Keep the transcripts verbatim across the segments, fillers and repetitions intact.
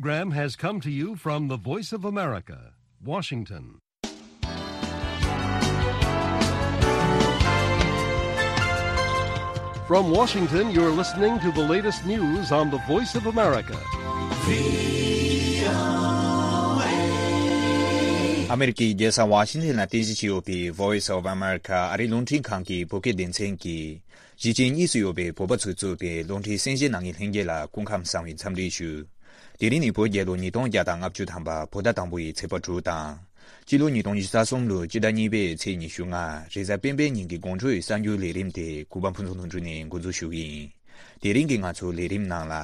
Program has come to you from the Voice of America, Washington. From Washington, you're listening to the latest news on the Voice of America. ཨ་མེ་རི་ཀའི་རྒྱལ་ས་ཝ་ཤིང་ཊོན་ལ་རྟེན་གཞི་བྱས་ཡོད་པའི་Voice of America ཨ་རིའི་རླུང་འཕྲིན་ཁང་གི་བོད་སྐད་སྡེ་ཚན་གྱིས། གཞིས་བྱེས་གཉིས་སུ་ཡོད་པའི་བོད་པ་ཚོས་གཙོས་པའི་རླུང་འཕྲིན་གསན་གཟིགས་གནང་མཁན་ལྷན་རྒྱས་ལ་སྐུ་ཁམས་བཟང་བའི་འཚམས་འདྲི་ཞུ། དེ་རིང་ནི་བོད་རྒྱལ་ལོ་ཉིས་སྟོང་བརྒྱ་དང་ལྔ་བཅུ་ཐམ་པ་བོད་ཟླ་དང་པོ་ཡི་ཚེས་པ་དྲུག་དང་། སྤྱི་ལོ་ཉིས་སྟོང་ཉི་ཤུ་རྩ་གསུམ་ལོའི་སྤྱི་ཟླ་གཉིས་པའི་ཚེས་ཉི་ཤུ་ལྔ་རེས་གཟའ་སྤེན་པའི་ཉིན་གྱི་དགོང་དྲོའི་གསར་འགྱུར་ལས་རིམ་དེ་གུས་པ་ཕུན་ཚོགས་ལྷུན་གྲུབ་ནས་འགོ་འཛུགས་ཞུ་གི་ཡིན། དེ་རིང་གི་ང་ཚོའི་ལས་རིམ་ནང་ལ།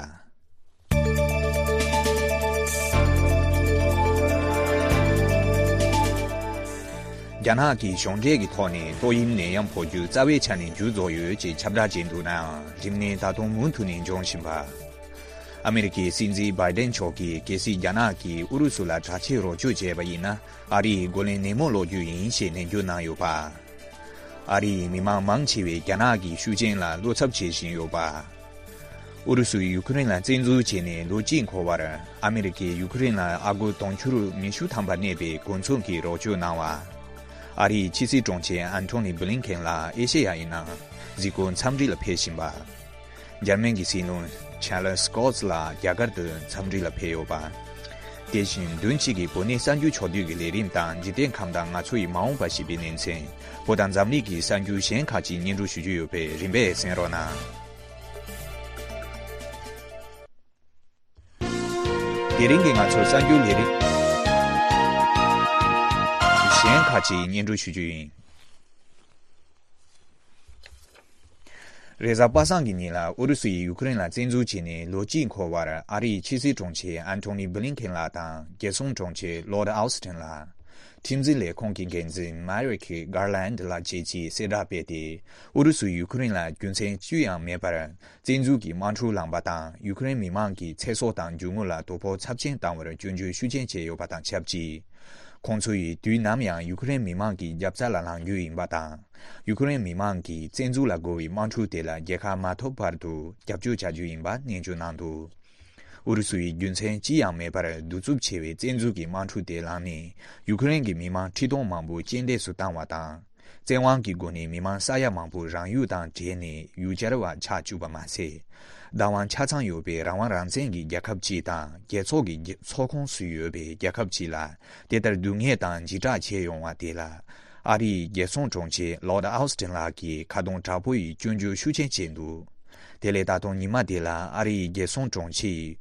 རྒྱ་ནག་གིས་གཞུང་འབྲེལ་གྱི་ཐོག་ནས་ཏོག་དབྱིབས་ནད་ཡམས་འཕོ་འགྱུར་རྩ་བའི་ཆ་ནས་མཇུག་རྫོགས་ཡོད་ཅེས་ཁྱབ་བསྒྲགས་བྱས་འདུག་ནའང་རིམས་ནད་ད་དུང་མུ་མཐུད་ནས་འབྱུང་བཞིན་པ། ཨ་མེ་རི་ཀའི་སྲིད་འཛིན་བྷའི་ཌེན་མཆོག་གིས་གལ་སྲིད་རྒྱ་ནག་གིས་ཨུ་རུ་སུ་ལ་དྲག་ཆས་རོགས་སྐྱོར་བྱས་པ་ཡིན་ན་ཨ་རི་ཡི་རྒོལ་ལན་ནན་མོ་སློག་རྒྱུ་ཡིན་ཞེས་ནན་བརྗོད་གནང་ཡོད་པ། ཨ་རི་ཡི་མི་མང་མང་ཆེ་བས་རྒྱ་ནག་གི་ཤུགས་རྐྱེན་ལ་བློ་འཚབ་བྱེད་བཞིན་ཡོད་པ། ཨུ་རུ་སུས་ཡུ་ཁུ་རེན་ལ་བཙན་འཛུལ་བྱས་ནས་ལོ་གཅིག་འཁོར་བར་ཨ་མེ་རི་ཀས་ཡུ་ཁུ་རེན་ལ་ཨ་སྒོར་དུང་ཕྱུར་ཉི་ཤུ་ཐམ་པ་གནས་པའི་གོ་མཚོན་གྱི་རོགས་སྐྱོར་གནང་བ། ཨ་རིའི་ཕྱི་སྲིད་དྲུང་ཆེ་ཨན་ཐོ་ནི་བྷི་ལིན་ཁེན་ལགས་ཨེ་ཤེ་ཡ་ཡི་ནང་གཟིགས་སྐོར་འཚམས་འདྲི་ལ་ཕེབས་བཞིན་པ། འཇར་མན་གྱི་སྲིད་བློན་ཆཱ་ལི་སི་ཀོ་ལགས་རྒྱ་གར་དུ་འཚམས་འདྲི་ལ་ཕེབས་ཡོད་པ། དེ་བཞིན་བདུན་གཅིག་གི་བོད་གནས་གསར་འགྱུར་ཕྱོགས་བསྡུས་ཀྱི་ལས་རིམ་དང་འཇིག་རྟེན་ཁམས་དང་ང་ཚོ་ཡི་མ་འོངས་པ་ཞེས་པའི་ལེ་ཚན། བོད་དང་འཛམ་གླིང་གི་གསར་འགྱུར་གཞན་ཁག་ཅིག་སྙན་སྒྲོན་ཞུ་རྒྱུ་ཡོད་པས་རིམ་པས་གསན་རོགས་གནང་། དེ་རིང་གི་ང་ཚོའི་གསར་འགྱུར་ལས་རིམ་གཞན་ཁག་ཅིག་སྙན་སྒྲོན་ཞུ་རྒྱུ་ཡིན། རེས་གཟའ་པ་སངས་ཀྱི་ཉིན་ལ་ཨུ་རུ་སུ་ཡིས་ཡུ་ཁུ་རེན་ལ་བཙན་འཛུལ་བྱས་ནས་ལོ་གཅིག་འཁོར་བར་ཨ་རིའི་ཕྱི་སྲིད་དྲུང་ཆེ་ཨན་ཐོ་ནི་བྷི་ལིན་ཁེན་ལགས་དང་རྒྱལ་སྲུང་དྲུང་ཆེ་ལོར་ཌི་ཨའུ་སི་ཊིན་ལགས། ཁྲིམས་འཛིན་ལས་ཁུངས་ཀྱི་འགན་འཛིན་མེ་རིག་གྷར་ལན་ལགས་བཅས་ཀྱིས་གསལ་བསྒྲགས་སྤེལ་ཏེ། ཨུ་རུ་སུས་ཡུ་ཁུ་རེན་ལ་རྒྱུ་མཚན་ཅི་ཡང་མེད་པར་བཙན་འཛུལ་གྱི་དམག་འཁྲུག་བསླངས་པ་དང་ཡུ་ཁུ་རེན་མི་མང་གི་ཚེ་སྲོག་དང་རྒྱུ་དངོས་ལ་དོ་ཕོག་ཚབས་ཆེན་བཏང་བར་སྐྱོན་བརྗོད་ཤུགས་ཆེན་བྱས་ཡོད་པ་དང་ཆབས་ཅིག་ཁོང་ཚོ་ཡིས་དུས་ནམ་ཡང་ཡུ་ཁུ་རེན་མི་མང་གི་རྒྱབ་རྩ་ལ་ལངས་རྒྱུ་ཡིན་པ་དང་། ཡུ་ཁུ་རེན་མི་མང་གིས་བཙན་འཛུལ་ལ་རྒོལ་བའི་དམག་འཁྲུག་དེ་ལ་རྒྱལ་ཁ་མ་ཐོབ་བར་དུ་རྒྱབ་སྐྱོར་བྱ་རྒྱུ་ཡིན་པ་ནན་བརྗོད་གནང་འདུག་ཨུ་རུ་སུ་ཡིས་རྒྱུ་མཚན་ཅི་ཡང་མེད་པར་གདུག་རྩུབ་ཆེ་བའི་བཙན་འཛུལ་གྱི་དམག་འཁྲུག་དེ་བསླངས་ནས་ཡུ་ཁུ་རེན་གྱི་མི་མང་ཁྲི་སྟོང་མང་པོ་རྐྱེན་འདས་སུ་བཏང་བ་དང་། བཙན་དབང་གི་སྒོ་ནས་མི་མང་ས་ཡ་མང་པོ་རང་ཡུལ་དང་བྲལ་ནས་ཡུལ་གྱར་བ་ཆགས་བཅུག་པ་མ་ཟད། བདག་དབང་ཆ་ཚང་ཡོད་པའི་རང་དབང་རང་བཙན་གྱི་རྒྱལ་ཁབ་ཅིག་དང་རྒྱལ་ཚོགས་ཀྱི་རྒྱ་ཚོགས་ཁོངས་སུ་ཡོད་པའི་རྒྱལ་ཁབ་ཅིག་ལ་དེ་ལྟར་སྡུག་བསྔལ་དང་འཇིགས་སྐྲག་བྱས་ཡོང་བ་དེ་ལ་ཨ་རིའི་རྒྱལ་སྲུང་དྲུང་ཆེ་ལོར་ཌི་ཨའུ་སི་ཊིན་ལགས་ཀྱིས་ཁ་རྡུང་དྲག་པོ་ཡིས་སྐྱོན་བརྗོད་ཤུགས་ཆེན་བྱས་འདུག་དེ་ལས་ད་དུང་ཉི་མ་དེ་ལ་ཨ་རིའི་རྒྱལ་སྲུང་དྲུང་ཆེ་ཡིས།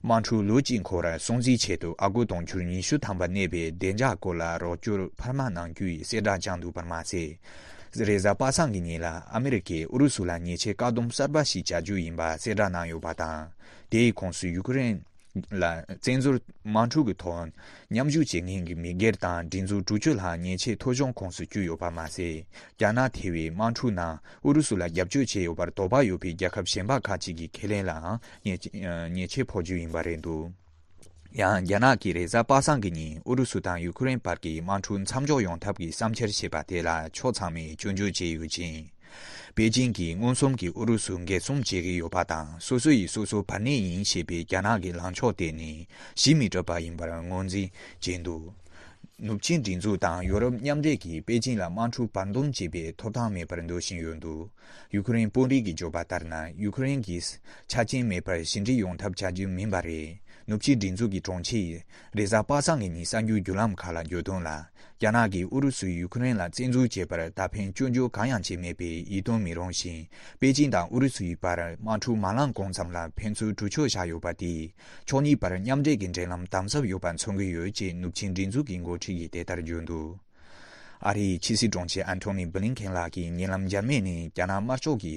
དམག་འཁྲུག་ལོ་གཅིག་འཁོར་བར་སྲུང་བརྩིའི་ཆེད་དུ་ཨ་སྒོར་དུང་ཕྱུར་ཉི་ཤུ་ཐམ་པ་གནས་པའི་བདེ་འཇགས་སྐོར་ལ་རོགས་སྐྱོར་འཕར་མ་གནང་རྒྱུ་ཡི་གསལ་བསྒྲགས་བསྐྱངས་འདུག་པར་མ་ཟད། རེས་གཟའ་པ་སངས་ཀྱི་ཉིན་ལ་ཨ་མི་རི་ཀས་ཨུ་རུ་སུ་ལ་ཉེས་ཆད་བཀག་སྡོམ་གསར་པ་ཞིག་བྱ་རྒྱུ་ཡིན་པ་གསལ་བསྒྲགས་གནང་ཡོད་པ་དང་། དེའི་ཁོངས་སུ་ཡུ་ཀེ་རེན་ལ་བཙན་འཛུལ་དམག་འཁྲུག་གི་ཐོག་མཉམ་ཞུགས་བྱེད་མཁན་གྱི་མི་སྒེར་དང་སྒྲིག་འཛུགས་དྲུག་ཅུ་ལྷག་ཉེས་ཆད་ཐོ་གཞུང་ཁོངས་སུ་བསྐྱུར་ཡོད་པ་མ་ཟད། རྒྱ་ནག་ཐེ་བའི་དམག་འཁྲུག་ནང་ཨུ་རུ་སུ་ལ་རྒྱབ་སྐྱོར་བྱས་ཡོད་པར་དོགས་པ་ཡོད་པའི་རྒྱལ་ཁབ་གཞན་པ་ཁག་ཅིག་གི་ཁེ་ལས་ལའང་ཉེས་ཉེས་ཆད་ཕོག་རྒྱུ་ཡིན་པ་རེད་འདུག་ཡང་རྒྱ་ནག་གིས་རེས་གཟའ་པ་སངས་ཀྱི་ཉིན་ཨུ་རུ་སུ་དང་ཡུ་ཁུ་རེན་བར་གྱི་དམག་འཁྲུག་མཚམས་འཇོག་ཡོང་ཐབས་ཀྱི་བསམ་འཆར་བྱས་པ་དེ་ལ་ཕྱོགས་ཚང་མས་སྐྱོན་བརྗོད་བྱས་ཡོད་ཅིང་། པེ་ཅིང་གིས་མངོན་སུམ་གྱིས་ཨུ་རུ་སུ་འགན་སྲུང་བྱེད་ཀྱི་ཡོད་པ་དང་སོ་སོ་ཡིས་སོ་སོ་བར་གནས་ཡིན་ཞེས་པའི་རྒྱ་ནག་གི་ལངས་ཕྱོགས་དེ་ནི་གཞི་མི་གྲུབ་པ་ཡིན་པར་ངོས་འཛིན་བྱས་འདུག་ནུབ་ཆིངས་སྒྲིག་འཛུགས་དང་ཡོ་རོབ་མཉམ་འབྲེལ་གྱིས་པེ་ཅིང་ལ་དམག་འཁྲུག་བར་འདུམ་བྱེད་པའི་ཐོབ་ཐང་མེད་པར་འདོད་བཞིན་ཡོད་འདུག་ཡུ་ཁུ་རེན་དཔོན་རིགས་ཀྱིས་བརྗོད་པ་ལྟར་ན་ཡུ་ཁུ་རེན་གྱིས་ཆ་རྐྱེན་མེད་པར་ཞི་འགྲིག་ཡོང་ཐབས་བྱ་རྒྱུ་མིན་པ་རེད། ནུབ་ཕྱོགས་སྒྲིག་འཛུགས་ཀྱི་དྲུང་ཆེ་ཡིས་རེས་གཟའ་པ་སངས་ཀྱི་ཉིན་གསར་འགྱུར་བརྒྱུད་ལམ་ཁག་ལ་བརྗོད་དོན་ལ། རྒྱ་ནག་གིས་ཨུ་རུ་སུས་ཡུ་ཁུ་རེན་ལ་བཙན་འཛུལ་བྱས་པར་ད་ཕན་སྐྱོན་བརྗོད་གང་ཡང་བྱེད་མེད་པས་ཡིད་རྟོན་མི་རུང་ཞིང་། པེ་ཅིང་དང་ཨུ་རུ་སུ་ཡི་བར་དམག་འཁྲུག་མ་ལངས་གོང་ཙམ་ལ་ཕན་ཚུན་གྲོས་ཆོད་བཞག་ཡོད་པ་དེས་ཕྱོགས་གཉིས་བར་མཉམ་འབྲེལ་གྱི་འབྲེལ་ལམ་དམ་ཟབ་ཡོད་པ་མཚོན་གྱི་ཡོད་ཅེས་ནུབ་ཆིངས་སྒྲིག་འཛུགས་ཀྱི་འགོ་ཁྲིད་ཀྱིས་དེ་ལྟར་བརྗོད་འདུག་ཨ་རིའི་ཕྱི་སྲིད་དྲུང་ཆེ་ཨན་ཐོ་ནི་བྷི་ལིན་ཁེན་ལགས་ཀྱིས་ཉེ་ལམ་འཇར་མན་ནས་རྒྱ་ནག་དམར་ཤོག་གི་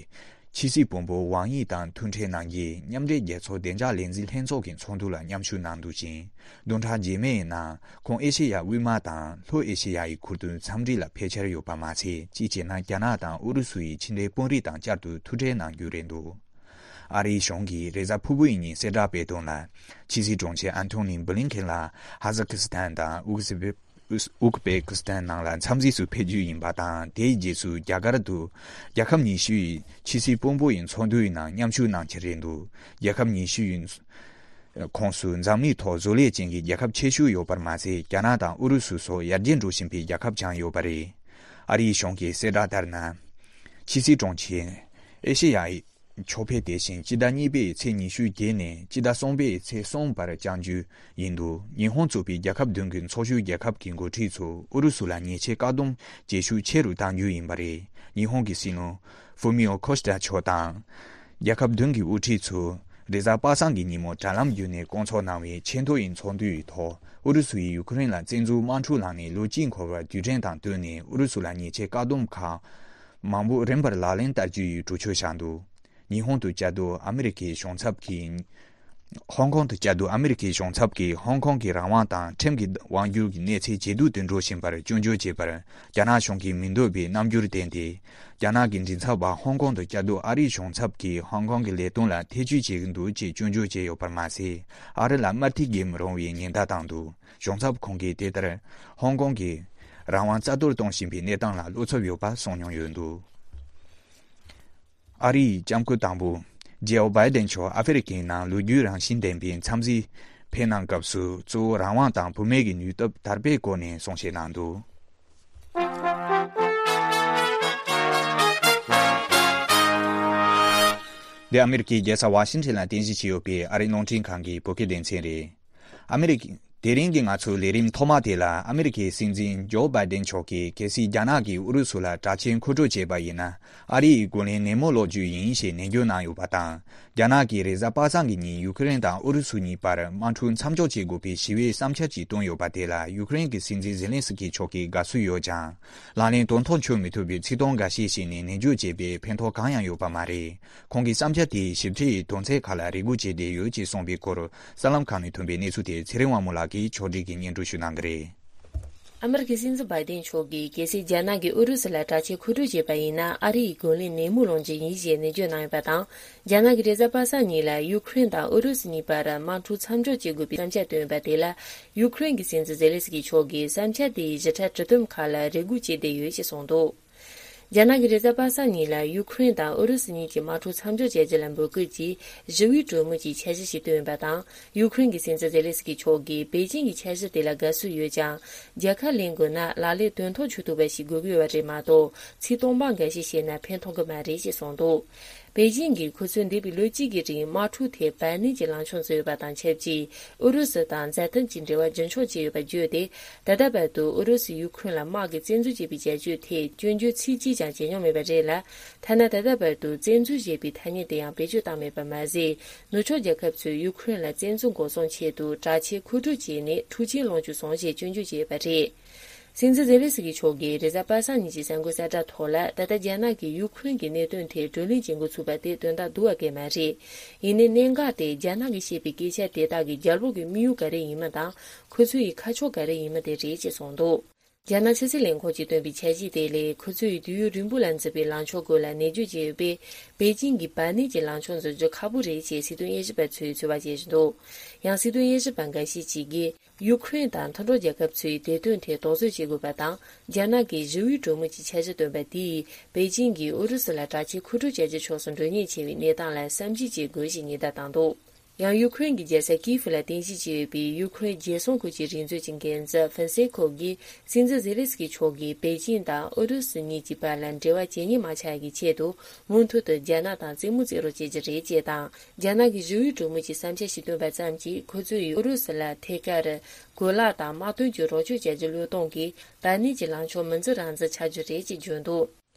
ཕྱི་སྲིད་བུ་མོ་ཝང་དབྱི་དང་ཐུག་འཕྲད་གནང་རྗེས་མཉམ་འབྲེལ་རྒྱལ་ཚོགས་བདེ་འཇགས་ལས་འཛིན་ལྷན་ཚོགས་ཀྱི་ཚོགས་འདུ་ལ་མཉམ་ཞུགས་གནང་འདུག་ཅིང་། བདུན་ཕྲག་རྗེས་མའི་ནང་ཁོང་ཨེ་ཤེ་ཡ་དབུས་མ་དང་ལྷོ་ཨེ་ཤེ་ཡ་ཡི་ཁུལ་དུ་འཚམས་འདྲི་ལ་ཕེབས་འཆར་ཡོད་པ་མ་ཚད་གཅིག་བྱས་ན་རྒྱ་ནག་དང་ཨུ་རུ་སུ་ཡི་ཕྱི་འབྲེལ་དཔོན་རིགས་དང་བསྐྱར་དུ་ཐུག་འཕྲད་གནང་རྒྱུ་རེད་འདུག་ཨ་རིའི་གཞུང་གིས་རེས་གཟའ་ཕུར་བུ་ཡི་ཉིན་གསལ་བསྒྲགས་སྤེལ་དོན་ལ། ཕྱི་སྲིད་དྲུང་ཆེ་ཨན་ཐོ་ནི་བྷི་ལིན་ཁེན་ལགས་ཧ་ཟ་ཁི་སི་ཐན་དང་ཨུ་ཟི་བེ། ཨུ་ཟི་ཨུ་ཟི་བེ་ཀི་སི་ཐན་ནང་ལ་འཚམས་གཟིགས་སུ་ཕེབས་རྒྱུ་ཡིན་པ་དང་དེའི་རྗེས་སུ་རྒྱ་གར་དུ་རྒྱལ་ཁབ་ཉི་ཤུ་ཡི་ཕྱི་སྲིད་དཔོན་པོ་ཡི་ཚོགས་འདུའི་ནང་མཉམ་ཞུགས་གནང་འཆར་རེད་འདུག་རྒྱལ་ཁབ་ཉི་ཤུ་ཡི་ ཁོངས་སུ་འཛམ་གླིང་ཐོག་བཟོ་ལས་ཅན་གྱི་རྒྱལ་ཁབ་ཆེ་ཤོས་ཡོད་པར་མ་ཟད། རྒྱ་ནག་དང་ཨུ་རུ་སུ་སོགས་ཡར་རྒྱས་འགྲོ་བཞིན་པའི་རྒྱལ་ཁབ་ཀྱང་ཡོད་པ་རེད། ཨ་རིའི་གཞུང་གིས་གསལ་བསྒྲགས་ལྟར་ན། ཕྱི་སྲིད་དྲུང་ཆེ། ཨེ་ཤེ་ཡ་ཡི་ཕྱོགས་ཕེབས་དེ་བཞིན་སྤྱི་ཟླ་གཉིས་པའི་ཚེས་ཉི་ཤུ་བརྒྱད་ནས་སྤྱི་ཟླ་གསུམ་པའི་ཚེས་གསུམ་བར་བསྐྱང་རྒྱུ་ཡིན་འདུག་ཉི་ཧོང་གཙོས་པའི་རྒྱལ་ཁབ་བདུན་གྱི་ཚོགས་ཞུགས་རྒྱལ་ཁབ་ཀྱི་འགོ་ཁྲིད་ཚོས་ཨུ་རུ་སུ་ལ་ཉེས་ཆད་བཀག་སྡོམ་བྱེད་ཤུགས་ཆེ་རུ་གཏང་རྒྱུ་ཡིན་པ་རེད། ཉི་ཧོང་གི་སྲིད་བློན་ཧྥུ་མིའོ་ཁོ་ཤི་ད་མཆོག་དང་། རྒྱལ་ཁབ་བདུན་གྱི་དབུ་ཁྲིད་ཚོས་རེས་གཟའ་པ་སངས་ཀྱི་ཉིན་མོ་དྲ་ལམ་བརྒྱུད་ནས་བསྐོང་ཚོགས་གནང་བའི་ཆེས་མཐོ་ཡི་ཚོགས་འདུའི་ཐོག་ཨུ་རུ་སུ་ཡིས་ཡུ་ཁུ་རེན་ལ་བཙན་འཛུལ་དམག་འཁྲུག་ལངས་ནས་ལོ་གཅིག་འཁོར་བར་དུས་དྲན་དང་བསྟུན་ནས་ཨུ་རུ་སུ་ལ་ཉེས་ཆད་བཀག་སྡོམ་ཁག་མང་པོ་རིམ་པར་ལག་ལེན་བསྟར་རྒྱུ་ཡི་གྲོས་ཆོད་བཞག་འདུག་ཉི་ཧོང་དུ་བཅའ་སྡོད་ཨ་མི་རི་ཀའི་གཞུང་ཚབ་ཀྱིས། ཧོང་ཀོང་དུ་བཅའ་སྡོད་ཨ་མི་རི་ཀའི་གཞུང་ཚབ་ཀྱིས་ཧོང་ཀོང་གི་རང་དབང་དང་ཁྲིམས་ཀྱི་དབང་སྒྱུར་གྱི་གནས་ཚད་ཇེ་སྡུག་ཏུ་འགྲོ་བཞིན་པར་སྐྱོན་བརྗོད་བྱས་པར། རྒྱ་ནག་གཞུང་གིས་མི་འདོད་པའི་རྣམ་འགྱུར་བསྟན་ཏེ། རྒྱ་ནག་གི་མགྲིན་ཚབ་པ་ཧོང་ཀོང་དུ་བཅའ་སྡོད་ཨ་རིའི་གཞུང་ཚབ་ཀྱིས་ཧོང་ཀོང་གི་ལས་དོན་ལ་ཐེ་བྱུས་བྱེད་ཀྱི་འདུག་ཅེས་སྐྱོན་བརྗོད་བྱས་ཡོད་པར་མ་ཟད། ཨ་རི་ལ་དམར་ཐིག་རྒྱག་མི་རུང་བའི་ཉེན་བརྡ་བཏང་འདུག་གཞུང་ཚབ་ཁོང་གིས་དེ་ལྟར་ཧོང་ཀོང་གི་རང་དབང་རྩ་གཏོར་གཏོང་བཞིན་པའི་གནས་སྟངས་ལ་བློ་འཚབ་ཡོད་པ་གསུངས་མྱོང་ཡོད་འདུག་ཨ་རིའི་ལྕམ་སྐུ་དང་པོ་ཇོ་བྷའི་ཏན་མཆོག་ཨ་ཧྥེ་རི་ཁའི་ནང་ལོ་རྒྱུས་རང་བཞིན་ལྡན་པའི་འཚམས་གཟིགས་ཕེབས་གནང་སྐབས་སུ། གཙོ་བོ་རང་དབང་དང་བུད་མེད་ཀྱི་ནུས་སྟོབས་དར་སྤེལ་སྐོར་ནས་གསུང་བཤད་གནང་འདུག་འདི་ཨ་མི་རི་ཀའི་རྒྱལ་ས་ཝ་ཤིང་ཊོན་ལ་རྟེན་གཞི་བྱས་ཡོད་པའི་ཨ་རིའི་རླུང་འཕྲིན་ཁང་གི་བོད་སྐད་སྡེ་ཚན་རེད། ཨ་མི་རི་ཀ། དེ་རིང་གི་ང་ཚོའི་ལས་རིམ་ཐོག་མ་དེ་ལ། ཨ་མི་རི་ཀའི་སྲིད་འཛིན་ཇོ་བྷའི་ཏན་མཆོག་གིས། གལ་སྲིད་རྒྱ་ནག་གིས་ཨུ་རུ་སུ་ལ་དྲག་ཆས་མཁོ་སྤྲོད་བྱས་པ་ཡིན་ན། ཨ་རི་ཡི་རྒོལ་ལན་ནན་མོ་སློག་རྒྱུ་ཡིན་ཞེས་ནན་བརྗོད་གནང་ཡོད་པ་དང་། རྒྱ་ནག་གིས་རེས་གཟའ་པ་སངས་ཀྱི་ཉིན་ཡུ་ཁུ་རེན་དང་ཨུ་རུ་སུ་གཉིས་བར་དམག་འཁྲུག་མཚམས་འཇོག་བྱེད་དགོས་པའི་ཞི་བའི་བསམ་འཆར་ཞིག་བཏོན་ཡོད་པ་དེ་ལ། ཡུ་ཁུ་རེན་གྱི་སྲིད་འཛིན་ཛེ་ལན་སི་ཀི་མཆོག་གིས་དགའ་བསུ་ཡོད་ཀྱང་། ལག་ལེན་དོན་ཐོག་འཁྱོལ་མི་ཐུབ་པའི་ཚིག་དོན་འགའ་ཤས་བཤད་ནས་ནན་བརྗོད་བྱས་པས་ཕན་ཐོགས་གང་ཡང་ཡོད་པ་མ་རེད། ཁོང་གི་བསམ་འཆར་དེས་ཞིབ་ཕྲའི་དོན་ཚན་ཁག་ལ་རེ་སྒུག་བྱེད་བསྡད་ཡོད་ཅེས་གསུངས་པའི་སྐོར། གསར་ལམ་ཁག་ནས་ཐོན་པའི་གནས་ཚུལ་དེ་ཚེ་རིང་དབང་མོ་ལགས་ཀྱིས་ཕྱོགས་སྒྲིག་གིས་སྙན་སྒྲོན་ཞུ་གནང་གི་རེད། ཨ་མི་རི་ཀའི་སྲིད་འཛིན་བྷའི་ཏན་མཆོག་གིས། གལ་སྲིད་རྒྱ་ནག་གིས་ཨུ་རུ་སུ་ལ་དྲག་ཆས་མཁོ་སྤྲོད་བྱས་པ་ཡིན་ན། ཨ་རི་ཡིས་རྒོལ་ལན་ནན་མོ་སློང་རྒྱུ་ཡིན་ཞེས་ནན་བརྗོད་གནང་ཡོད་པ་དང་། རྒྱ་ནག་གིས་རེས་གཟའ་པ་སངས་ཉིན་ལ་ཡུ་ཁུ་རེན་དང་ཨུ་རུ་སུ་གཉིས་བར་དམག་འཁྲུག་མཚམས་འཇོག་བྱེད་དགོས་པའི་བསམ་འཆར་བཏོན་ཡོད་པ་དེ་ལ། ཡུ་ཁུ་རེན་གྱི་སྲིད་འཛིན་ཛེ་ལན་སི་ཀི་མཆོག་གིས་བསམ་འཆར་དེའི་ཞིབ་ཕྲ་དྲི་དེབ་ཁག་ལ་རེ་སྒུག་བྱེད་བསྡད་ཡོད་ཅེས་གསུངས་འདུག་རྒྱ་ནག་གིས་རེས་གཟའ་པ་སངས་ཉིན་ལ་ཡུ་ཁུ་རེན་དང་ཨུ་རུ་སུ་གཉིས་ཀྱི་དམག་འཁྲུག་མཚམས་འཇོག་བྱ་རྒྱུ་ལ་འབོད་སྐུལ་གྱིས་ཞི་བའི་གྲོས་མོལ་གྱི་འཆར་གཞི་ཞིག་བཏོན་ཡོད་པ་དང་། ཡུ་ཁུ་རེན་གྱི་སྲིད་འཛིན་ཛེ་ལན་སི་ཀི་མཆོག་གིས་པེ་ཅིང་གི་འཆར་གཞི་དེ་ལ་དགའ་བསུ་ཡོད་ཀྱང་། རྒྱལ་ཁ་ལེན་དགོས་ན་ལག་ལེན་དོན་ཐོག་འཁྱོལ་ཐུབ་པ་ཞིག་དགོས་ཀྱི་ཡོད་པ་རེད་མ་གཏོགས། ཚིག་སྟོང་པ་འགའ་ཤས་བཤད་ན་ཕན་ཐོགས་ཀྱི་མ་རེད་ཅེས་གསུངས་འདུག་པེ་ཅིང་གིས་ཁོ་ཚོས་འདས་པའི་ལོ་གཅིག་གི་རིང་དམག་འཁྲུག་ཐད་བར་གནས་ཀྱི་ལངས་ཕྱོགས་འཛིན་ཡོད་པ་དང་ཆབས་ཅིག་ཨུ་རུ་སུ་དང་མཛའ་མཐུན་གྱི་འབྲེལ་བ་རྒྱུན་འཁྱོངས་བྱས་ཡོད་པ་བརྗོད་དེ། ད་ལྟ་བར་དུ་ཨུ་རུ་སུས་ཡུ་ཁུ་རེན་ལ་དམག་གིས་བཙན་འཛུལ་བྱས་པའི་བྱ་སྤྱོད་ཐད་སྐྱོན་བརྗོད་ཚིག་གཅིག་ཀྱང་བྱས་མྱོང་མེད་པ་རེད་ལ། ཐ་ན་ད་ལྟ་བར་དུ་བཙན་འཛུལ་ཞེས་པའི་ཐ་སྙད་དེ་ཡང་བེད་སྤྱོད་བཏང་མེད་པ་མ་ཟད། ནུབ་ཕྱོགས་རྒྱལ་ཁབ་ཚོས་ཡུ་ཁུ་རེན་ལ་བཙན་འཛུལ་འགོག་སྲུང་ཆེད་དུ་དྲག་ཆས་མཁོ་སྤྲོད་བྱས་ནས་འཁྲུག་རྐྱེན་སློང་རྒྱུ་སོང་ཞེས་སྐྱོན་བརྗོད་བྱས་ཡོད་པ་རེད། སྲིད་འཛིན་ཛེ་ལན་སི་ཀི་མཆོག་གིས་རེས་གཟའ་པ་སངས་ཉིན་གྱི་གསར་འགོད་གསལ་བསྒྲགས་ཐོག་ལ། ད་ལྟ་རྒྱ་ནག་གིས་ཡུ་ཁུ་རེན་གྱི་གནད་དོན་ཐད་བགྲོ་གླེང་བྱེད་འགོ་ཚུགས་པ་དེ་དོན་དག་སྡུག་པ་གང་ཡང་མ་རེད། ཡིན་ནའི་གནད་འགག་དེ་རྒྱ་ནག་གིས་བཤད་པའི་སྐད་ཆ་དེ་དག་གི་རྒྱལ་པོ་གི་དམིགས་ཡུལ་ག་རེ་ཡིན་མིན་དང་། ཁོ་ཚོ་ཡི་ཁ་ཕྱོགས་ག་རེ་ཡིན་མིན་དེ་རེད་ཅེས་གསུངས་འདུག་རྒྱ་ནག་ཕྱི་སྲིད་ལས་ཁུངས་ཀྱིས་བཏོན་པའི་འཆར་གཞི་དེ་ལས། ཁོ་ཚོ་ཡི་དུས་ཡུན་རིང་པོ་ལ་འཛིན་པའི་ལངས་ཕྱོགས་སྐོར་ལ་ནན་བརྗོད་བྱས་ཡོད་པས། པེ་ཅིང་གིས་བར་གནས་ཀྱི་ལངས་ཕྱོགས་འཛིན་རྒྱུ་ཁག་པོ་རེད་ཅེས་སྲིད་དོན་དབྱེ་ཞིབ་པ་ཚོས་ཚོད་དཔག་བྱེད་བཞིན་འདུག་ཡང་སྲིད་དོན་དབྱེ་ཞིབ་པ་འགའ་ཤས་ཀྱིས། ཡུ་ཁུ་རེན་དང་མཐུན་གྲོགས་རྒྱལ་ཁབ་ཚོས་དེ་དོན་ཐད་དོགས་ཟོན་བྱེད་དགོས་པ་དང་། རྒྱ་ནག་གིས་ཞི་བའི་གྲོས་མོལ་གྱི་འཆར་གཞི་བཏོན་པ་དེས། པེ་ཅིང་གིས་ཨུ་རུ་སུ་ལ་དྲག་ཆས་མཁོ་སྤྲོད་བྱ་རྒྱུའི་ཕྱོགས་སུ་འགྲོ་ཉེན་ཆེ་བའི་གནས་སྟངས་ལ་བསམ་གཞིག་བྱེད་དགོས་ཞེས་ཉེན་བརྡ་བཏང་འདུག་ཡང་ཡུ་ཁུ་རེན་གྱི་རྒྱལ་ས་ཀིའེ་ཧྥུ་ལ་རྟེན་གཞི་བྱས་ཡོད་པའི་ཡུ་ཁུ་རེན་རྒྱལ་སྲུང་ཁུལ་གྱི་རིག་མཛོད་ཀྱི་འགན་འཛིན་ཧྥིན་སེ་ཁོ་གིས། སྲིད་འཛིན་ཛེ་ལན་སི་ཀི་མཆོག་གིས་པེ་ཅིང་དང་ཨུ་རུ་སུ་གཉིས་ཀྱི་བར་ལ་འབྲེལ་བ་ཇེ་ཉེ་མ་ཆགས་ཡག་གི་ཆེད་དུ། མུ་མཐུད་དུ་རྒྱ་ནག་དང་རྩེད་མོ་རྩེ་རོགས་བྱེད་རྒྱུ་རེད་ཅེས་དང་། རྒྱ་ནག་གིས་ཞི་བའི་གྲོས་མོལ་གྱི་བསམ་འཆར་ཞིག་བཏོན་པ་ཙམ་གྱིས། ཁོ་ཚོ་ཡིས་ཨུ་རུ་སུ་ལ་ཐད་ཀར་གོ་ལག་དང་དམག་དོན་གྱི་རོགས་སྐྱོར་བྱ་རྒྱུ་བློས་གཏོང་གིས། བར་གནས་ཀྱི་ལངས་ཕྱོགས་མི་འཛིན་རང་འཛིན་ཆགས་རྒྱུ་རེད་ཅེས་བརྗོད་འདུག་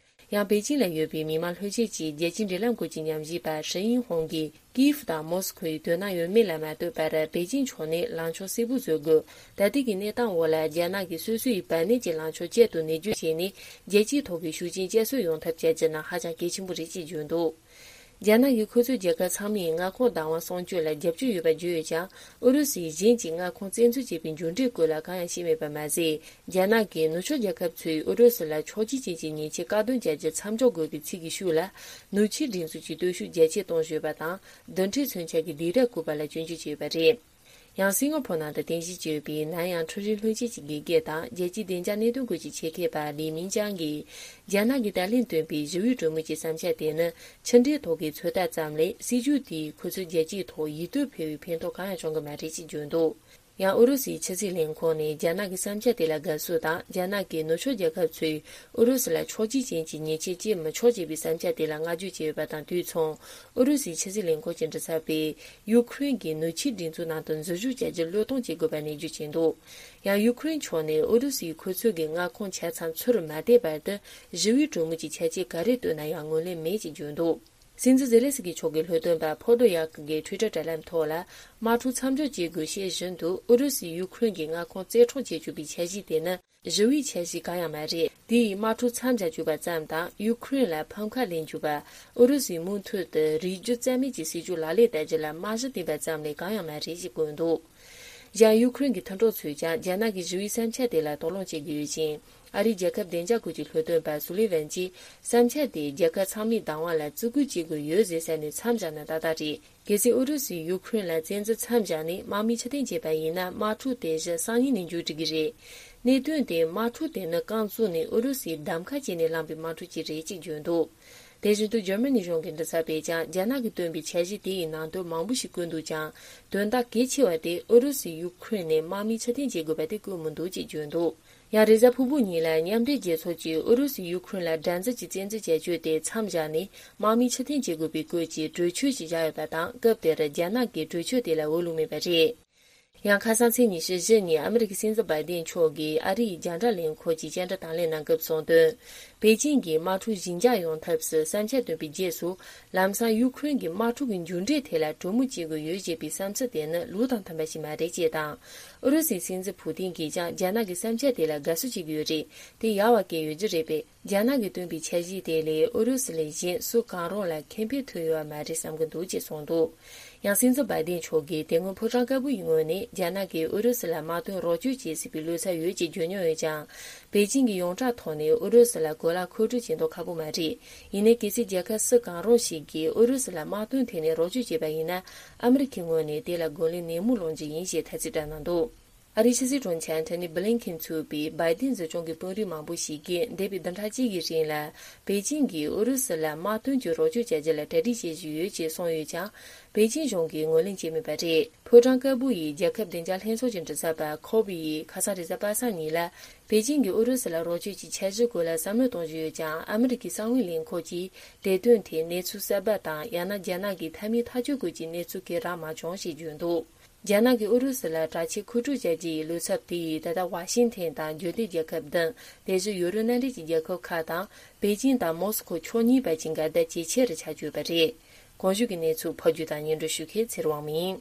ཡང་པེ་ཅིང་ལ་ཡོད་པའི་མི་མང་ལྷན་ཚོགས་ཀྱི་རྒྱལ་སྤྱིའི་འབྲེལ་ལམ་སྐོར་གྱི་ཉམས་ཞིབ་པ་ཧྲི་ཡིན་ཧོང་གིས། ཀིའེ་ཧྥུ་དང་མོ་སི་ཁོའི་དོ་སྣང་ཡོད་མེད་ལ་མ་ལྟོས་པར། པེ་ཅིང་ཕྱོགས་ནས་ལངས་ཕྱོགས་གསལ་པོ་བཟོ་དགོས། ད་ལྟའི་གི་གནས་སྟངས་འོག་ལ། རྒྱ་ནག་གིས་སོ་སོ་ཡི་བར་གནས་ཀྱི་ལངས་ཕྱོགས་གཅིག་ཏུ་ནུས་རྒྱུ་བྱས་ནས། རྒྱལ་སྤྱིའི་ཐོག་གི་ཤུགས་རྐྱེན་བསྐྱར་གསོ་ཡོང་ཐབས་བྱ་རྒྱུ་ནི་ཧ་ཅང་གལ་ཆེན་པོ་རེད་ཅེས་བརྗོད་འདུག་རྒྱ་ནག་གིས་ཁོ་ཚོའི་རྒྱལ་ཁབ་ཚང་མའི་མངའ་ཁོངས་བདག་དབང་སྲུང་སྐྱོབ་ལ་རྒྱབ་སྐྱོར་ཡོད་པ་བརྗོད་ཡོད་ཀྱང་། ཨུ་རུ་སུས་གཞན་གྱི་མངའ་ཁོངས་བཙན་འཛུལ་བྱས་པའི་མཇུག་འབྲས་སྐོར་ལ་གང་ཡང་བཤད་མེད་པ་མ་ཟད། རྒྱ་ནག་གིས་ནུབ་ཕྱོགས་རྒྱལ་ཁབ་ཚོས་ཨུ་རུ་སུ་ལ་ཕྱོགས་གཅིག་ཅན་གྱི་ཉེས་ཆད་བཀག་སྡོམ་བྱ་རྒྱུ་མཚམས་འཇོག་དགོས་པའི་ཚིག་གི་ཤུགས་ལ། ནུབ་ཕྱོགས་སྒྲིག་འཛུགས་ཀྱི་སྟོབས་ཤུགས་རྒྱ་སྐྱེད་གཏོང་བཞིན་ཡོད་པ་དང་། རྡུལ་ཕྲན་མཚོན་ཆ་གི་སྡིགས་ར་བསྐུལ་བ་ལ་སྐྱོན་བརྗོད་བྱས་ཡོད་པ་རེད། ཡང་སིང་ག་ཕོར་ནང་དུ་རྟེན་གཞི་བྱས་ཡོད་པའི་ནན་ཡང་ཁྲུའུ་རིན་ལྷན་སྐྱེས་ཀྱི་དགེ་རྒན་དང་རྒྱལ་སྤྱིའི་བདེ་འཇགས་གནད་དོན་སྐོར་གྱི་ཆེད་མཁས་པ་ལི་མིན་ཅང་གིས། རྒྱ་ནག་གིས་ད་ལན་བཏོན་པའི་ཞི་བའི་གྲོས་མོལ་གྱི་བསམ་འཆར་དེ་ནི་ཕྱི་འབྲེལ་ཐོག་གི་ཚོད་ལྟ་ཙམ་ལས། སྲིད་ཇུས་དེས་ཁོ་ཚོའི་རྒྱལ་སྤྱིའི་ཐོག་ཡིད་རྟོན་འཕེར་བའི་ཕན་ཐོགས་གང་ཡང་བྱུང་གི་མ་རེད་ཅེས་བརྗོད་འདུག་ཡང་ཨུ་རུ་སུའི་ཕྱི་སྲིད་ལས་ཁུངས་ནས་རྒྱ་ནག་གི་བསམ་འཆར་དེ་ལ་དགའ་བསུ་དང་། རྒྱ་ནག་གི་ནུབ་ཕྱོགས་རྒྱལ་ཁབ་ཚོས་ཨུ་རུ་སུ་ལ་ཕྱོགས་གཅིག་ཅན་གྱི་ཉེས་ཆད་གཅོད་མི་ཆོག་ཅེས་པའི་བསམ་འཆར་དེ་ལ་བསྔགས་བརྗོད་བྱས་ཡོད་པ་དང་དུས་མཚུངས། ཨུ་རུ་སུའི་ཕྱི་སྲིད་ལས་ཁུངས་ཀྱི་མགྲིན་ཚབ་པས། ཡུ་ཁུ་རེན་གྱིས་ནུབ་ཕྱོགས་སྒྲིག་འཛུགས་ནང་དུ་འཛུལ་ཞུགས་བྱ་རྒྱུར་བློས་གཏོང་བྱེད་དགོས་པ་ནན་བརྗོད་བྱས་འདུག་ཡང་ཡུ་ཁུ་རེན་ཕྱོགས་ནས་ཨུ་རུ་སུས་ཁོ་ཚོ་གི་མངའ་ཁོངས་ཆ་ཚང་ཚུར་མ་སྟེར་བར་དུ། ཞི་བའི་གྲོས་མོལ་གྱི་ཆ་རྐྱེན་ག་རེ་བཏོན་ན་ཡང་ངོས་ལེན་མེད་ཅེས་བརྗོད་འདུག་སྲིད་འཛིན་ཛེ་ལན་སི་ཀི་མཆོག་གི་ལྷོ་སྟོན་པ་ཕོ་ཏོ་ཡག་གིས་ཊུའི་ཊར་དྲ་ལམ་ཐོག་ལ། དམག་འཁྲུག་མཚམས་འཇོག་བྱེད་དགོས་ཞེས་བཞིན་དུ། ཨུ་རུ་སུས་ཡུ་ཁུ་རེན་གྱི་མངའ་ཁོངས་རྩེ་གྲོགས་བྱེད་བཅུག་པའི་འཆར་གཞི་དེ་ནི། ཞི་བའི་འཆར་གཞི་གང་ཡང་མ་རེད། དེ་ཡིས་དམག་འཁྲུག་མཚམས་འཇོག་བཅུག་པ་ཙམ་དང་། ཡུ་ཁུ་རེན་ལ་ཕམ་ཁ་ལེན་བཅུག་པ། ཨུ་རུ་སུའི་མུ་མཐུད་དུ་རིགས་རྒྱུད་རྩ་མེད་ཀྱི་སྲིད་ཇུས་ལག་ལེན་བསྟར་རྒྱུ་ལ་རྨང་གཞི་བཏིང་པ་ཙམ་ལས་གང་ཡང་མ་རེད་ཅེས་བཀོད་འདུག་གཞན་ཡུ་ཁུ་རེན་གྱི་མཐུན་གྲོགས་ཚོས་ཀྱང་རྒྱ་ནག་གི་ཞི་བའི་བསམ་འཆར་དེ་ལ་དོགས་སློང་བྱེད་ཀྱི་ཡོད་ཅིང་། ཨ་རིའི་རྒྱལ་ཁབ་བདེ་འཇགས་ཁུལ་གྱི་ལྷོ་སྟོན་པ་སུ་ལི་ཝན་གྱིས། བསམ་འཆར་དེས་རྒྱལ་ཁབ་ཚང་མའི་བདག་དབང་ལ་བརྩི་བཀུར་བྱེད་དགོས་ཡོད་ཟེར་ཟེར་ནས་མཚམས་བཞག་ན་ཏག་ཏག་རེད། གལ་སྲིད་ཨུ་རུ་སུས་ཡུ་ཁུ་རེན་ལ་བཙན་འཛུལ་མཚམས་བཞག་ནས་དམག་མི་ཕྱིར་འཐེན་བྱས་པ་ཡིན་ན། དམག་འཁྲུག་དེ་གཞི་སང་ཉིན་ནས་མཇུག་སྒྲིལ་གྱི་རེད། གནད་དོན་དེ་དམག་འཁྲུག་དེ་ནི་རྐང་བཙུགས་ནས་ཨུ་རུ་སུའི་གདམ་ཁ་བྱས་ནས་བསླངས་པའི་དམག་འཁྲུག་ཅིག་རེད་ཅེས་བརྗོད་འདུག་དེ་བཞིན་དུ་འཇར་མ་ནི་གཞུང་གི་མགྲིན་ཚབ་པས་ཀྱང་རྒྱ་ནག་གིས་བཏོན་པའི་འཆར་གཞི་དེ་ཡི་ནང་དོན་མང་པོ་ཞིག་བཀོད་འདུག་ཀྱང་། དོན་དག་གལ་ཆེ་བ་དེ་ཨུ་རུ་སུས་ཡུ་ཁུ་རེན་ནས་དམག་མི་ཕྱིར་འཐེན་བྱེད་དགོས་པ་དེ་བཀོད་མི་འདུག་ཅེས་བརྗོད་འདུག་ཡང་རེས་གཟའ་ཕུར་བུ་ཉིན་ལ་མཉམ་འབྲེལ་རྒྱལ་ཚོགས་ཀྱིས་ཨུ་རུ་སུས་ཡུ་ཁུ་རེན་ལ་དགྲར་འཛིན་གྱི་བཙན་འཛུལ་བྱ་སྤྱོད་དེ་མཚམས་བཞག་ནས་དམག་མི་ཕྱིར་འཐེན་བྱེད་དགོས་པའི་སྐོར་གྱི་གྲོས་ཆོད་ཅིག་བཞག་ཡོད་པ་དང་། སྐབས་དེར་རྒྱ་ནག་གིས་གྲོས་ཆོད་དེ་ལ་འོས་བླུགས་མེད་པ་རེད། ཡང་ཁ་སང་ཚེས་ཉི་ཤུ་བཞི་ཉིན་ཨ་མི་རི་ཀའི་སྲིད་འཛིན་བྷའི་ཏིན་མཆོག་གིས་ཨ་རིའི་རྒྱང་བསྒྲགས་ལས་ཁུངས་ཀྱི་བཅར་འདྲི་དང་ལེན་གནང་སྐབས་གསུངས་དོན། པེ་ཅིང་གིས་དམག་འཁྲུག་ཞི་འཇགས་ཡོང་ཐབས་སུ་བསམ་འཆར་བཏོན་པའི་རྗེས་སུ། ལམ་སང་ཡུ་ཁུ་རེན་གྱིས་དམག་འཁྲུག་གི་མཇུག་འབྲས་ཐད་ལ་གྲོས་མོལ་བྱེད་དགོས་ཡོད་ཅེས་པའི་བསམ་ཚུལ་དེ་ནི་ལུགས་དང་མཐུན་པ་ཞིག་མ་རེད་ཅེས་དང་། ཨུ་རུ་སུའི་སྲིད་འཛིན་ཕུ་ཏིན་གྱིས་ཀྱང་རྒྱ་ནག་གི་བསམ་འཆར་དེ་ལ་དགའ་བསུ་བྱེད་ཀྱི་ཡོད་རེད། དེ་ཡག་པ་སྐད་ཡོད་རྒྱུ་རེད་པས། རྒྱ་ནག་གིས་བཏོན་པའི་འཆར་གཞི་དེ་ལས་ཨུ་རུ་སུ་ལས་གཞན་སུ་གང་རུང་ལ་ཁེ་ཕན་ཐོགས་ཡོད་པ་མ་རེད་བསམ་གྱི་འདུག་ཅེས་གསུངས་འདུག་ཡང་སྲིད་འཛིན་བྷའི་ཏིན་མཆོག་གིས་དེ་སྔོན་ཕོ་བྲང་དཀར་པོ་ཡི་ངོས་ནས་རྒྱ་ནག་གིས་ཨུ་རུ་སུ་ལ་དམག་དོན་རོགས་སྐྱོར་བྱེད་སྲིད་པའི་བློ་འཚབ་ཡོད་ཅེས་བརྗོད་མྱོང་ཡོད་ཀྱང་། པེ་ཅིང་གིས་ཡོངས་གྲགས་ཐོག་ནས་ཨུ་རུ་སུ་ལ་གོ་ལག་མཁོ་སྤྲོད་བྱེད་མདོག་ཁ་པོ་མ་རེད། ཡིན་ནའི་གལ་སྲིད་རྒྱལ་ཁབ་སུ་གང་རུང་ཞིག་གིས་ཨུ་རུ་སུ་ལ་དམག་དོན་ཐད་ནས་རོགས་སྐྱོར་བྱས་པ་ཡིན་ན། ཨ་མི་རི་ཁའི་ངོས་ནས་དེ་ལ་རྒོལ་ལན་ནན་མོ་སློང་རྒྱུ་ཡིན་ཞེས་ཐ་ཚིག་བཀྲམ་གནང་འདུག་ཨ་རིའི་ཕྱི་སྲིད་དྲུང་ཆེ་ཨན་ཐོ་ནི་བྷི་ལིན་ཁེན་ཚུད་པའི་བྷའི་ཏིན་གཟིགས་སྐྱོང་གི་དཔོན་རིགས་མང་པོ་ཞིག་གིས་འདས་པའི་བདུན་ཕྲག་གཅིག་གི་རིང་ལ་པེ་ཅིང་གིས་ཨུ་རུ་སུ་ལ་དམག་དོན་གྱི་རོགས་སྐྱོར་བྱ་རྒྱུ་ལ་གྲ་སྒྲིག་བྱེད་བཞིན་ཡོད་ཅེས་གསུངས་ཡོད་ཀྱང་། པེ་ཅིང་གཞུང་གིས་ངོས་ལེན་བྱས་མེད་པ་རེད། ཕོ་བྲང་དཀར་པོ་ཡི་རྒྱལ་ཁབ་བདེ་འཇགས་ལྷན་ཚོགས་ཀྱི་མགྲིན་ཚབ་པ་ཁོ་བི་ཡིས་ཁ་སང་རེས་གཟའ་པ་སངས་ཉིན་ལ། པེ་ཅིང་གིས་ཨུ་རུ་སུ་ལ་རོགས་སྐྱོར་གྱི་འཆར་གཞིའི་སྐོར་ལ་བསམ་བློ་གཏོང་བཞིན་ཡོད་ཀྱང་། ཨ་མི་རི་ཀའི་གསང་བའི་ལས་ཁུངས་ཀྱིས་དེ་དོན་ཐད་གནས་ཚུལ་གསར་པ་དང་། ཡང་ན་རྒྱ་ནག་གི་མཐའ་མའི་ཐག་གཅོད་སྐོར་གྱི་གནས་ཚུལ་གང་རག་མ་བྱུང་ཞེས་བརྗོད་འདུག་རྒྱ་ནག་གིས་ཨུ་རུ་སུ་ལ་དྲག་ཆས་མཁོ་སྤྲོད་བྱ་རྒྱུ་ཡི་བློ་འཚབ་དེ་ཡིས་ད་ལྟ་ཝ་ཤིང་ཐན་དང་རྒྱུན་ལྡན་རྒྱལ་ཁབ་བདུན། དེ་བཞིན་ཡུ་རོབ་མནའ་འབྲེལ་གྱི་རྒྱལ་ཁབ་ཁག་དང་། པེ་ཅིང་དང་མོ་སི་ཁོ་ཕྱོགས་གཉིས་བར་གྱི་འགལ་ཟླ་ཇེ་ཆེ་རུ་ཆགས་ཀྱི་ཡོད་པ་རེད། གོང་ཞུས་ཀྱི་གནས་ཚུལ་ཕབ་སྒྱུར་དང་སྙན་སྒྲོན་ཞུ་མཁན་ཚེ་རིང་དབང་མོ་ཡིན།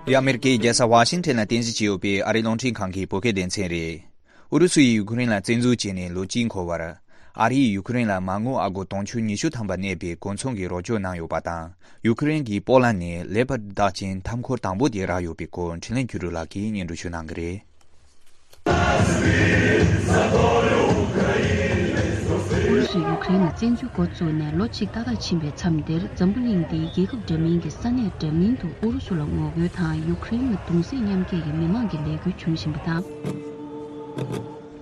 འདི་ཨ་མེ་རི་ཀའི་རྒྱལ་ས་ཝ་ཤིང་ཊོན་ལ་རྟེན་གཞི་བྱས་ཡོད་པའི་ཨ་རིའི་རླུང་འཕྲིན་ཁང་གི་བོད་སྐད་སྡེ་ཚན་རེད། ཨུ་རུ་སུ་ཡིས་ཡུ་ཁུ་རེན་ལ་བཙན་འཛུལ་བྱས་ནས་ལོ་གཅིག་འཁོར་བར། ཨ་རིས་ཡུ་ཁུ་རེན་ལ་མ་དངུལ་ཨ་སྒོར་དུང་ཕྱུར་ཉི་ཤུ་ཐམ་པ་གནས་པའི་གོ་མཚོན་གྱི་རོགས་སྐྱོར་གནང་ཡོད་པ་དང་། ཡུ་ཁུ་རེན་གྱིས་པོ་ལན་ནས་ལེ་པར་ཌི་རྟགས་ཅན་མཐའ་འཁོར་དང་པོ་དེ་རག་ཡོད་པའི་སྐོར་འཕྲིན་ལས་འཕྲུལ་རིག་ལག་གིས་སྙན་སྒྲོན་ཞུ་གནང་གི་རེད། ཨུ་རུ་སུས་ཡུ་ཁུ་རེན་ལ་བཙན་འཛུལ་འགོ་བཙུགས་ནས་ལོ་གཅིག་ཏག་ཏག་ཕྱིན་པའི་མཚམས་འདིར། འཛམ་བུ་གླིང་འདིའི་རྒྱལ་ཁབ་འདྲ་མིན་གྱི་ས་གནས་འདྲ་མིན་དུ་ཨུ་རུ་སུ་ལ་ངོ་རྒོལ་དང་། ཡུ་ཁུ་རེན་ལ་གདུང་སེམས་མཉམ་སྐྱེད་ཀྱི་མི་མང་གི་ལས་འགུལ་བྱུང་བཞིན་པ་དང་།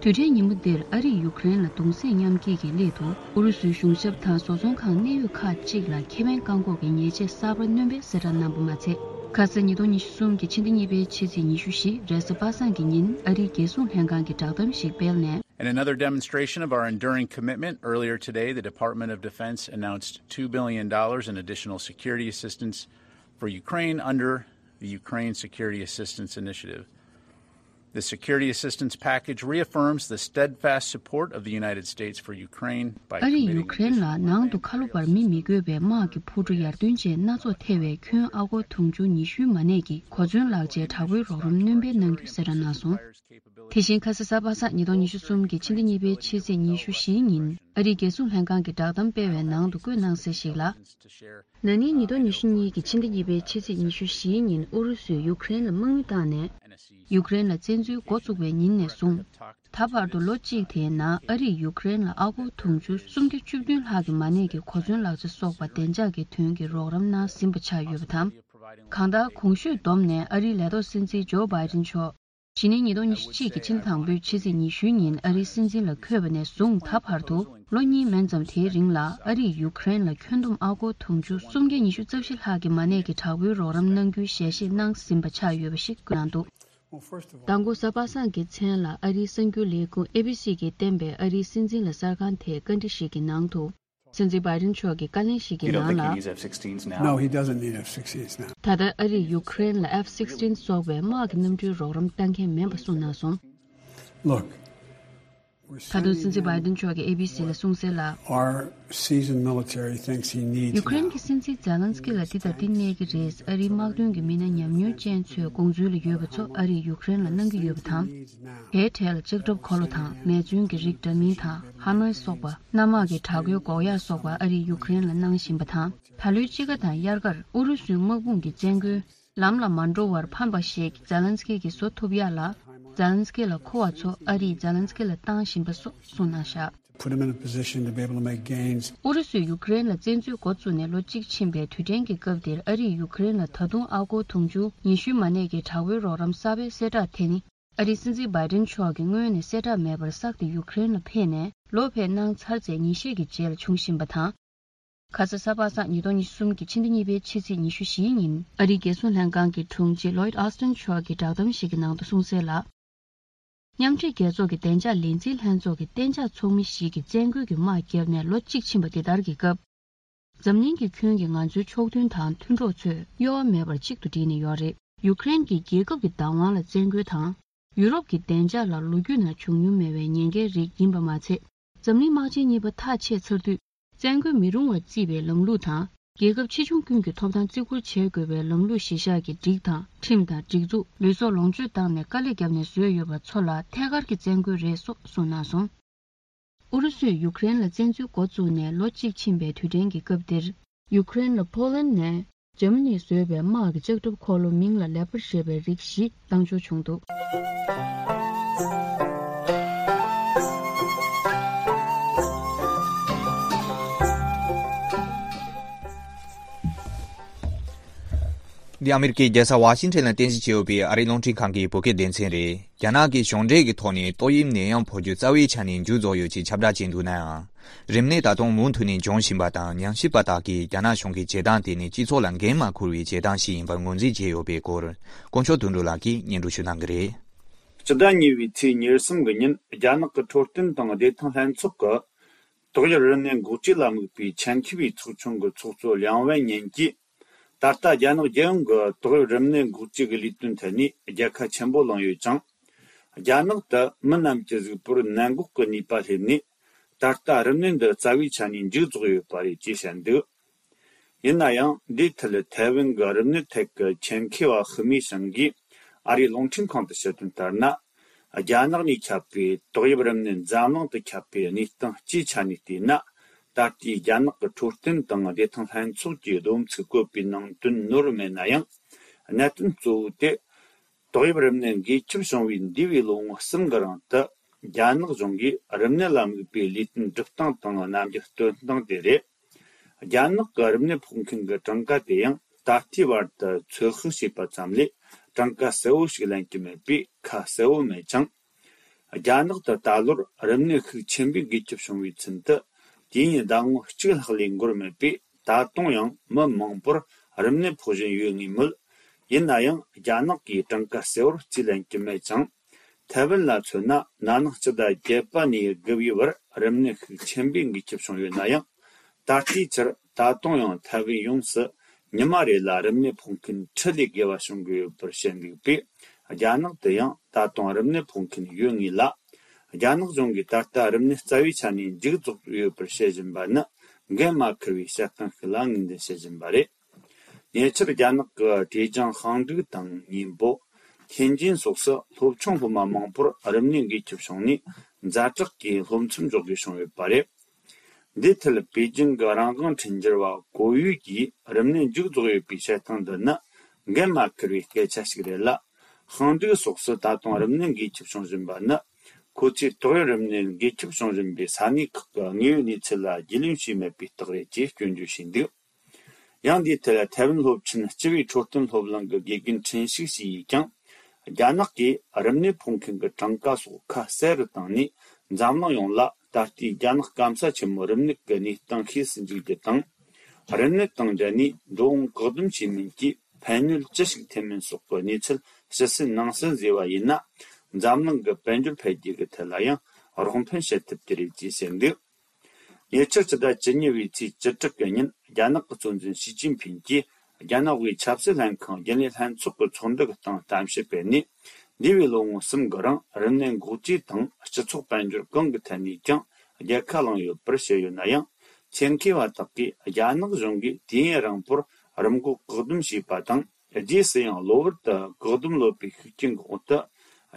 དུས་དྲན་ཉིན་མོ་འདིར་ཨ་རིས་ཡུ་ཁུ་རེན་ལ་གདུང་སེམས་མཉམ་སྐྱེད་ཀྱི་སླད་དུ་ཨུ་རུ་སུའི་གཞུང་ཞབས་དང་བཟོ་ཚོང་ཁང་གནད་ཡོད་ཁག་ཅིག་ལ་ཁེ་ཕན་བཀག་འགོག་གི་ཉེས་ཆད་གསར་པ་སྣོན་པའི་གསལ་བསྒྲགས་གནང་པ་མ་ཚད། ཁ་སང་ཉིས་སྟོང་ཉི་ཤུ་གསུམ་གྱི་ཕྱི་ཟླ་གཉིས་པའི་ཕྱི་ཚེས་ཉི་ཤུ་བཞི་རེས་གཟའ་པ་སངས་ཀྱི་ཉིན་ཨ་རིའི་རྒྱལ་སྲུང་ལྷན་ཁང་གིས་བསྒྲགས་གཏམ་ཞིག་སྤེལ་ནས། In another demonstration of our enduring commitment, earlier today, the Department of Defense announced two billion dollars in additional security assistance for Ukraine under the Ukraine Security Assistance Initiative. The security assistance package reaffirms the steadfast support of the United States for Ukraine by ཨ་རིས་ཡུ་ཁུ་རེན་ལ་ནང་དུ་ཁ་ལོ་བར་མི་མི་དགོས་པའི་དམག་གི་འཕུར་གྲུ་ཡར་ཐོན་ཆེད་སྣ་ཚོགས་ཐེ་བའི་ཁྱོན་ཨ་སྒོར་དུང་ཕྱུར་ཉི་ཤུའི་མ་གནས་ཀྱི་གོ་མཚོན་ལག་ཆའི་དྲག་པོའི་རོགས་རམ་སྣོན་སྤེལ་གནང་རྒྱུ་གསལ་བསྒྲགས་གནང་སོང་། དེ་བཞིན་ཁ་སང་གཟའ་པ་སངས་ཉིས་སྟོང་ཉི་ཤུ་གསུམ་གྱི་ཕྱི་ཟླ་གཉིས་པའི་ཕྱི་ཚེས་ཉི་ཤུ་བཞི་ཉིན་ཨ་རིའི་རྒྱལ་སྲུང་ལྷན་ཁང་གིས་བསྒྲགས་གཏམ་སྤེལ་བའི་ནང་དུ་བཀོད་གནང་གསལ་ཞིག་ལ། ན་ནིང་ཉིས་སྟོང་ཉི་ཤུ་གཉིས་ཀྱི་ཕྱི་ཟླ་གཉིས་པའི་ཕྱི་ཚེས་ཉི་ཤུ་བཞིའི་ཉིན་ཨུ་རུ་སུས་ཡུ་ཁུ་རེན་ལ་དམག་མི་བཏང་ནས། ཡུ་ཁུ་རེན་ལ་བཙན་འཛུལ་འགོ་བཙུགས་པའི་ཉིན་ནས་བཟུང་། ད་བར་དུ་ལོ་གཅིག་དེའི་ནང་ཨ་རིས་ཡུཀ་རེན་ལ་ཨ་སྒོར་དུང་ཕྱུར་སུམ་བརྒྱ་བཅུ་བདུན་ལྷག་གི་མ་གནས་ཀྱི་གོ་མཚོན་ལག་ཆ་སོགས་པ་བདེ་འཇགས་ཀྱི་དོན་གྱི་རོགས་རམ་གནང་ཟིན་པ་ཆགས་ཡོད་པ་དང་། གང་ལྟར། གོང་ཞུས་བསྡོམས་ནས་ཨ་རིའི་ལས་ཐོག་སྲིད་འཛིན་ཇོ་བྷའི་ཏིན་མཆོག་གཞེས་ནིང་ཉིས་སྟོང་ཉི་ཤུ་གཅིག་གི་ཕྱི་ཟླ་དང་པོའི་ཕྱི་ཚེས་ཉི་ཤུའི་ཉིན་ཨ་རིའི་སྲིད་འཛིན་ལ་འཁོད་པ་ནས་བཟུང་ད་བར་དུ་ལོ་གཉིས་མན་ཙམ་དེའི་རིང་ལ་ཨ་རིས་ཡུཀ་རེན་ལ་ཁྱོན་བསྡོམས་ཨ་སྒོར་དུང་ཕྱུར་སུམ་བརྒྱ་ཉི་ཤུ་རྩ་བཞི་ལྷག་གི་མ་གནས་ཀྱི་དྲག་པོའི་རོགས་རམ་གནང་རྒྱུའི་ཞལ་བཞེས་གནང་ཟིན་པ་ཆགས་ཡོད་པ་ཞིག་བཀོད་གནང་འདུག་མདང་དགོང་གཟའ་པ་སངས་ཀྱི་མཚན་ལ་ཨ་རིའི་གསར་འགྱུར་ལས་ཁུངས་ཨེ་བྷི་སི་གིས་བསྟན་པའི་ཨ་རིའི་སྲིད་འཛིན་ལ་གསར་ཁང་དེའི་བཀའ་འདྲི་ཞིག་གི་ནང་དུ། སྲིད་འཛིན་བྷའི་ཏིན་མཆོག་གི་བཀའ་ལན་ཞིག་གི་You don't ནང་think he ལ། Needs F sixteens now? No, he doesn't need F sixteens now. ད་ལྟ་ཨ་རིས་ཡུཀ་རེན་ལ་F sixteen་སོགས་པའི་དམག་གི་གནམ་གྲུའི་རོགས་རམ་གཏང་མཁན་མིན་པ་གསུངས་གནང་སོང་། Look, we're ད་དུང་སྲིད་འཛིན་བྷའི་ཏིན་མཆོག་གིས་ཨེ་བྷི་སི་ལ་གསུངས་གསལ་ལ། Our seasoned military thinks he needs ཡུཀ་རེན་now. གྱི་སྲིད་འཛིན་ཛེ་ལན་སི་ཀི་ལ་འདི་དང་འདི་གནས་ཀྱི་རེད། ཨ་རིའི་དམག་དོན་གྱི་མི་སྣ་ཉམས་མྱོང་ཅན་ཚོས་དགོངས་ཚུལ་ལ་ཡོད་པ་ཚོ་ཨ་རིས་ཡུཀ་རེན་ལ་གནང་གི་ཡོད་པ་དང་། དེའི་གྲས་ལ་ལྕགས་ཁྲབ་འཁོར་ལོ་དང་མེ་མཚོན་གྱི་རིགས་འདྲ་མིན་དང་ཧ་མར་སོགས་པ་གནམ་དམག་གི་དྲག་པོའི་འགོག་ཡག་སོགས་པ་ཨ་རིས་ཡུཀ་རེན་ལ་གནང་བཞིན་པ་དང་། ད་ལོའི་དཔྱིད་ཀ་དང་དབྱར་ཁར་ཨུ་རུ་སུའི་དམག་དཔུང་གི་བཙན་རྒོལ་ལམ་ལ་མ་འགྲོ་བར་ཕམ་པ་ཞིག་ཛེ་ལན་སི་ཀི་གིས་བཟོ་ཐུབ་ཡག་ལ་ཛེ་ལན་སི་ཀི་ལ་མཁོ་བ་ཚོ་ཨ་རིས་ཛེ་ལན་སི་ཀི་ལ་བཏང་བཞིན་པ་སོགས་གསུངས་གནང་བཞག Put him in a position to be able to make gains. ཨུ་རུ་སུས་ཡུཀ་རེན་ལ་བཙན་འཛུལ་འགོ་བཙུགས་ནས་ལོ་གཅིག་ཕྱིན་པའི་དུས་དྲན་གྱི་སྐབས་འདིར་ཨ་རིས་ཡུཀ་རེན་ལ་ད་དུང་ཨ་སྒོར་དུང་ཕྱུར་ཉི་ཤུའི་མ་གནས་ཀྱི་དྲག་པོའི་རོགས་རམ་གསར་པའི་གསལ་བསྒྲགས་དེ་ནི། ཨ་རིའི་སྲིད་འཛིན་བྷའི་ཏིན་མཆོག་གིས་སྔོན་ནས་གསལ་བསྒྲགས་མེད་པར་བསགས་ཏེ་ཡུཀ་རེན་ལ་ཕེབས་ནས་ལོ་ཕེབས་གནང་ཚར་རྗེས་ཉིན་ཤས་ཀྱི་རྗེས་ལ་བྱུང་བཞིན་པ་དང་། ཁ་ས་གཟའ་པ་སངས་ཉིས་སྟོང་ཉི་ཤུ་གསུམ་གྱི་ཕྱི་ཟླ་གཉིས་པའི་ཕྱི་ཚེས་ཉི་ཤུ་བཞིའི་ཉིན་ཨ་རིའི་རྒྱལ་སྲུང་ལྷན་ཁང་གི་དྲུང་ཆེ་ལོའིད་ཨོ་སྟིན་མཆོག་གིས་བསྒྲགས་གཏམ་ཞིག་གི་ནང་དུ་གསུངས་གསལ་ལ། མཉམ་འབྲེལ་རྒྱལ་ཚོགས་ཀྱི་བདེ་འཇགས་ལས་འཛིན་ལྷན་ཚོགས་ཀྱི་གཏན་འཇགས་ཚོགས་མི་ཞིག་གིས་བཙན་རྒོལ་གྱི་དམག་བརྒྱབ་ནས་ལོ་གཅིག་ཕྱིན་པ་འདི་ལྟར་གྱི་སྐབས། འཛམ་གླིང་གི་ཁྱོན་གྱི་ང་ཚོའི་ཕྱོགས་མཐུན་དང་མཐུན་གྲོགས་ཚོས་གཡོ་བ་མེད་པར་གཅིག་ཏུ་བསྒྲིལ་ནས་ཡོད་རེད། ཡུཀ་རེན་གྱི་རྒྱལ་ཁབ་ཀྱི་བདག་དབང་ལ་བཙན་རྒོལ་དང་། ཡུ་རོབ་ཀྱི་བདེ་འཇགས་ལ་ལོ་རྒྱུས་ནང་བྱུང་མྱོང་མེད་པའི་ཉེན་ཁའི་རིགས་ཡིན་པ་མ་ཚད། འཛམ་གླིང་དམག་ཆེན་གཉིས་པ་ཐག་ཆད་ཚར་དུས། བཙན་རྒོལ་མི་རུང་བར་བརྩིས་པའི་ལམ་ལུགས་དང་། རྒྱལ་ཁབ་ཆེ་ཆུང་ཀུན་གྱི་ཐོབ་ཐང་བརྩི་བཀུར་བྱེད་དགོས་པའི་ལམ་ལུགས་གཞི་བཞག་གི་སྒྲིག་དང་ཁྲིམས་དང་སྒྲིག་འཛུགས་ལུས་སྲོག་ལོངས་སྤྱོད་བཏང་ནས་དཀའ་ལས་བརྒྱབ་ནས་བཟོས་ཡོད་པ་ཚོ་ལ་ཐད་ཀར་གྱི་བཙན་རྒོལ་རེད་སོགས་གསུངས་གནང་སོང་། ཨུ་རུ་སུས་ཡུཀ་རེན་ལ་བཙན་འཛུལ་འགོ་བཙུགས་ནས་ལོ་གཅིག་ཕྱིན་པའི་དུས་དྲན་གྱི་སྐབས་འདིར། ཡུཀ་རེན་ལ་ཕོ་ལན་ནས་འཇར་མ་ནིས་བཟོས་པའི་དམག་གི་ལྕགས་ཁྲབ་འཁོར་ལོ་མིང་ལ་ལེ་པར་ཞེས་པའི་རིགས་ཤིག་བཏང་འབྱོར་བྱུང་འདུག་འདི་ཨ་མེ་རི་ཀའི་རྒྱལ་ས་ཝ་ཤིང་ཊོན་ལ་རྟེན་གཞི་བྱས་ཡོད་པའི་ཨ་རིའི་རླུང་འཕྲིན་ཁང་གི་བོད་སྐད་སྡེ་ཚན་རེད། རྒྱ་ནག་གིས་གཞུང་འབྲེལ་གྱི་ཐོག་ནས་ཏོག་དབྱིབས་ནད་ཡམས་འཕོ་འགྱུར་རྩ་བའི་ཆ་ནས་མཇུག་རྫོགས་ཡོད་ཅེས་ཁྱབ་བསྒྲགས་བྱས་འདུག་ནའང་། རིམས་ནད་ད་དུང་མུ་མཐུད་ནས་འབྱུང་བཞིན་པ་དང་། ཉམས་ཞིབ་པ་དག་གིས་རྒྱ་ནག་གཞུང་གི་བྱེད་སྟངས་དེ་ནི་སྤྱི་ཚོགས་ལ་འགན་མ་འཁུར་བའི་བྱེད་སྟངས་ཤིག་ཡིན་པར་ངོས་འཛིན་བྱས་ཡོད་པའི་སྐོར། དཀོན་མཆོག་དོན་གྲུབ་ལགས་ཀྱིས་སྙན་སྒྲོན་ཞུ་གནང་གི་རེད། སྤྱི་ཟླ་གཉིས་པའི་ཚེས་ཉེར་གསུམ་གྱི་ཉིན་རྒྱ་ནག་གི་འཕྲོད་བསྟེན་དང་བདེ་ཐང་ལྷན་ཚོགས་ཀྱི་ཏོག་དབྱིབས་རིམས་ནད་འགོག་བཅོས་ལ་དམིགས་པའི་ཆེད་མཁས་པའི་ཚོགས་ཆུང་གི་ཚོགས་གཙོ་ལིའང་ཝེ་ཉིན་གྱིས། ད་ལྟ་རྒྱ་ནག་རྒྱལ་ཡོངས་ཀྱི་ཏོག་དབྱིབས་རིམས་ནད་འགོག་བཅོས་ཀྱི་ལས་དོན་ཐད་ནས་རྒྱལ་ཁ་ཆེན་པོ་བླངས་ཡོད་ཅིང་། རྒྱ་ནག་ཏུ་མི་རྣམས་ཀྱི་གཟུགས་པོར་ནད་འགོག་གི་ནུས་པ་སླེབས་ནས། ད་ལྟ་རིམས་ནད་འདི་རྩ་བའི་ཆ་ནས་མཇུག་རྫོགས་ཡོད་པ་རེད་ཅེས་བཤད་འདུག་ཡིན་ན་ཡང་། འདིའི་ཐད་ཐའེ་ཝན་གྱི་རིམས་ནད་ཐད་ཀྱི་ཆེད་མཁས་པ་ཧི་མི་ཞང་གིས་ཨ་རིའི་རླུང་འཕྲིན་ཁང་དུ་ཞུ་དོན་ལྟར་ན། རྒྱ་ནག་ནས་ཁྱབ་པའི་ཏོག་དབྱིབས་རིམས་ནད་འཛམ་གླིང་དུ་ཁྱབ་པའི་གནས་སྟངས་སྤྱིའི་ཆ་ནས་བལྟས་ན། ད་ལྟའི་རྒྱ་ནག་གི་འཕྲོད་བསྟེན་དང་བདེ་ཐང་ལྷན་ཚོགས་ཀྱིས་བསྡོམས་ཚིག་བཀོད་པའི་ནང་དོན་ནོར་མེད་ན་ཡང་། གནད་དོན་གཙོ་བོ་དེ། ཏོག་དབྱིབས་རིམས་ནད་འགོས་ཁྱབ་བྱུང་བའི་འདས་པའི་ལོ་ངོ་གསུམ་གྱི་རིང་དུ། རྒྱ་ནག་གཞུང་གིས་རིམས་ནད་ལ་དམིགས་པའི་ལས་དོན་སྒྲུབ་སྟངས་དང་རྣམ་འགྱུར་སྟོན་སྟངས་དེ་རེད། རྒྱ་ནག་གི་རིམས་ནད་ཕོག་མཁན་གྱི་གྲངས་ཀ་དེ་ཡང་ད་ལྟའི་བར་དུ་ཚོད་དཔག་བྱས་པ་ཙམ་ལས་གྲངས་ཀ་གསལ་བོ་ཞིག་ལེན་གྱི་མེད་པས་ཁ་གསལ་བོ་མེད་ཅིང་། རྒྱ་ནག་ཏུ་ད་ལོར་རིམས་ནད་ཤུགས་ཆེན་པོས་འགོས་ཁྱབ་བྱུང་བའི་ཚུན་དུ་དུས་ཡུན་ཟླ་ངོ་གཅིག་ལྷག་ལས་འགོར་མེད་པས། ད་དུང་ཡང་མི་མང་པོར་རིམས་ནད་ཕོག་བཞིན་ཡོད་ངེས་མོད། ཡིན་ན་ཡང་རྒྱ་ནག་གིས་གྲངས་ཀ་གསལ་བོར་རྩིས་ལེན་གྱི་མེད་ཅིང་། ཐའེ་ཝན་ལ་མཚོན་ན། ན་ནིང་སྤྱི་ཟླ་བརྒྱད་པ་ནས་དགུ་པའི་བར་རིམས་ནད་ཤུགས་ཆེན་པོས་འགོས་ཁྱབ་བྱུང་ཡོད་ན་ཡང་། ད་ལྟའི་ཆར་ད་དུང་ཡང་ཐའེ་ཝན་ཡོངས་སུ་ཉི་མ་རེ་ལ་རིམས་ནད་ཕོག་མཁན་ཁྲི་ལས་བརྒལ་བ་བྱུང་གི་ཡོད་པར་བཤད་འདུག་པས། རྒྱ་ནག་ཏུ་ཡང་ད་དུང་རིམས་ནད་ཕོག་མཁན་ཡོད་ངེས་ལ། རྒྱ་ནག་གཞུང་གིས་ད་ལྟ་རིམས་ནད་རྩ་བའི་ཆ་ནས་མཇུག་རྫོགས་ཡོད་པར་བཤད་བཞིན་པ་ནི་འགན་མ་འཁུར་བའི་བཤད་སྟངས་ཤིག་ལ་ངོས་འཛིན་བྱེད་བཞིན་པ་རེད། ཉེ་ཆར་རྒྱ་ནག་གི་ཀྲེ་ཅང་ཧང་ཀྲུག་དང་། ཉིན་པོ། ཐེན་ཅིན་སོགས་སུ་སློབ་ཆུང་སློབ་མ་མང་པོར་རིམས་ནད་འགོས་ཁྱབ་བྱུང་ནས་ཛ་དྲག་གི་སློབ་མཚམས་འཇོག་དགོས་བྱུང་ཡོད་པ་རེད། འདིའི་ཐད་པེ་ཅིང་གི་རང་དབང་འཕྲིན་སྦྱོར་བ་གོ་ཡུས་ཀྱིས་རིམས་ནད་མཇུག་རྫོགས་ཡོད་པའི་བཤད་སྟངས་འདི་ནི་འགན་མ་འཁུར་བའི་སྐད་ཆ་ཞིག་རེད་ལ། ཧང་ཀྲུག་སོགས་སུ་ད་དུང་རིམས་ནད་འགོས་ཁྱབ་བྱུང་བཞིན་པ་ནི། ཁོ་ཚོས་ཏོག་དབྱིབས་རིམས་ནད་འགོས་ཁྱབ་བྱུང་བཞིན་པའི་ས་གནས་ཁག་གི་དངོས་ཡོད་གནས་ཚུལ་ལ་རྒྱུས་ལོན་བྱས་མེད་པའི་རྟགས་རེད་ཅེས་སྐྱོན་བརྗོད་བྱས་འདུག། ཡང་འདིའི་ཐད་ཐའེ་ཝན་སློབ་ཆེན་སྤྱི་པའི་འཕྲོད་བསྟེན་སློབ་གླིང་གི་དགེ་རྒན་ཁྲིན་ཤིག་ཞི་ཡིས་ཀྱང་། རྒྱ་ནག་གིས་རིམས་ནད་ཕོག་མཁན་གྱི་གྲངས་ཀ་སོགས་ཁ་གསལ་རུ་བཏང་ནས། འཛམ་གླིང་ཡོངས་ལ་ད་ལྟའི་རྒྱ་ནག་སྐམ་ས་ཆེན་མོའི་རིམས་ནད་ཀྱི་གནས་སྟངས་ཤེས་སུ་འཇུག་རྒྱུ་དང་། རིམས་ནད་དང་འབྲེལ་ནས་འགྲོ་འོང་བཀག་སྡོམ་བྱེད་མིན་གྱི་ཕན་གནོད་ཅི་ཞིག་ཐེབས་མིན་སོགས་ཀྱི་གནས་ཚུལ་ཕྱི་གསལ་ནང་གསལ་བཟོས་པ་ཡིན་ན། འཛམ་གླིང་གི་དཔལ་འབྱོར་འཕེལ་རྒྱས་ཀྱི་ཐད་ལ་ཡང་རོགས་ཕན་བྱེད་ཐུབ་ཀྱི་རེད་ཅེས་བཤད་འདུག། ཉེ་ཆར་ཕྱི་ཟླ་བཅུ་གཉིས་པའི་ཚེས་བཅུ་དྲུག་གི་ཉིན། རྒྱ་ནག་གི་གཙོ་འཛིན་ཞི་ཅིན་ཕིང་གིས་རྒྱ་ནག་དབུས་ཆབ་སྲིད་ལྷན་ཁང་རྒྱུན་ལས་ལྷན་ཚོགས་ཀྱི་ཚོགས་འདུ་གི་སྟེང་གཏམ་བཤད་སྤེལ་ནས། འདས་པའི་ལོ་ངོ་གསུམ་གྱི་རིང་རིམས་ནད་འགོག་བཅོས་དང་སྤྱི་ཚོགས་དཔལ་འབྱོར་གང་གི་ཐད་ནས་ཀྱང་རྒྱལ་ཁ་བླངས་ཡོད་པར་བཤད་ཡོད་ན་ཡང་། ཆེད་མཁས་པ་དག་གིས་རྒྱ་ནག་གཞུང་གིས་དུས་ཡུན་རིང་པོར་རིམས་འགོག་བཀག་སྡོམ་བྱས་པ་དང་། རྗེས་སུ་ཡང་གློ་བུར་དུ་བཀག་སྡོམ་ལོག་པའི་ཤུགས་རྐྱེན་འོག་ཏུ།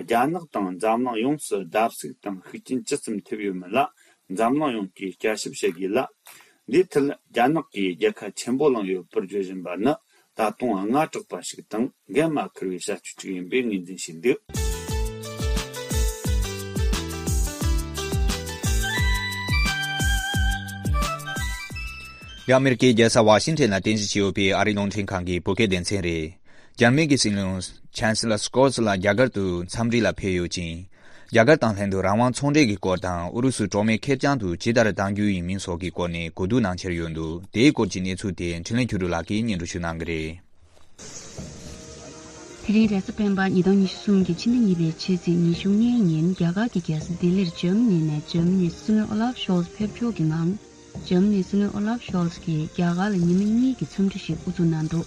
རྒྱ་ནག་དང་འཛམ་གླིང་ཡོངས་སུ་བརྡབ་གསིག་དང་ཤུགས་རྐྱེན་ཅི་ཙམ་ཐེབས་ཡོད་མེད་ལ་འཛམ་གླིང་ཡོངས་ཀྱིས་བསྐྱར་ཞིབ་བྱེད་དགོས་ལ། འདིའི་ཐད་རྒྱ་ནག་གིས་རྒྱལ་ཁ་ཆེན་པོ་བླངས་ཡོད་པར་བརྗོད་བཞིན་པ་ནི་ད་དུང་དངངས་སྐྲག་པ་ཞིག་དང་འགན་མ་འཁུར་བའི་བྱ་སྤྱོད་ཅིག་ཡིན་པའི་ངོས་འཛིན་བྱས་འདུག། འདི་ཨ་མེ་རི་ཀའི་རྒྱལ་ས་ཝ་ཤིང་ཊོན་ལ་རྟེན་གཞི་བྱས་ཡོད་པའི་ཨ་རིའི་རླུང་འཕྲིན་ཁང་གི་བོད་སྐད་སྡེ་ཚན་རེད། འཇར་མན་གྱི་སྲིད་བློན་ཆན་སི་ལར་སྐོལ་ལགས་རྒྱ་གར་དུ་འཚམས་འདྲི་ལ་ཕེབས་ཡོད་ཅིང་། རྒྱ་གར་དང་ལྷན་དུ་རང་དབང་ཚོང་འབྲེལ་གྱི་སྐོར་དང་ཨུ་རུ་སུ་གྲོགས་མེད་ཁེར་རྐྱང་དུ་ཇི་ལྟར་གདམ་རྒྱུ་ཡིན་མིན་སོགས་ཀྱི་སྐོར་ནས་གོ་བསྡུར་གནང་འཆར་ཡོད་འདུག། དེའི་སྐོར་གྱི་གནས་ཚུལ་དེ་འཕྲིན་ལས་ཆོས་སྒྲོན་ལགས་ཀྱིས་སྙན་སྒྲོན་ཞུ་གནང་གི་རེད། དེ་རིང་རེས་གཟའ་སྤེན་པ་ཉིས་སྟོང་ཉི་ཤུ་གསུམ་གྱི་ཕྱི་ཟླ་གཉིས་པའི་ཕྱི་ཚེས་ཉི་ཤུ་ལྔའི་ཉིན་རྒྱ་གར་གྱི་རྒྱལ་ས་ལྡི་ལིར་འཇར་མ་ནི་ནས་འཇར་མ་ནིའི་སྲིད་བློན་ཨོ་ལབ་ཤོལ་ཕེབས་འབྱོར་གྱི་ངང་། འཇར་མ་ནིའི་སྲིད་བློན་ཨོ་ལབ་ཤོལ་གྱིས་རྒྱ་གར་ལ་ཉི་མ་གཉིས་ཀྱི་འཚམས་འདྲི་ཞིག་དབུ་འཛུགས་གནང་འདུག།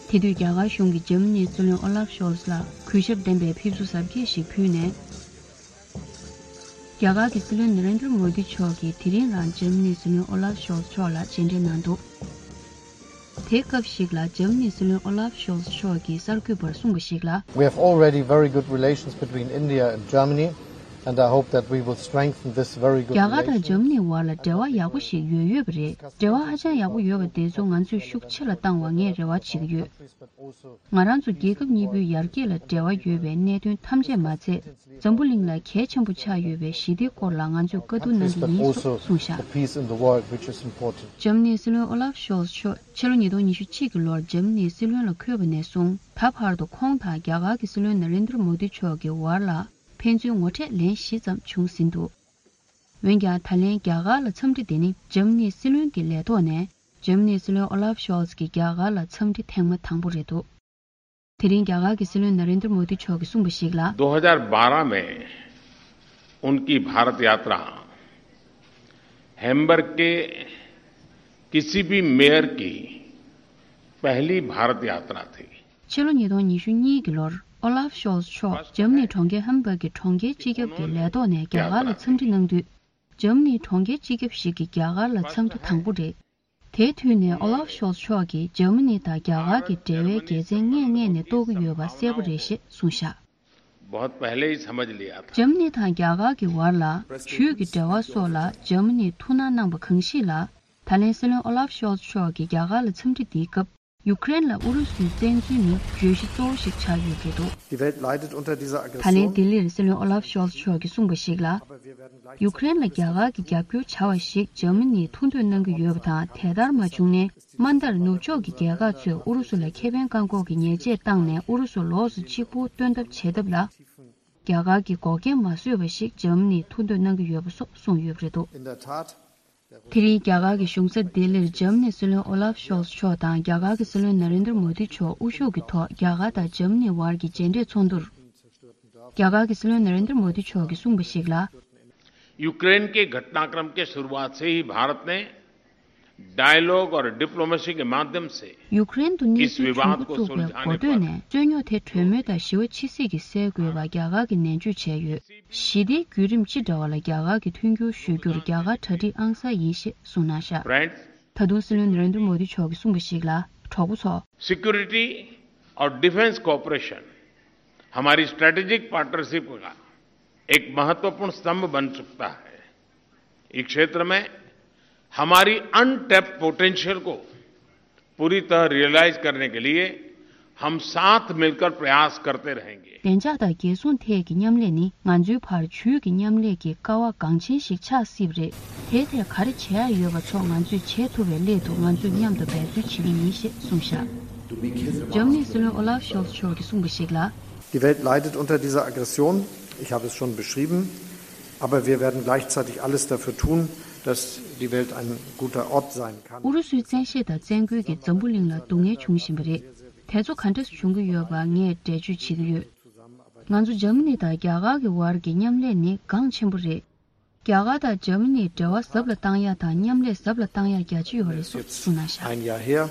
དེ་དུས་རྒྱ་གར་གཞུང་གིས་འཇར་མ་ནིའི་སྲིད་བློན་ཨོ་ལབ་ཤོལ་ལ་གུས་ཞབས་ལྡན་པའི་ཕེབས་བསུ་གཟབ་རྒྱས་ཤིག་ཕུལ་ནས། རྒྱ་གར་གྱི་སྲིད་བློན་ན་རེན་དྲ་མོ་དི་མཆོག་གིས་དེ་རིང་རང་འཇར་མ་ནིའི་སྲིད་བློན་ཨོ་ལབ་ཤོལ་མཆོག་ལ་མཇལ་འཕྲད་གནང་འདུག། དེའི་སྐབས་ཤིག་ལ་འཇར་མ་ནིའི་སྲིད་བློན་ཨོ་ལབ་ཤོལ་མཆོག་གིས་གསར་འགོད་པར་གསུངས་པ་ཞིག་ལ། We have already very good relations between India and Germany, and I hope that we will strengthen this very good རྒྱ་གར་དང་relationship. འཇར་མ་ནིའི་བར་ལ་འབྲེལ་བ་ཡག་པོ་ཞིག་ཡོད་ཡོད་པ་རེད། འབྲེལ་བ་ཧ་ཅང་ཡག་པོ་ཡོད་པ་དེ་ཚོ་ང་ཚོས་ཤུགས་ཆེ་ལ་བཏང་བ་ངས་རེ་བ་བྱེད་ཀྱི་ཡོད། ང་རང་ཚོ་རྒྱལ་ཁབ་གཉིས་པོའི་ཡར་རྒྱས་ལ་འབྲེལ་བ་ཡོད་པའི་གནད་དོན་ཐམས་ཅད་མ་ཚད། འཛམ་བུ་གླིང་ལ་གལ་ཆེན་པོ་ཆགས་ཡོད་པའི་ཞི་བདེའི་སྐོར་ལ་ང་ཚོས་བཀའ་བསྡུར་གནང་གི་ཡིན་སོགས་གསུངས་བཞག། Peace in the world, which is important. འཇར་མ་ནིའི་སྲིད་བློན་ཨོ་ལབ་ཤོལ་མཆོག་ཕྱི་ལོ་ཉིས་སྟོང་ཉི་ཤུ་གཅིག་གི་ལོར་འཇར་མ་ནིའི་སྲིད་བློན་ལ་འཁོད་པ་ནས་བཟུང་ད་བར་དུ་ཁོང་དང་རྒྱ་གར་གྱི་སྲིད་བློན་ན་རེན་དྲ་མོ་དི་མཆོག་གི་བར་ལ་ཕན་ཚུན་ངོ་འཕྲད་ལན་བཞི་ཙམ་བྱུང་ཟིན་འདུག། འོན་ཀྱང་ད་ལན་རྒྱ་གར་ལ་འཚམས་འདྲི་དེ་ནི་འཇར་མ་ནིའི་སྲིད་བློན་གྱི་ལས་ཐོག་ནས་འཇར་མ་ནིའི་སྲིད་བློན་ཨོ་ལབ་ཤོལ་གྱི་རྒྱ་གར་ལ་འཚམས་འདྲི་ཐེངས་མ་དང་པོ་རེད་འདུག། དེ་རིང་རྒྱ་གར་གྱི་སྲིད་བློན་ན་རེན་དྲ་མོ་དི་མཆོག་གིས་གསུངས་པ་ཞིག་ལ། दो हज़ार बारह में उनकी भारत यात्रा हैम्बर्ग के किसी भी मेयर की पहली भारत यात्रा थी। ཕྱི་ལོ་ཉིས་སྟོང་ཉི་ཤུ་གཉིས་ཀྱི་ལོར་ཨོ་ལབ་ཤོལ་མཆོག་འཇར་མ་ནིའི་གྲོང་ཁྱེར་ཧམ་བྷག་གི་གྲོང་ཁྱེར་སྤྱི་ཁྱབ་ཀྱི་ལས་ཐོག་ནས་རྒྱ་གར་ལ་འཚམས་འདྲི་གནང་དུས། འཇར་མ་ནིའི་གྲོང་ཁྱེར་སྤྱི་ཁྱབ་ཞིག་གིས་རྒྱ་གར་ལ་འཚམས་འདྲི་དང་པོ་རེད། དེའི་དུས་ནས་ཨོ་ལབ་ཤོལ་མཆོག་གིས་འཇར་མ་ནི་དང་རྒྱ་གར་གྱི་འབྲེལ་བའི་དགེ་མཚན་སྔས་ངས་ནས་རྟོགས་ཀྱི་ཡོད་པ་གསལ་པོ་རེད་ཞེས་གསུངས་བཞག། बहुत पहले ही समझ लिया था। འཇར་མ་ནི་དང་རྒྱ་གར་གྱི་བར་ལ་ཇུས་ཀྱི་འབྲེལ་བ་སོགས་ལ་འཇར་མ་ནིས་ཐུགས་སྣང་གནང་པ་གང་ཞིག་ལ། ད་ལན་སྲིད་བློན་ཨོ་ལབ་ཤོལ་མཆོག་གིས་རྒྱ་གར་ལ་འཚམས་འདྲི་འདིའི་སྐབས། ཡུཀ་རེན་ལ་ཨུ་རུ་སུས་བཙན་འཛུལ་ནི་བརྗོད་གཞི་གཙོ་བོ་ཞིག་ཆགས་ཡོད་འདུག། Die Welt leidet unter dieser Aggression. ད་ལན་ལྡི་ལིར་སྲིད་བློན་ཨོ་ལབ་ཤོལ་མཆོག་གིས་གསུངས་པ་ཞིག་ལ། ཡུཀ་རེན་ལ་རྒྱ་གར་གྱིས་རྒྱབ་སྐྱོར་བྱ་བ་ཞིག་འཇར་མ་ནིས་ཐུགས་འདོད་གནང་གི་ཡོད་པ་དང་། དེ་ལྟར་མ་བྱུང་ན། མ་མཐར་ནུབ་ཕྱོགས་ཀྱི་རྒྱལ་ཁག་ཚོས་ཨུ་རུ་སུ་ལ་ཁེ་ཕན་བཀག་འགོག་གི་ཉེས་ཆད་བཏང་ནས་ཨུ་རུ་སུ་ལོགས་སུ་གཅིག་པུ་བཏོན་ཐབས་བྱེད་ཐབས་ལ། རྒྱ་གར་གྱིས་འགོག་རྐྱེན་མ་བཟོས་པ་ཞིག་འཇར་མ་ནིས་ཐུགས་འདོད་གནང་གི་ཡོད་པ་སོགས་གསུངས་ཡོད་པ་རེད་འདུག། In der Tat, དེ་རིང་རྒྱ་གར་གྱི་གཞུང་ས་ལྡི་ལིར་འཇར་མ་ནིའི་སྲིད་བློན་ཨོ་ལབ་ཤོལ་མཆོག་དང་རྒྱ་གར་གྱི་སྲིད་བློན་ན་རེན་དྲ་མོ་དི་མཆོག་དབུ་བཞུགས་ཀྱི་ཐོག་རྒྱ་གར་དང་འཇར་མ་ནིའི་བར་གྱི་མཇལ་འཕྲད་ཚོགས་འདུར། རྒྱ་གར་གྱི་སྲིད་བློན་ན་རེན་དྲ་མོ་དི་མཆོག་གིས་གསུངས་པ་ཞིག་ལ། यूक्रेन के घटनाक्रम के शुरुआत से ही भारत ने डायलॉग और डिप्लोमेसी के माध्यम से ཡུཀ་རེན་དུ་གནས་ཚུལ་བྱུང་འགོ་བཙུགས་པའི་འགོ་སྟོད་ནས། རྩོད་རྙོག་དེ་གྲོས་མོལ་དང་ཞི་བ་ཕྱི་སྲིད་ཀྱིས་སེལ་དགོས་པ་རྒྱ་གར་གྱིས་ནན་བརྗོད་བྱས་ཡོད། ཞི་བདེའི་བརྒྱུད་རིམ་ཅི་འདྲ་བ་ལ་རྒྱ་གར་གྱིས་མཐུན་འགྱུར་ཞུ་རྒྱུར་རྒྱ་གར་གྲ་སྒྲིག་ཨང་གསར་ཡིན་ཞེས་གསུངས་གནང་བཞག། Friends, ད་དུང་སྲིད་བློན་ན་རེན་དྲ་མོ་དི་མཆོག་གིས་གསུངས་པ་ཞིག་ལ། གྲོགས་པོ་ཚོ། Security और डिफेंस कोऑपरेशन हमारी स्ट्रेटेजिक पार्टनरशिप का एक महत्वपूर्ण स्तंभ बन सकता है। इस क्षेत्र में हमारी अनटैप्ड पोटेंशियल को पूरी तरह रियलाइज करने के लिए हम साथ मिलकर प्रयास करते रहेंगे। བདེ་འཇགས་དང་རྒྱལ་སྲུང་ཐད་ཀྱི་མཉམ་ལས་ནི་ང་ཚོའི་བར་ཇུས་ཀྱི་མཉམ་ལས་ཀྱི་ཀ་བ་འགངས་ཆེན་ཞིག་ཆགས་སྲིད་པ་རེད། དེའི་ཐད་ག་རེ་བྱེད་ཡ་ཡོད་པ་སོགས་ང་ཚོས་བྱེད་ཐུབ་པའི་སླད་དུ་ང་ཚོས་མཉམ་དུ་འབད་རྩོལ་བྱེད་ཀྱི་ཡིན་ཞེས་གསུངས་བཞག་འཇར་མ་ནིའི་སྲིད་བློན་ཨོ་ལཱབ་ཤོལ་ཚ་མཆོག་གིས་གསུངས་པ་ཞིག་ལ། Die Welt leidet unter dieser Aggression. Ich habe es schon beschrieben. Aber wir werden gleichzeitig alles dafür tun, dass die Welt ein guter Ort sein kann. ཨུ་རུ་སུའི་བཙན་ཤེད་དང་བཙན་རྒོལ་གྱིས་འཛམ་བུ་གླིང་ལ་སྡུག་བསྔལ་བྱུང་བཞིན་པ་རེད། དེ་ཚོ་ག་འདྲ་བྱུང་གི་ཡོད་པ་ངས་འགྲེལ་བརྗོད་བྱེད་ཀྱི་ཡོད། ང་ཚོ་འཇར་མ་ནི་དང་རྒྱ་གར་གྱི་བར་གྱི་མཉམ་ལས་ནི་འགངས་ཆེན་པོ་རེད། རྒྱ་གར་དང་འཇར་མ་ནིས་འབྲེལ་བ་ཟབ་ལ་བཏང་ཡ་དང་མཉམ་ལས་ཟབ་ལ་བཏང་ཡ་རྒྱ་ཆེ་ཡོད་རེད་སོགས་གསུངས་གནང་བཞག Ein Jahr her.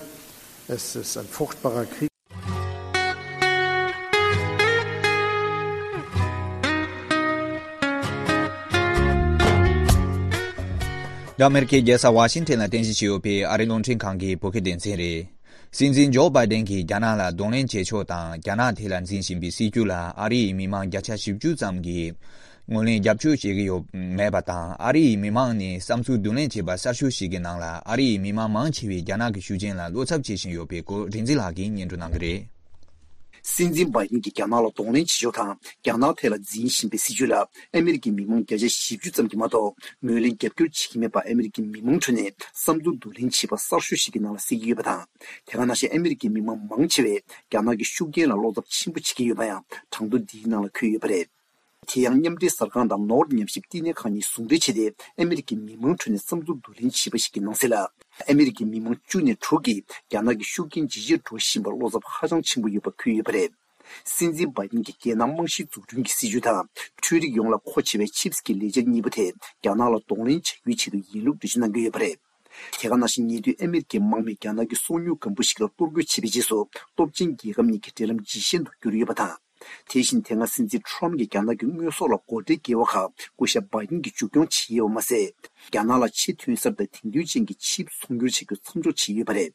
Es ist ein furchtbarer Krieg. ཨ་མེ་རི་ཁའི་རྒྱལ་ས་ཝ་ཤིང་ཊོན་ལ་རྟེན་གཞི་བྱས་ཡོད་པའི་ཨ་རིའི་རླུང་འཕྲིན་ཁང་གི་བོད་སྐད་སྡེ་ཚན་རེད། སྲིད་འཛིན་ཇོ་བྷའི་ཌེན་གྱིས་རྒྱ་ནག་ལ་གདོང་ལེན་བྱེད་ཕྱོགས་དང་རྒྱ་ནག་ཐད་ལ་འཛིན་བཞིན་པའི་སྲིད་བྱུས་ལ་ཨ་རི་ཡི་མི་མང་བརྒྱ་ཆ་བཞི་བཅུ་ཙམ་གྱིས་ངོས་ལེན་རྒྱབ་སྐྱོར་བྱེད་ཀྱི་ཡོད་མེད་པ་དང་། ཨ་རི་ཡི་མི་མང་ནི་བསམ་ཚུལ་བསྡུ་ལེན་བྱས་པ་གསར་ཤོག་ཞིག་གི་ནང་ལ་ཨ་རི་ཡི་མི་མང་མང་ཆེ་བས་རྒྱ་ནག་གི་ཤུགས་རྐྱེན་ལ་བློ་འཚབ་བྱེད་བཞིན་ཡོད་པའི་སྐོར་རིག་འཛིན་ལགས་ཀྱིས་སྙན་སྒྲོན་གནང་གི་རེད། སྲིད་འཛིན་བྷའི་ཌེན་གྱིས་རྒྱ་ནག་ལ་གདོང་ལེན་བྱེད་ཕྱོགས་དང་རྒྱ་ནག་ཐད་ལ་འཛིན་བཞིན་པའི་སྲིད་བྱུས་ལ་ཨ་མེ་རི་ཀའི་མི་མང་བརྒྱ་ཆ་བཞི་བཅུ་ཙམ་གྱིས་མ་གཏོགས་ངོས་ལེན་རྒྱབ་སྐྱོར་བྱེད་ཀྱི་མེད་པ་ཨ་མེ་རི་ཀའི་མི་མང་ཁྲོད་ནས་བསམ་ཚུལ་བསྡུ་ལེན་བྱས་པ་གསར་ཤོག་ཞིག་གི་ནང་ལ་གསལ་གྱི་ཡོད་པ་དང་། དེ་ག་ནང་བཞིན་ཨ་མེ་རི་ཀའི་མི་མང་མང་ཆེ་བས་རྒྱ་ནག་གི་ཤུགས་རྐྱེན་ལ་བློ་འཚབ་ཆེན་པོ་བྱེད་ཀྱི་ཡོད་པ་ཡང་གྲངས་ཐོ་འདིའི་ནང་ལ་འཁོད་ཡོད་པ་རེད། དེ་ཡང་མཉམ་འབྲེལ་གསར་ཁང་དང་ནོར་ཉམས་ཞིབ་བསྟི་གནས་ཁང་གཉིས་ཟུང་འབྲེལ་བྱས་ཏེ་ཨ་མེ་རི་ཀའི་མི་མང་ཁྲོད་ནས་བསམ་ཚུལ་བསྡུ་ལེན་བྱས་པ་ཞིག་གི་ནང་གསལ་ལ། ཨ་མེ་རི་ཀའི་མི་མང་བཅུ་ནས་དྲུག་གིས་རྒྱ་ནག་གི་ཤུགས་རྐྱེན་ཇེ་ཆེར་འགྲོ་བཞིན་པར་བློ་འཚབ་ཧ་ཅང་ཆེན་པོ་ཡོད་པ་འཁོད་ཡོད་པ་རེད། སྲིད་འཛིན་བྷའི་ཌེན་གྱི་རྒྱལ་ནང་རྨང་གཞིའི་འཛུགས་སྐྲུན་གྱི་སྲིད་བྱུས་དང་། འཕྲུལ་རིག་ཡོངས་ལ་མཁོ་ཆེ་བའི་ཆིབས་ཀྱི་ལས་འཆར་གཉིས་པོ་དེ་རྒྱ་ནག་ལ་གདོང་ལེན་བྱ་རྒྱུའི་ཆེད་དུ་ཡིན་ལུགས་འགྲེལ་བརྗོད་གནང་གི་ཡོད་པ་རེད། དེ་ག་ནང་བཞིན་ཉེ་དུས་ཨ་མེ་རི་ཀའི་དམག་མིས་རྒྱ་ནག་གི་སོ་ཉུལ་སྒམ་པོ་ཞིག་ལ་གཏོར་རྒོལ་བྱས་པའི་རྗེས་སུ་སྟོབས་ཆེན་རྒྱལ་ཁབ་གཉིས་ཀྱི་འབྲེལ་ལམ་ཇེ་ཞན་དུ་གྱུར་ཡོད་པ་དང་། དེ་བཞིན་དེ་སྔ་སྲིད་འཛིན་ཊམ་གྱིས་རྒྱ་ནག་གི་དངོས་ཟོག་ལ་སྒོ་ཁྲལ་བཀལ་བ་ཁག་སྐུ་ཞབས་བྷའི་ཌེན་གྱིས་མཇུག་སྐྱོང་བྱས་ཡོད་པ་མ་ཟད། རྒྱ་ནག་ལ་ཆེས་ཐོན་གསར་དང་དེང་དུས་ཅན་གྱི་ཆིབས་ཚོང་སྒྱུར་བྱ་རྒྱུ་མཚམས་འཇོག་བྱས་ཡོད་པ་རེད།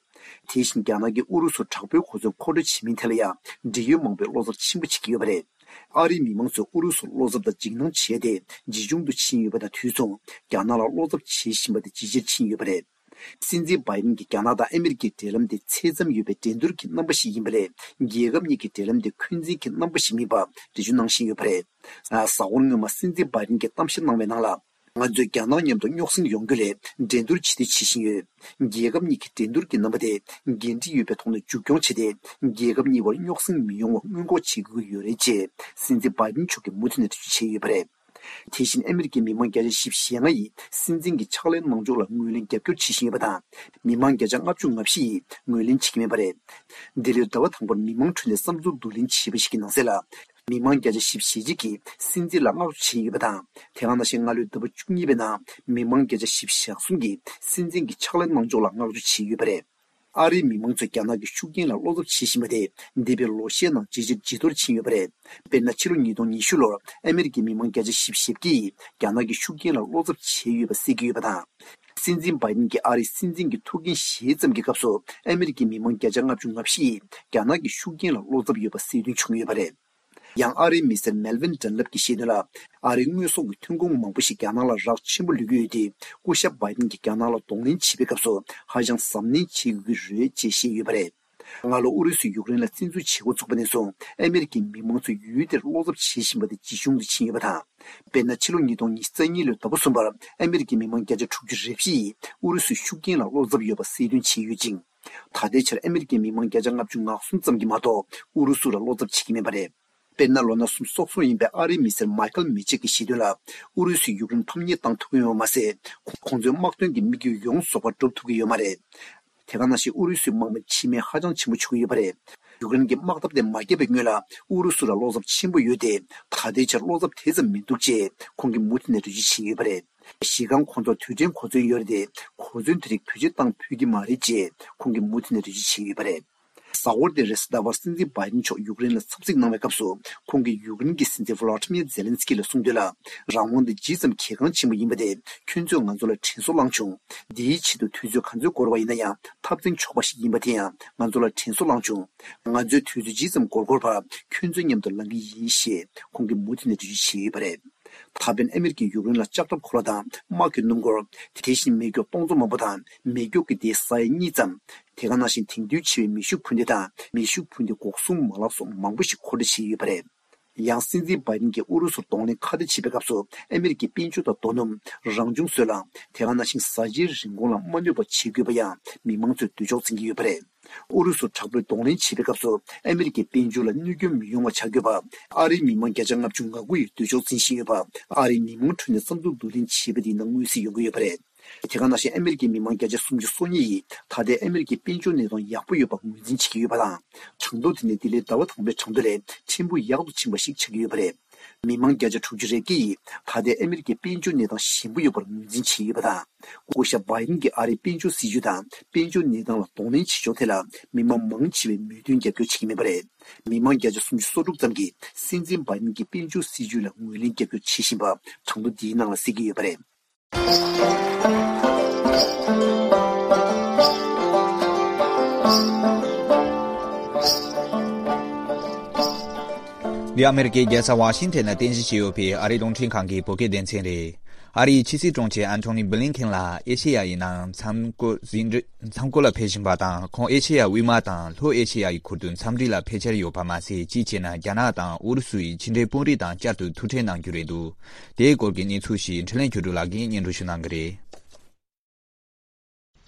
དེ་བཞིན་རྒྱ་ནག་གིས་ཨུ་རུ་སུར་དྲག་པོའི་གོ་མཚོན་མཁོ་སྤྲོད་བྱེད་མིན་ཐད་ལ་ཡང་འབྲེལ་ཡོད་མང་པོས་བློ་འཚབ་ཆེན་པོ་བྱེད་ཀྱི་ཡོད་པ་རེད། ཨ་རིའི་མི་མང་ཚོས་ཨུ་རུ་སུར་བློ་འཚབ་དང་འཇིགས་སྣང་བྱས་ཏེ་ཇེ་ཆུང་དུ་ཕྱིན་ཡོད་པ་དང་དུས་མཚུངས་རྒྱ་ནག་ལ་བློ་འཚབ་བྱེད་བཞིན་པ་དེ་ཇེ་ཆེར་ཕྱིན་ཡོད་པ་རེད། སྲིད་འཛིན་བྷའི་ཌེན་གྱིས་རྒྱ་ནག་དང་ཨ་མེ་རི་ཀའི་འབྲེལ་ལམ་དེ་ཚད་ཙམ་ཡོད་པའི་འགྲན་བསྡུར་གྱི་རྣམ་པ་ཞིག་ཡིན་པ་ལས་རྒྱལ་ཁབ་གཉིས་ཀྱི་འབྲེལ་ལམ་དེ་འཁོན་འཛིན་གྱི་རྣམ་པ་ཞིག་མིན་པ་འགྲེལ་བརྗོད་གནང་བཞིན་ཡོད་པ་རེད། གཟའ་འཁོར་སྔོན་མ་སྲིད་འཛིན་བྷའི་ཌེན་གྱིས་གཏམ་བཤད་གནང་བའི་ནང་ལ། ང་ཚོས་རྒྱ་ནག་མཉམ་དུ་རྙོག་ཟིང་ཡོང་རྒྱུ་ལས་འགྲན་བསྡུར་བྱེད་འདོད་བྱེད་བཞིན་ཡོད། རྒྱལ་ཁབ་གཉིས་ཀྱི་འགྲན་བསྡུར་གྱི་རྣམ་པ་དེ་འགན་འཁྲི་ཡོད་པའི་ཐོག་ནས་མཇུག་སྐྱོང་བྱས་ཏེ། རྒྱལ་ཁབ་གཉིས་བར་རྙོག་ཟིང་མི་ཡོང་བ་སྔོན་འགོག་བྱེད་དགོས་ཀྱི་ཡོད་རེད་ཅེས་སྲིད་འཛིན་བྷའི་ཌེན་མཆོག་གིས་མུ་མཐུད་ནས་འགྲེལ་བརྗོད་བྱས་ཡོད་པ་རེད། དེ་བཞིན་ཨ་མེ་རི་ཀའི་མི་མང་བརྒྱ་ཆ་བཞི་བཅུ་ཞེ་ལྔ་ཡིས་སྲིད་འཛིན་གྱི་ཕྱག་ལས་གནང་ཕྱོགས་ལ་ངོས་ལེན་རྒྱབ་སྐྱོར་བྱེད་བཞིན་ཡོད་པ་དང་། མི་མང་བརྒྱ་ཆ་ལྔ་བཅུ་ང་བཞི་ཡིས་ངོས་ལེན་བྱེད་ཀྱི་མེད་པ་རེད། འདི་ལོའི་ཟླ་བ་དང་པོར་མི་མང་ཁྲོད་ནས་བསམ་ཚུལ་བསྡུ་ལེན་བྱས་པ་ཞིག་གི་ནང་གསལ་ལ། མི་མང་བརྒྱ་ཆ་བཞི་བཅུ་ཞེ་གཅིག་གིས་སྲིད་འཛིན་ལ་བསྔགས་བརྗོད་བྱས་ཡོད་པ་དང་། དེ་ག་ནང་བཞིན་སྔ་ལོའི་ཟླ་བ་བཅུ་གཉིས་པའི་ནང་མི་མང་བརྒྱ་ཆ་བཞི་བཅུ་ཞེ་གསུམ་གྱིས་སྲིད་འཛིན་གྱི་ཕྱག་ལས་གནང་ཕྱོགས་ལ་བསྔགས་བརྗོད་བྱས་ཡོད་པ་རེད། ཨ་རིའི་མི་མང་ཚོས་རྒྱ་ནག་གི་ཤུགས་རྐྱེན་ལ་བློ་འཚབ་བྱེད་བཞིན་པ་དེ་འདས་པའི་ལོ་ཤས་ནང་ཇེ་ཆེར་ཇེ་མཐོར་ཕྱིན་ཡོད་པ་རེད། དཔེར་ན་ཕྱི་ལོ་ཉིས་སྟོང་ཉི་ཤུ་ལོར་ཨ་མེ་རི་ཀའི་མི་མང་བརྒྱ་ཆ་བཞི་བཅུ་ཞེ་བརྒྱད་ཀྱིས་རྒྱ་ནག་གི་ཤུགས་རྐྱེན་ལ་བློ་འཚབ་བྱས་ཡོད་པ་གསལ་གྱི་ཡོད་པ་དང་། སྲིད་འཛིན་བྷའི་ཌེན་གྱིས་ཨ་རིའི་སྲིད་འཛིན་གྱི་ཐུགས་འགན་བཞེས་ཙམ་གྱི་སྐབས་སུ་ཨ་མེ་རི་ཀའི་མི་མང་བརྒྱ་ཆ་ལྔ་བཅུ་ང་བཞི་ཡིས་རྒྱ་ནག་གི་ཤུགས་རྐྱེན་ལ་བློ་འཚབ་ཡོད་པ་གསལ་སྟོན་བྱུང་ཡོད་པ་རེད། ཡང་ཨ་རིའི་མི་སེར་མེལ་ཝིན་ཌན་ལབ་ཀྱིས་བཤད་དོན་ལ། ཨ་རིའི་དངོས་ཟོག་གི་ཐོན་ཁུངས་མང་པོ་ཞིག་རྒྱ་ནག་ལ་རག་ཆེན་པོ་ལུས་ཀྱི་ཡོད་དེ། སྐུ་ཞབས་བྷའི་ཌེན་གྱིས་རྒྱ་ནག་ལ་གདོང་ལེན་བྱེད་པའི་སྐབས་སུ་ཧ་ཅང་གཟབ་ནན་བྱེད་དགོས་ཀྱི་རེད་ཅེས་བཤད་ཡོད་པ་རེད། སྔ་ལོ་ཨུ་རུ་སུས་ཡུཀ་རེན་ལ་བཙན་འཛུལ་བྱེད་འགོ་ཚུགས་པ་ནས་བཟུང་ཨ་མེ་རི་ཀའི་མི་མང་ཚོས་ཡུལ་དེར་བློ་འཚབ་བྱེད་བཞིན་པ་དེ་ཇེ་ཆུང་དུ་ཕྱིན་ཡོད་པ་དང་། དཔེར་ན་ཕྱི་ལོ་ཉིས་སྟོང་ཉི་ཤུ་རྩ་གཉིས་ལོའི་ཟླ་བ་གསུམ་པར་ཨ་མེ་རི་ཀའི་མི་མང་བརྒྱ་ཆ་དྲུག་ཅུ་རེ་བཞི་ཡིས་ཨུ་རུ་སུའི་ཤུགས་རྐྱེན་ལ་བློ་འཚབ་ཡོད་པ་གསལ་སྟོན་བྱས་ཡོད་ཅིང་། ད་ལྟའི་ཆར་ཨ་མེ་རི་ཀའི་མི་མང་བརྒྱ་ཆ་ལྔ་བཅུ་ང་གསུམ་ཙམ་གྱིས་མ་གཏོགས་ཨུ་རུ་སུ་ལ་བློ་འཚབ་བྱེད་ཀྱི་མེད་པ་རེད། དཔེར་ན་ལོ་ན་གསུམ་སོ་གསུམ་ཡིན་པའི་ཨ་རིའི་མི་སེར་མའི་ཁལ་མི་ཆེག་གིས་བཤད་དོན་ལ། ཨུ་རུ་སུས་ཡུཀ་རེན་ཕམ་ཉེས་བཏང་ཐུབ་ཀྱི་ཡོད་པ་མ་ཟད། ཁོང་ཚོའི་དམག་དོན་གྱི་དམིགས་ཡུལ་ཡོངས་རྫོགས་པ་འགྲུབ་ཐུབ་ཀྱི་ཡོད་མ་རེད། དེ་ག་ནང་བཞིན་ཨུ་རུ་སུའི་དམག་མི་འཆི་རྨས་ཧ་ཅང་ཆེན་པོ་བྱུང་གི་ཡོད་པ་རེད། ཡུཀ་རེན་གྱི་དམག་འཐབ་དེ་མ་བརྒྱབ་པའི་སྔོན་ལ་ཨུ་རུ་སུ་ལ་བློ་འཚབ་ཆེན་པོ་ཡོད་དེ། ད་ལྟའི་ཆར་བློ་འཚབ་དེ་ཙམ་མི་འདུག་ཅེས་ཁོང་གིས་མུ་མཐུད་ནས་འགྲེལ་བརྗོད་བྱས་ཡོད་པ་རེད། གཞི་རྐང་ཁོང་ཚོར་དུས་དྲན་གོ་མཚོན་ཡོད་རེད་དེ། གོ་མཚོན་དེ་རིགས་བེད་སྤྱོད་བཏང་ཕོད་ཀྱི་མ་རེད་ཅེས་ཁོང་གིས་མུ་མཐུད་ནས་འགྲེལ་བརྗོད་བྱས་ཡོད་པ་རེད། གཟའ་འཁོར་འདིར་རེས་གཟའ་ཟླ་བར་སྲིད་འཛིན་བྷའི་ཌེན་མཆོག་ཡུཀ་རེན་ལ་འཚམས་གཟིགས་གནང་བའི་སྐབས་སུ། ཁོང་གིས་ཡུཀ་རེན་གྱི་སྲིད་འཛིན་ཝ་ལ་ཏི་མིར་ཛེ་ལན་སི་ཀི་ལ་གསུངས་དོན་ལ། རང་དབང་འདི་ཇི་ཙམ་གལ་འགངས་ཆེན་པོ་ཡིན་པ་དེ་ཁྱོད་ཚོས་ང་ཚོ་ལ་དྲན་གསོ་བསླངས་བྱུང་། འདིའི་ཆེད་དུ་དུས་ཚོད་ག་ཚོད་འགོར་བ་ཡིན་ན་ཡང་འཐབ་འཛིང་ཆོག་པ་ཞིག་ཡིན་པ་དེ་ཡང་ང་ཚོ་ལ་དྲན་གསོ་བསླངས་བྱུང་། ང་ཚོས་དུས་ཚོད་ཇི་ཙམ་འགོར་འགོར་བར་ཁྱོད་ཚོའི་མཉམ་དུ་ལངས་ཀྱི་ཡིན་ཞེས་ཁོང་གིས་མུ་མཐུད་ནས་འགྲེལ་བརྗོད་བྱས་ཡོད་པ་རེད། ད་ཕན་ཨ་མེ་རི་ཀས་ཡུཀ་རེན་ལ་ལྕགས་ཁྲབ་གོ་ལ་དང་དམག་གི་སྣུམ་འཁོར། དེ་བཞིན་མེ་སྒྱོགས་སྟོང་ཚོ་མང་པོ་དང་མེ་སྒྱོགས་ཀྱི་སྡེའི་ས་ཡ་གཉིས་ཙམ། དེ་ག་ནང་བཞིན་དེང་དུས་ཆེ་བའི་མེ་ཤུགས་འཕུར་མདེལ་དང་མེ་ཤུགས་འཕུར་མདེལ་འགོག་སྲུང་མ་ལག་སོགས་མང་པོ་ཞིག་མཁོ་སྤྲོད་བྱས་ཡོད་པ་རེད། ཡང་སྲིད་འཛིན་བྷའི་ཌེན་གྱིས་ཨུ་རུ་སུར་གདོང་ལེན་ཁ་གཏད་བྱེད་པའི་སྐབས་སུ་ཨ་མེ་རི་ཀའི་དཔལ་འབྱོར་དང་རྡོ་སྣུམ། རང་བྱུང་སོལ་རླངས། དེ་ག་ནང་བཞིན་བཟའ་བཅའི་རིན་གོང་ལ་མ་གནོད་པ་བྱེད་དགོས་པ་ཡང་མི་མང་ཚོས་འདོད་ཕྱོགས་འཛིན་གྱི་ཡོད་པ་རེད། ཨུ་རུ་སུ་དྲག་པོས་གདོང་ལེན་བྱེད་པའི་སྐབས་སུ་ཨ་མེ་རི་ཀའི་དཔལ་འབྱོར་ལ་གནོད་སྐྱོན་མི་ཡོང་བ་བྱ་དགོས་པ། ཨ་རིའི་མི་མང་བརྒྱ་ཆ་ལྔ་བཅུ་ང་དགུ་ཡིས་འདོད་ཕྱོགས་འཛིན་བཞིན་ཡོད་པ། ཨ་རིའི་མི་མང་ཁྲོད་ནས་བསམ་ཚུལ་བསྡུ་ལེན་བྱས་པ་དེའི་ནང་མངོན་གསལ་ཡོང་གི་ཡོད་པ་རེད། དེ་ག་ནང་བཞིན་ཨ་མེ་རི་ཀའི་མི་མང་བརྒྱ་ཆ་སུམ་ཅུ་སོ་གཉིས་ཡིས་ད་ལྟའི་ཨ་མེ་རི་ཀའི་དཔལ་འབྱོར་གནས་སྟངས་ཡག་པོ་ཡོད་པར་ངོས་འཛིན་བྱེད་ཀྱི་ཡོད་པ་དང་། གྲངས་ཐོ་དེ་ནི་འདི་ལོའི་ཟླ་བ་དང་པོའི་གྲངས་ཐོ་ལས་ཕྲན་བུ་ཡག་ཏུ་ཕྱིན་པ་ཞིག་ཆགས་ཀྱི་ཡོད་པ་རེད། མི་མང་བརྒྱ་ཆ་དྲུག་ཅུ་རེ་བརྒྱད་ཡིས་ད་ལྟའི་ཨ་མེ་རི་ཀའི་དཔལ་འབྱོར་གནས་སྟངས་ཞན་པོ་ཡོད་པར་ངོས་འཛིན་བྱས་ཡོད་པ་དང་། སྐུ་ཞབས་བྷའི་ཌེན་གྱིས་ཨ་རིའི་དཔལ་འབྱོར་སྲིད་ཇུས་དང་དཔལ་འབྱོར་གནས་སྟངས་ལ་གདོང་ལེན་བྱེད་ཕྱོགས་ཐད་ལ་མི་མང་མང་ཆེ་བས་མོས་མཐུན་རྒྱབ་སྐྱོར་བྱེད་ཀྱི་མེད་པ་རེད། མི་མང་བརྒྱ་ཆ་སུམ་ཅུ་སོ་དྲུག་ཙམ་གྱིས་སྲིད་འཛིན་བྷའི་ཌེན་གྱི་དཔལ་འབྱོར་སྲིད་ཇུས་ལ་ངོས་ལེན་རྒྱབ་སྐྱོར་བྱེད་བཞིན་པ་གྲངས་ཐོ་འདིའི་ནང་ལ་གསལ་གྱི་ཡོད་པ་རེད། འདི་ཨ་མེ་རི་ཀའི་རྒྱལ་ས་ཝ་ཤིང་ཊོན་ལ་རྟེན་གཞི་བྱས་ཡོད་པའི་ཨ་རིའི་རླུང་འཕྲིན་ཁང་གི་བོད་སྐད་སྡེ་ཚན་རེད། ཨ་རིའི་ཕྱི་སྲིད་དྲུང་ཆེ་ཨན་ཐོ་ནི་བྷི་ལིན་ཁེན་ལ་ཨེ་ཤེ་ཡ་ཡི་ནང་མཚམས་བསྐོར་ཟིན་བྲིས་མཚམས་བསྐོར་ལ་ཕེབས་བཞིན་པ་དང་། ཁོང་ཨེ་ཤེ་ཡ་དབུས་མ་དང་ལྷོ་ཨེ་ཤེ་ཡ་ཡི་ཁུལ་དུ་འཚམས་འདྲི་ལ་ཕེབས་འཆར་ཡོད་པ་མ་ཟད། གཅིག་བྱས་ན་རྒྱ་ནག་དང་ཨུ་རུ་སུ་ཡི་ཕྱི་འབྲེལ་དཔོན་རིགས་དང་བསྐྱར་དུ་ཐུག་འཕྲད་གནང་རྒྱུ་རེད་འདུག་དེའི་སྐོར་གྱི་གནས་ཚུལ་ཞིག་འཕྲིན་ལས་བརྒྱུད་འཕྲིན་ལགས་ཀྱིས་སྙན་སྒྲོན་ཞུ་གནང་གི་རེད།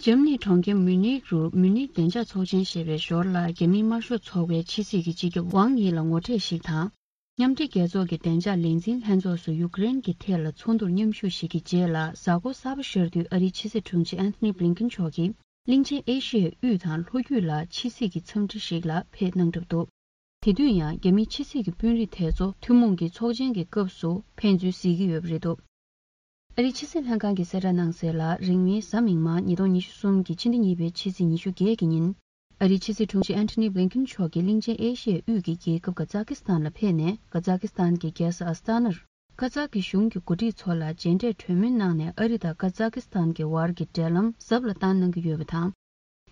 འཇར་མ་ནིའི་གྲོང་ཁྱེར་མུ་ནིག་རུ་མུ་ནིག་བདེ་འཇགས་ཚོགས་ཆེན་ཞེས་པའི་ཞོར་ལ་རྒྱ་མིའི་དམར་ཤོག་ཚོགས་པའི་ཕྱི་སྲིད་ཀྱི་སྤྱི་ཁྱབ་ཝང་ཡི་ལ་ངོ་འཕྲད་ཞིག་དང་། མཉམ་འབྲེལ་རྒྱལ་ཚོགས་ཀྱི་བདེ་འཇགས་ལས་འཛིན་ལྷན་ཚོགས་སུ་ཡུཀ་རེན་གྱི་ཐད་ལ་ཚོགས་འདུར་མཉམ་ཞུགས་ཤིག་གི་རྗེས་ལ། གཟའ་འཁོར་གསར་པ་ཤར་དུས་ཨ་རིའི་ཕྱི་སྲིད་དྲུང་ཆེ་ཨན་ཐོ་ནི་བྷི་ལིན་ཀིན་མཆོག་གིས་གླིང་ཆེན་ཨེ་ཤི་ཡའི་དབུས་དང་ལྷོ་རྒྱུད་ལ་ཕྱི་སྲིད་ཀྱི་འཚམས་འདྲི་ཞིག་ལ་ཕེབས་གནང་གྲབས་འདུག་དེ་དུས་ཡང་རྒྱ་མིའི་ཕྱི་སྲིད་ཀྱི་དཔོན་རིགས་དེ་ཚོ་ཐུན་མོང་གི་ཚོགས་ཆེན་གྱི་སྐབས་སུ་ཕན་ཚུན་གཟིགས་ཀྱི་ཡོད་པ་རེད་འདུག་ཨ་རིའི་ཕྱི་སྲིད་ལྷན་ཁང་གིས་གསལ་བསྒྲགས་གནང་གསལ་ལ། རིང་མིན་གཟའ་མིག་དམར་ཉིས་སྟོང་ཉི་ཤུ་གསུམ་གྱི་ཕྱི་ཟླ་གཉིས་པའི་ཕྱི་ཚེས་ཉི་ཤུ་བརྒྱད་ཀྱི་ཉིན། ཨ་རིའི་ཕྱི་སྲིད་དྲུང་ཆེ་ཨན་ཐོ་ནི་བྷི་ལིན་ཀིན་མཆོག་གིས་གླིང་ཆེན་ཨེ་ཤི་ཡའི་དབུས་ཀྱི་རྒྱལ་ཁབ་ཀ་ཛ་ཀི་སི་ཐན་ལ་ཕེབས་ནས། ཀ་ཛ་ཀི་སི་ཐན་གྱི་རྒྱལ་ས་ཨ་སི་ཏཱ་ནར་ཀ་ཛ་ཀི་གཞུང་གི་འགོ་ཁྲིད་ཚོ་ལ་མཇལ་འཕྲད་གྲོས་མོལ་གནང་ནས། ཨ་རི་དང་ཀ་ཛ་ཀི་སི་ཐན་གྱི་བར་གྱི་འབྲེལ་ལམ་ཟབ་ལ་བཏང་གནང་གི་ཡོད་པ་དང་།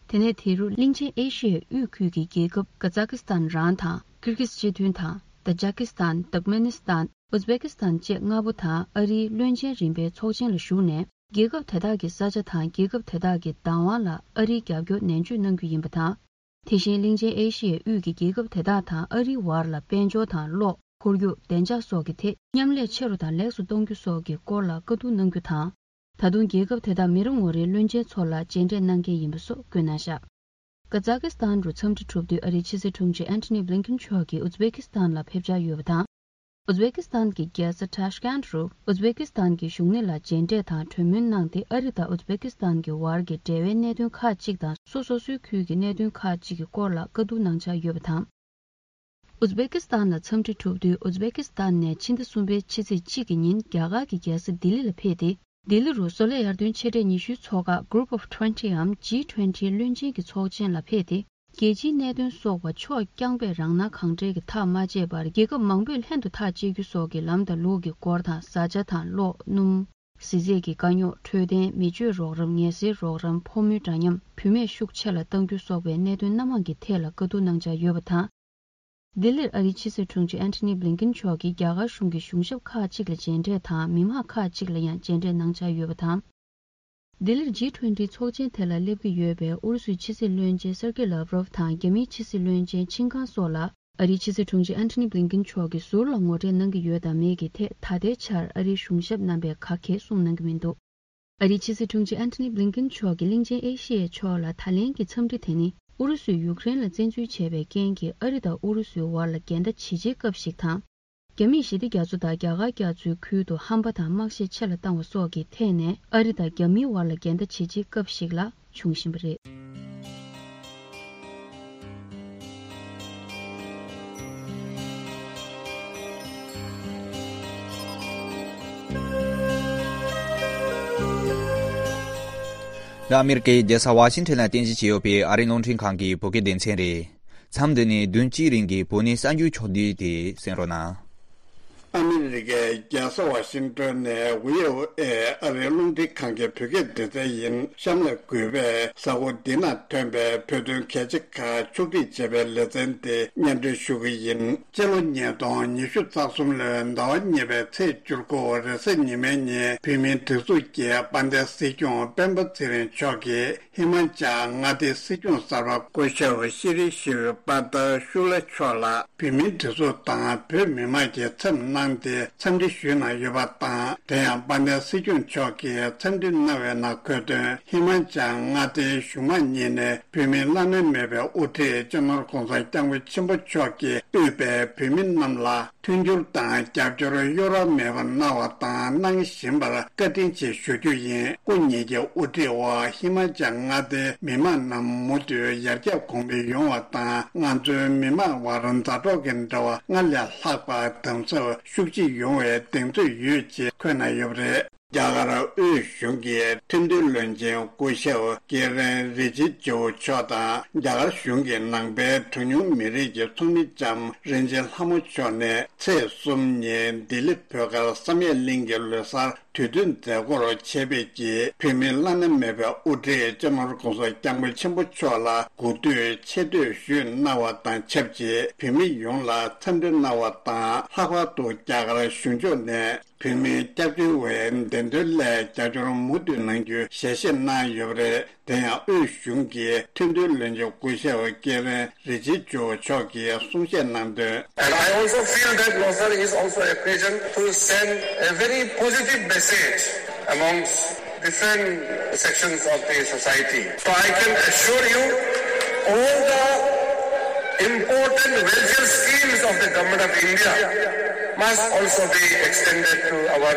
དེ་ནས་དེ་རུ་གླིང་ཆེན་ཨེ་ཤི་ཡའི་དབུས་ཁུལ་གྱི་རྒྱལ་ཁབ་ཀ་ཛ་ཀི་སི་ཐན་རང་དང་། ཀིར་གིས་སྤྱི་མཐུན་དང་། ཏ་ཇ་ཀི་སི་ཐན། ཏུར་ཀ་མེ་ནི་སི་ཐན། ཨུ་ཛི་བེ་ཀི་སི་ཐན་བཅས་ལྔ་པོ་དང་ཨ་རིའི་བློན་ཆེན་རིམ་པའི་ཚོགས་ཆེན་ལ་ཞུགས་ནས། རྒྱལ་ཁབ་དེ་དག་གི་ས་ཆ་དང་རྒྱལ་ཁབ་དེ་དག་གི་བདག་དབང་ལ་ཨ་རིའི་རྒྱབ་སྐྱོར་ནན་བརྗོད་གནང་རྒྱུ་ཡིན་པ་དང་། དེ་བཞིན་གླིང་ཆེན་ཨེ་ཤི་ཡའི་དབུས་ཀྱི་རྒྱལ་ཁབ་དེ་དག་དང་ཨ་རིའི་བར་ལ་དཔལ་འབྱོར་དང་། གློག་ཁོར་ཡུག་བདེ་འཇགས་སོགས་ཀྱི་ཐད་མཉམ་ལས་ཆེ་རུ་དང་ལེགས་སུ་གཏོང་རྒྱུ་སོགས་ཀྱི་སྐོར་ལ་བཀའ་བསྡུར་གནང་རྒྱུ་དང་། ད་དུང་རྒྱལ་ཁབ་དེ་དག་མི་རེ་ངོ་རེའི་བློན་ཆེན་ཚོ་ལ་མཇལ་འཕྲད་གནང་གལ་ཡིན་པ་སོགས་བཀོད་གནང་བཞག་ཀ་ཛ་ཀི་སི་ཐན་རུ་འཚམས་འདྲི་གྲུབ་དུས་ཨ་རིའི་ཕྱི་སྲིད་དྲུང་ཆེ་ཨན་ཐོ་ནི་བྷི་ལིན་ཀིན་མཆོག་གིས་ཨུ་ཛི་བེ་ཀི་སི་ཐན་ལ་ཕེབས་འཆར་ཡོད་པ་དང་། ཨུ་ཛི་བེ་ཀི་སི་ཐན་གྱི་རྒྱལ་ས་ཊཱཤ་ཀན་རུ་ཨུ་ཛི་བེ་ཀི་སི་ཐན་གྱི་གཞུང་སྣེ་ལ་མཇལ་འཕྲད་དང་གྲོས་མོལ་གནང་སྟེ། ཨ་རི་དང་ཨུ་ཛི་བེ་ཀི་སི་ཐན་གྱི་བར་གྱི་འབྲེལ་བའི་གནད་དོན་ཁག་ཅིག་དང་། སོ་སོ་སོའི་ཁུལ་གྱི་གནད་དོན་ཁག་ཅིག་གི་སྐོར་ལ་བཀའ་བསྡུར་གནང་འཆར་ཡོད་པ་དང་། ཨུ་ཛི་བེ་ཀི་སི་ཐན་ལ་འཚམས་འདྲི་གྲུབ་དུས། ཨུ་ཛི་བེ་ཀི་སི་ཐན་ནས་ཕྱི་ཟླ་གསུམ་པའི་ཕྱི་ཚེས་གཅིག་གི་ཉིན་རྒྱ་གར་གྱི་རྒྱལ་ས་ལྡི་ལི་ལ་ཕེབས་ཏེ། ལྡི་ལི་རུ་བཟོ་ལས་ཡར་ཐོན་ཆེ་གྲས་ཉི་ཤུའི་ཚོགས་ཁག་Group of Twenty འམ་ཇི་ཊུ་ཝེན་ཊི་བློན་ཆེན་གྱི་ཚོགས་ཆེན་ལ་ཕེབས་ཏེ། རྒྱལ་སྤྱིའི་གནད་དོན་སོགས་པ་ཕྱོགས་རྐྱང་པས་རང་སྣང་གང་དྲན་གྱིས་ཐག་མ་བཅད་པར། རྒྱལ་ཁབ་མང་པོས་ལྷན་དུ་ཐག་གཅད་རྒྱུ་སོགས་ཀྱི་ལམ་དང་ལུགས་ཀྱི་སྐོར་དང་། བཟའ་བཅའ་དང་གློག་སྣུམ། གཟི་རྫས་ཀྱི་དཀའ་རྙོག་འཕྲོད་བསྟེན། མི་སྤྱོད་རོགས་རམ། ངལ་སེལ་རོགས་རམ། ཕོ་མོའི་འདྲ་མཉམ། བུད་མེད་ཤུགས་ཆེ་ལ་གཏང་རྒྱུ་སོགས་པའི་གནད་དོན་སྣ་མང་གི་ཐད་ལ་བཀའ་བསྡུར་གནང་འཆར་ཡོད་པ་དང་། ལྡི་ལིར་ཨ་རིའི་ཕྱི་སྲིད་དྲུང་ཆེ་ཨན་ཐོ་ནི་བྷི་ལིན་ཀིན་མཆོག་གིས་རྒྱ་གར་གཞུང་གི་གཞུང་ཞབས་ཁག་ཅིག་ལ་མཇལ་འཕྲད་དང་། མི་མང་ཁག་ཅིག་ལ་ཡང་མཇལ་འཕྲད་གནང་འཆར་ཡོད་པ་དང་། ལྡི་ལིར་ཇི་ཊུ་ཝེན་ཊི་ཚོགས་ཆེན་དེ་ལ་སླེབས་ཀྱི་ཡོད་པའི་ཨུ་རུ་སུའི་ཕྱི་སྲིད་བློན་ཆེན་སེར་ཀེ་ལཱབ་རོབ་དང་། རྒྱ་མིའི་ཕྱི་སྲིད་བློན་ཆེན་ཆིན་ཀང་སོགས་ལ་ཨ་རིའི་ཕྱི་སྲིད་དྲུང་ཆེ་ཨན་ཐོ་ནི་བྷི་ལིན་ཀིན་མཆོག་གིས་ཟུར་ལ་ངོ་འཕྲད་གནང་གི་ཡོད་དམ་མེད་ཀྱི་ཐད། ད་ལྟའི་ཆར་ཨ་རིའི་གཞུང་ཞབས་རྣམ་པས་ག་གེ་གསུངས་གནང་གི་མི་འདུག་ཨ་རིའི་ཕྱི་སྲིད་དྲུང་ཆེ་ཨན་ཐོ་ནི་བྷི་ལིན་ཀིན་མཆོག་གིས་གླིང་ཆེན་ཨེ་ཤི་ཡའི་ཕྱོགས་ལ་ད་ལན་གྱི་འཚམས་འདྲི་དེ་ནི། ཨུ་རུ་སུས་ཡུཀ་རེན་ལ་བཙན་འཛུལ་བྱས་པའི་རྐྱེན་གྱིས་ཨ་རི་དང་ཨུ་རུ་སུའི་བར་ལ་འགལ་ཟླ་ཇི་ཆེའི་སྐབས་ཤིག་དང་། རྒྱ་མིས་ཞི་བདེ་རྒྱ་མཚོ་དང་རྒྱ་གར་རྒྱ་མཚོའི་ཁུལ་དུ་ཧམ་པ་དང་དམག་ཤེད་ཆེ་ལ་བཏང་བ་སོགས་ཀྱི་ཐད་ནས་ཨ་རི་དང་རྒྱ་མིའི་བར་ལ་འགལ་ཟླ་ཇི་ཆེའི་སྐབས་ཤིག་ལ་འབྱུང་བཞིན་པ་རེད། འདི་ཨ་མེ་རི་ཀའི་རྒྱལ་ས་ཝ་ཤིང་ཊོན་ལ་རྟེན་གཞི་བྱས་ཡོད་པའི་ཨ་རིའི་རླུང་འཕྲིན་ཁང་གི་བོད་སྐད་སྡེ་ཚན་རེད། མཚམས་འདི་ནས་བདུན་གཅིག་རིང་གི་བོད་གནས་གསར་འགྱུར་ཕྱོགས་བསྡུས་དེ་གསན་རོགས་གནང་། ཨ་མི་རི་ཀའི་རྒྱལ་ས་ཝ་ཤིང་ཏོན་ནས་བྷི་ཨོ་ཨེ་ཨ་རིའི་རླུང་འཕྲིན་ཁང་གི་བོད་སྐད་སྡེ་ཚན་ཡིན། གཤམ་ལ་གུས་པས་གཟའ་འཁོར་འདི་ན་ཐོན་པའི་བོད་དོན་གལ་ཆེ་ཁག་ཕྱོགས་སྒྲིག་བྱས་པའི་ལེ་ཚན་དེ་སྙན་སྒྲོན་ཞུ་གི་ཡིན། སྤྱི་ལོ་ཉིས་སྟོང་ཉི་ཤུ་རྩ་གསུམ་ལོའི་ཟླ་བ་གཉིས་པའི་ཚེས་བཅུ་དགུ་རེས་གཟའ་ཉི་མའི་ཉིན་བོད་མིའི་སྒྲིག་འཛུགས་ཀྱི་དཔལ་ལྡན་སྲིད་སྐྱོང་སྤེན་པ་ཚེ་རིང་མཆོག་གིས་ཧི་མ་ཅལ་མངའ་སྡེའི་སྲིད་སྐྱོང་གསར་པ་སྐུ་ཞབས་ཤི་རི་ཤིབ་པ་ཏ་ཤུ་ལ་མཆོག་ལ་བོད་མིའི་སྒྲིག་འཛུགས་དང་བོད་མི་མང་གིས་འཚམས་གནང་སྟེ་འཚམས་འདྲི་ཞུས་གནང་ཡོད་པ་དང་། དེ་ཡང་དཔལ་ལྡན་སྲིད་སྐྱོང་མཆོག་གིས་འཚམས་འདྲི་གནང་བའི་ནང་འཁོད་དོན། ཧི་མ་ཅལ་མངའ་སྡེའི་གཞུང་མང་གཉིས་ནས་བོད་མིའི་བླ་ན་མེད་པའི་དབུ་ཁྲིད་སྤྱི་ནོར་༧གོང་ས་༧སྐྱབས་མགོན་ཆེན་པོ་མཆོག་གིས་དབུས་པའི་བོད་མི་རྣམས་ལ་མཐུན་འགྱུར་དང་རྒྱབ་སྐྱོར་གཡོ་ར་མེད་པར་གནང་བ་དང་གནང་བཞིན་པར་བཀའ་དྲིན་ཆེ་ཞུ་རྒྱུ་ཡིན། སྐུ་ཉིད་ཀྱི་དབུ་ཁྲིད་འོག་ཧི་མ་ཅལ་མངའ་སྡེའི་མི་མང་རྣམས་མུ་མཐུད་ཡར་རྒྱས་གོང་འཕེལ་ཡོང་བ་དང་། ང་ཚོའི་མི་མང་དབར་མཛའ་གྲོགས་ཀྱི་འབྲེལ་བ་སྔར་ལས་ལྷག་པ་དམ་ཟབ་ཤུགས་ཆེ་ཡོང་བའི་གདེང་ཚོད་ཡོད་ཅེས་འཁོད་གནང་ཡོད་པ་རེད། རྒྱ་གར་དབུས་གཞུང་གི་ཁྲིམས་དོན་བློན་ཆེན་སྐུ་ཞབས་ཀེ་རེན་རི་ཇི་ཇུ་མཆོག་དང་། རྒྱ་གར་གཞུང་གི་ནང་པའི་གྲངས་ཉུང་མི་རིགས་ཀྱི་ཚོགས་མི་ལྕམ་རིན་ཆེན་ལྷ་མོ་མཆོག་ནས་ཚེས་གསུམ་ཉིན་ལྡི་ལི་བོད་སྒར་བསམ་ཡས་གླིང་གི་ལོ་གསར་དུས་སྟོན་མཛད་སྒོར་ཆེད་ཕེབས་ཀྱིས་བོད་མིའི་བླ་ན་མེད་པའི་དབུ་ཁྲིད་སྤྱི་ནོར་༧གོང་ས་༧སྐྱབས་མགོན་ཆེན་པོ་མཆོག་ལ་གུས་འདུད་ཆེ་བསྟོད་ཞུས་གནང་བ་དང་ཆབས་ཅིག་བོད་མི་ཡོངས་ལ་འཚམས་འདྲི་གནང་བ་དང་། ལྷག་པར་དུ་རྒྱ་གར་གཞུང་ཕྱོགས་ནས་བོད་མིའི་སྐྱབས་བཅོལ་བའི་བདེན་དོན་སླད་རྒྱབ་སྐྱོར་མུ་མཐུད་གནང་རྒྱུའི་ཞལ་བཞེས་གནང་ཡོད་པ་རེད། དེ་ཡང་དབུས་གཞུང་གི་ཁྲིམས་དོན་བློན་ཆེན་སྐུ་ཞབས་ཀེ་རེན་རི་ཇི་ཇུ་མཆོག་གིས་གསུང་བཤད་གནང་དོན། And I also feel that Losar is also occasion to send a very positive message amongst different sections of the society. So I can assure you, all the important welfare schemes of the Government of India must also be extended to our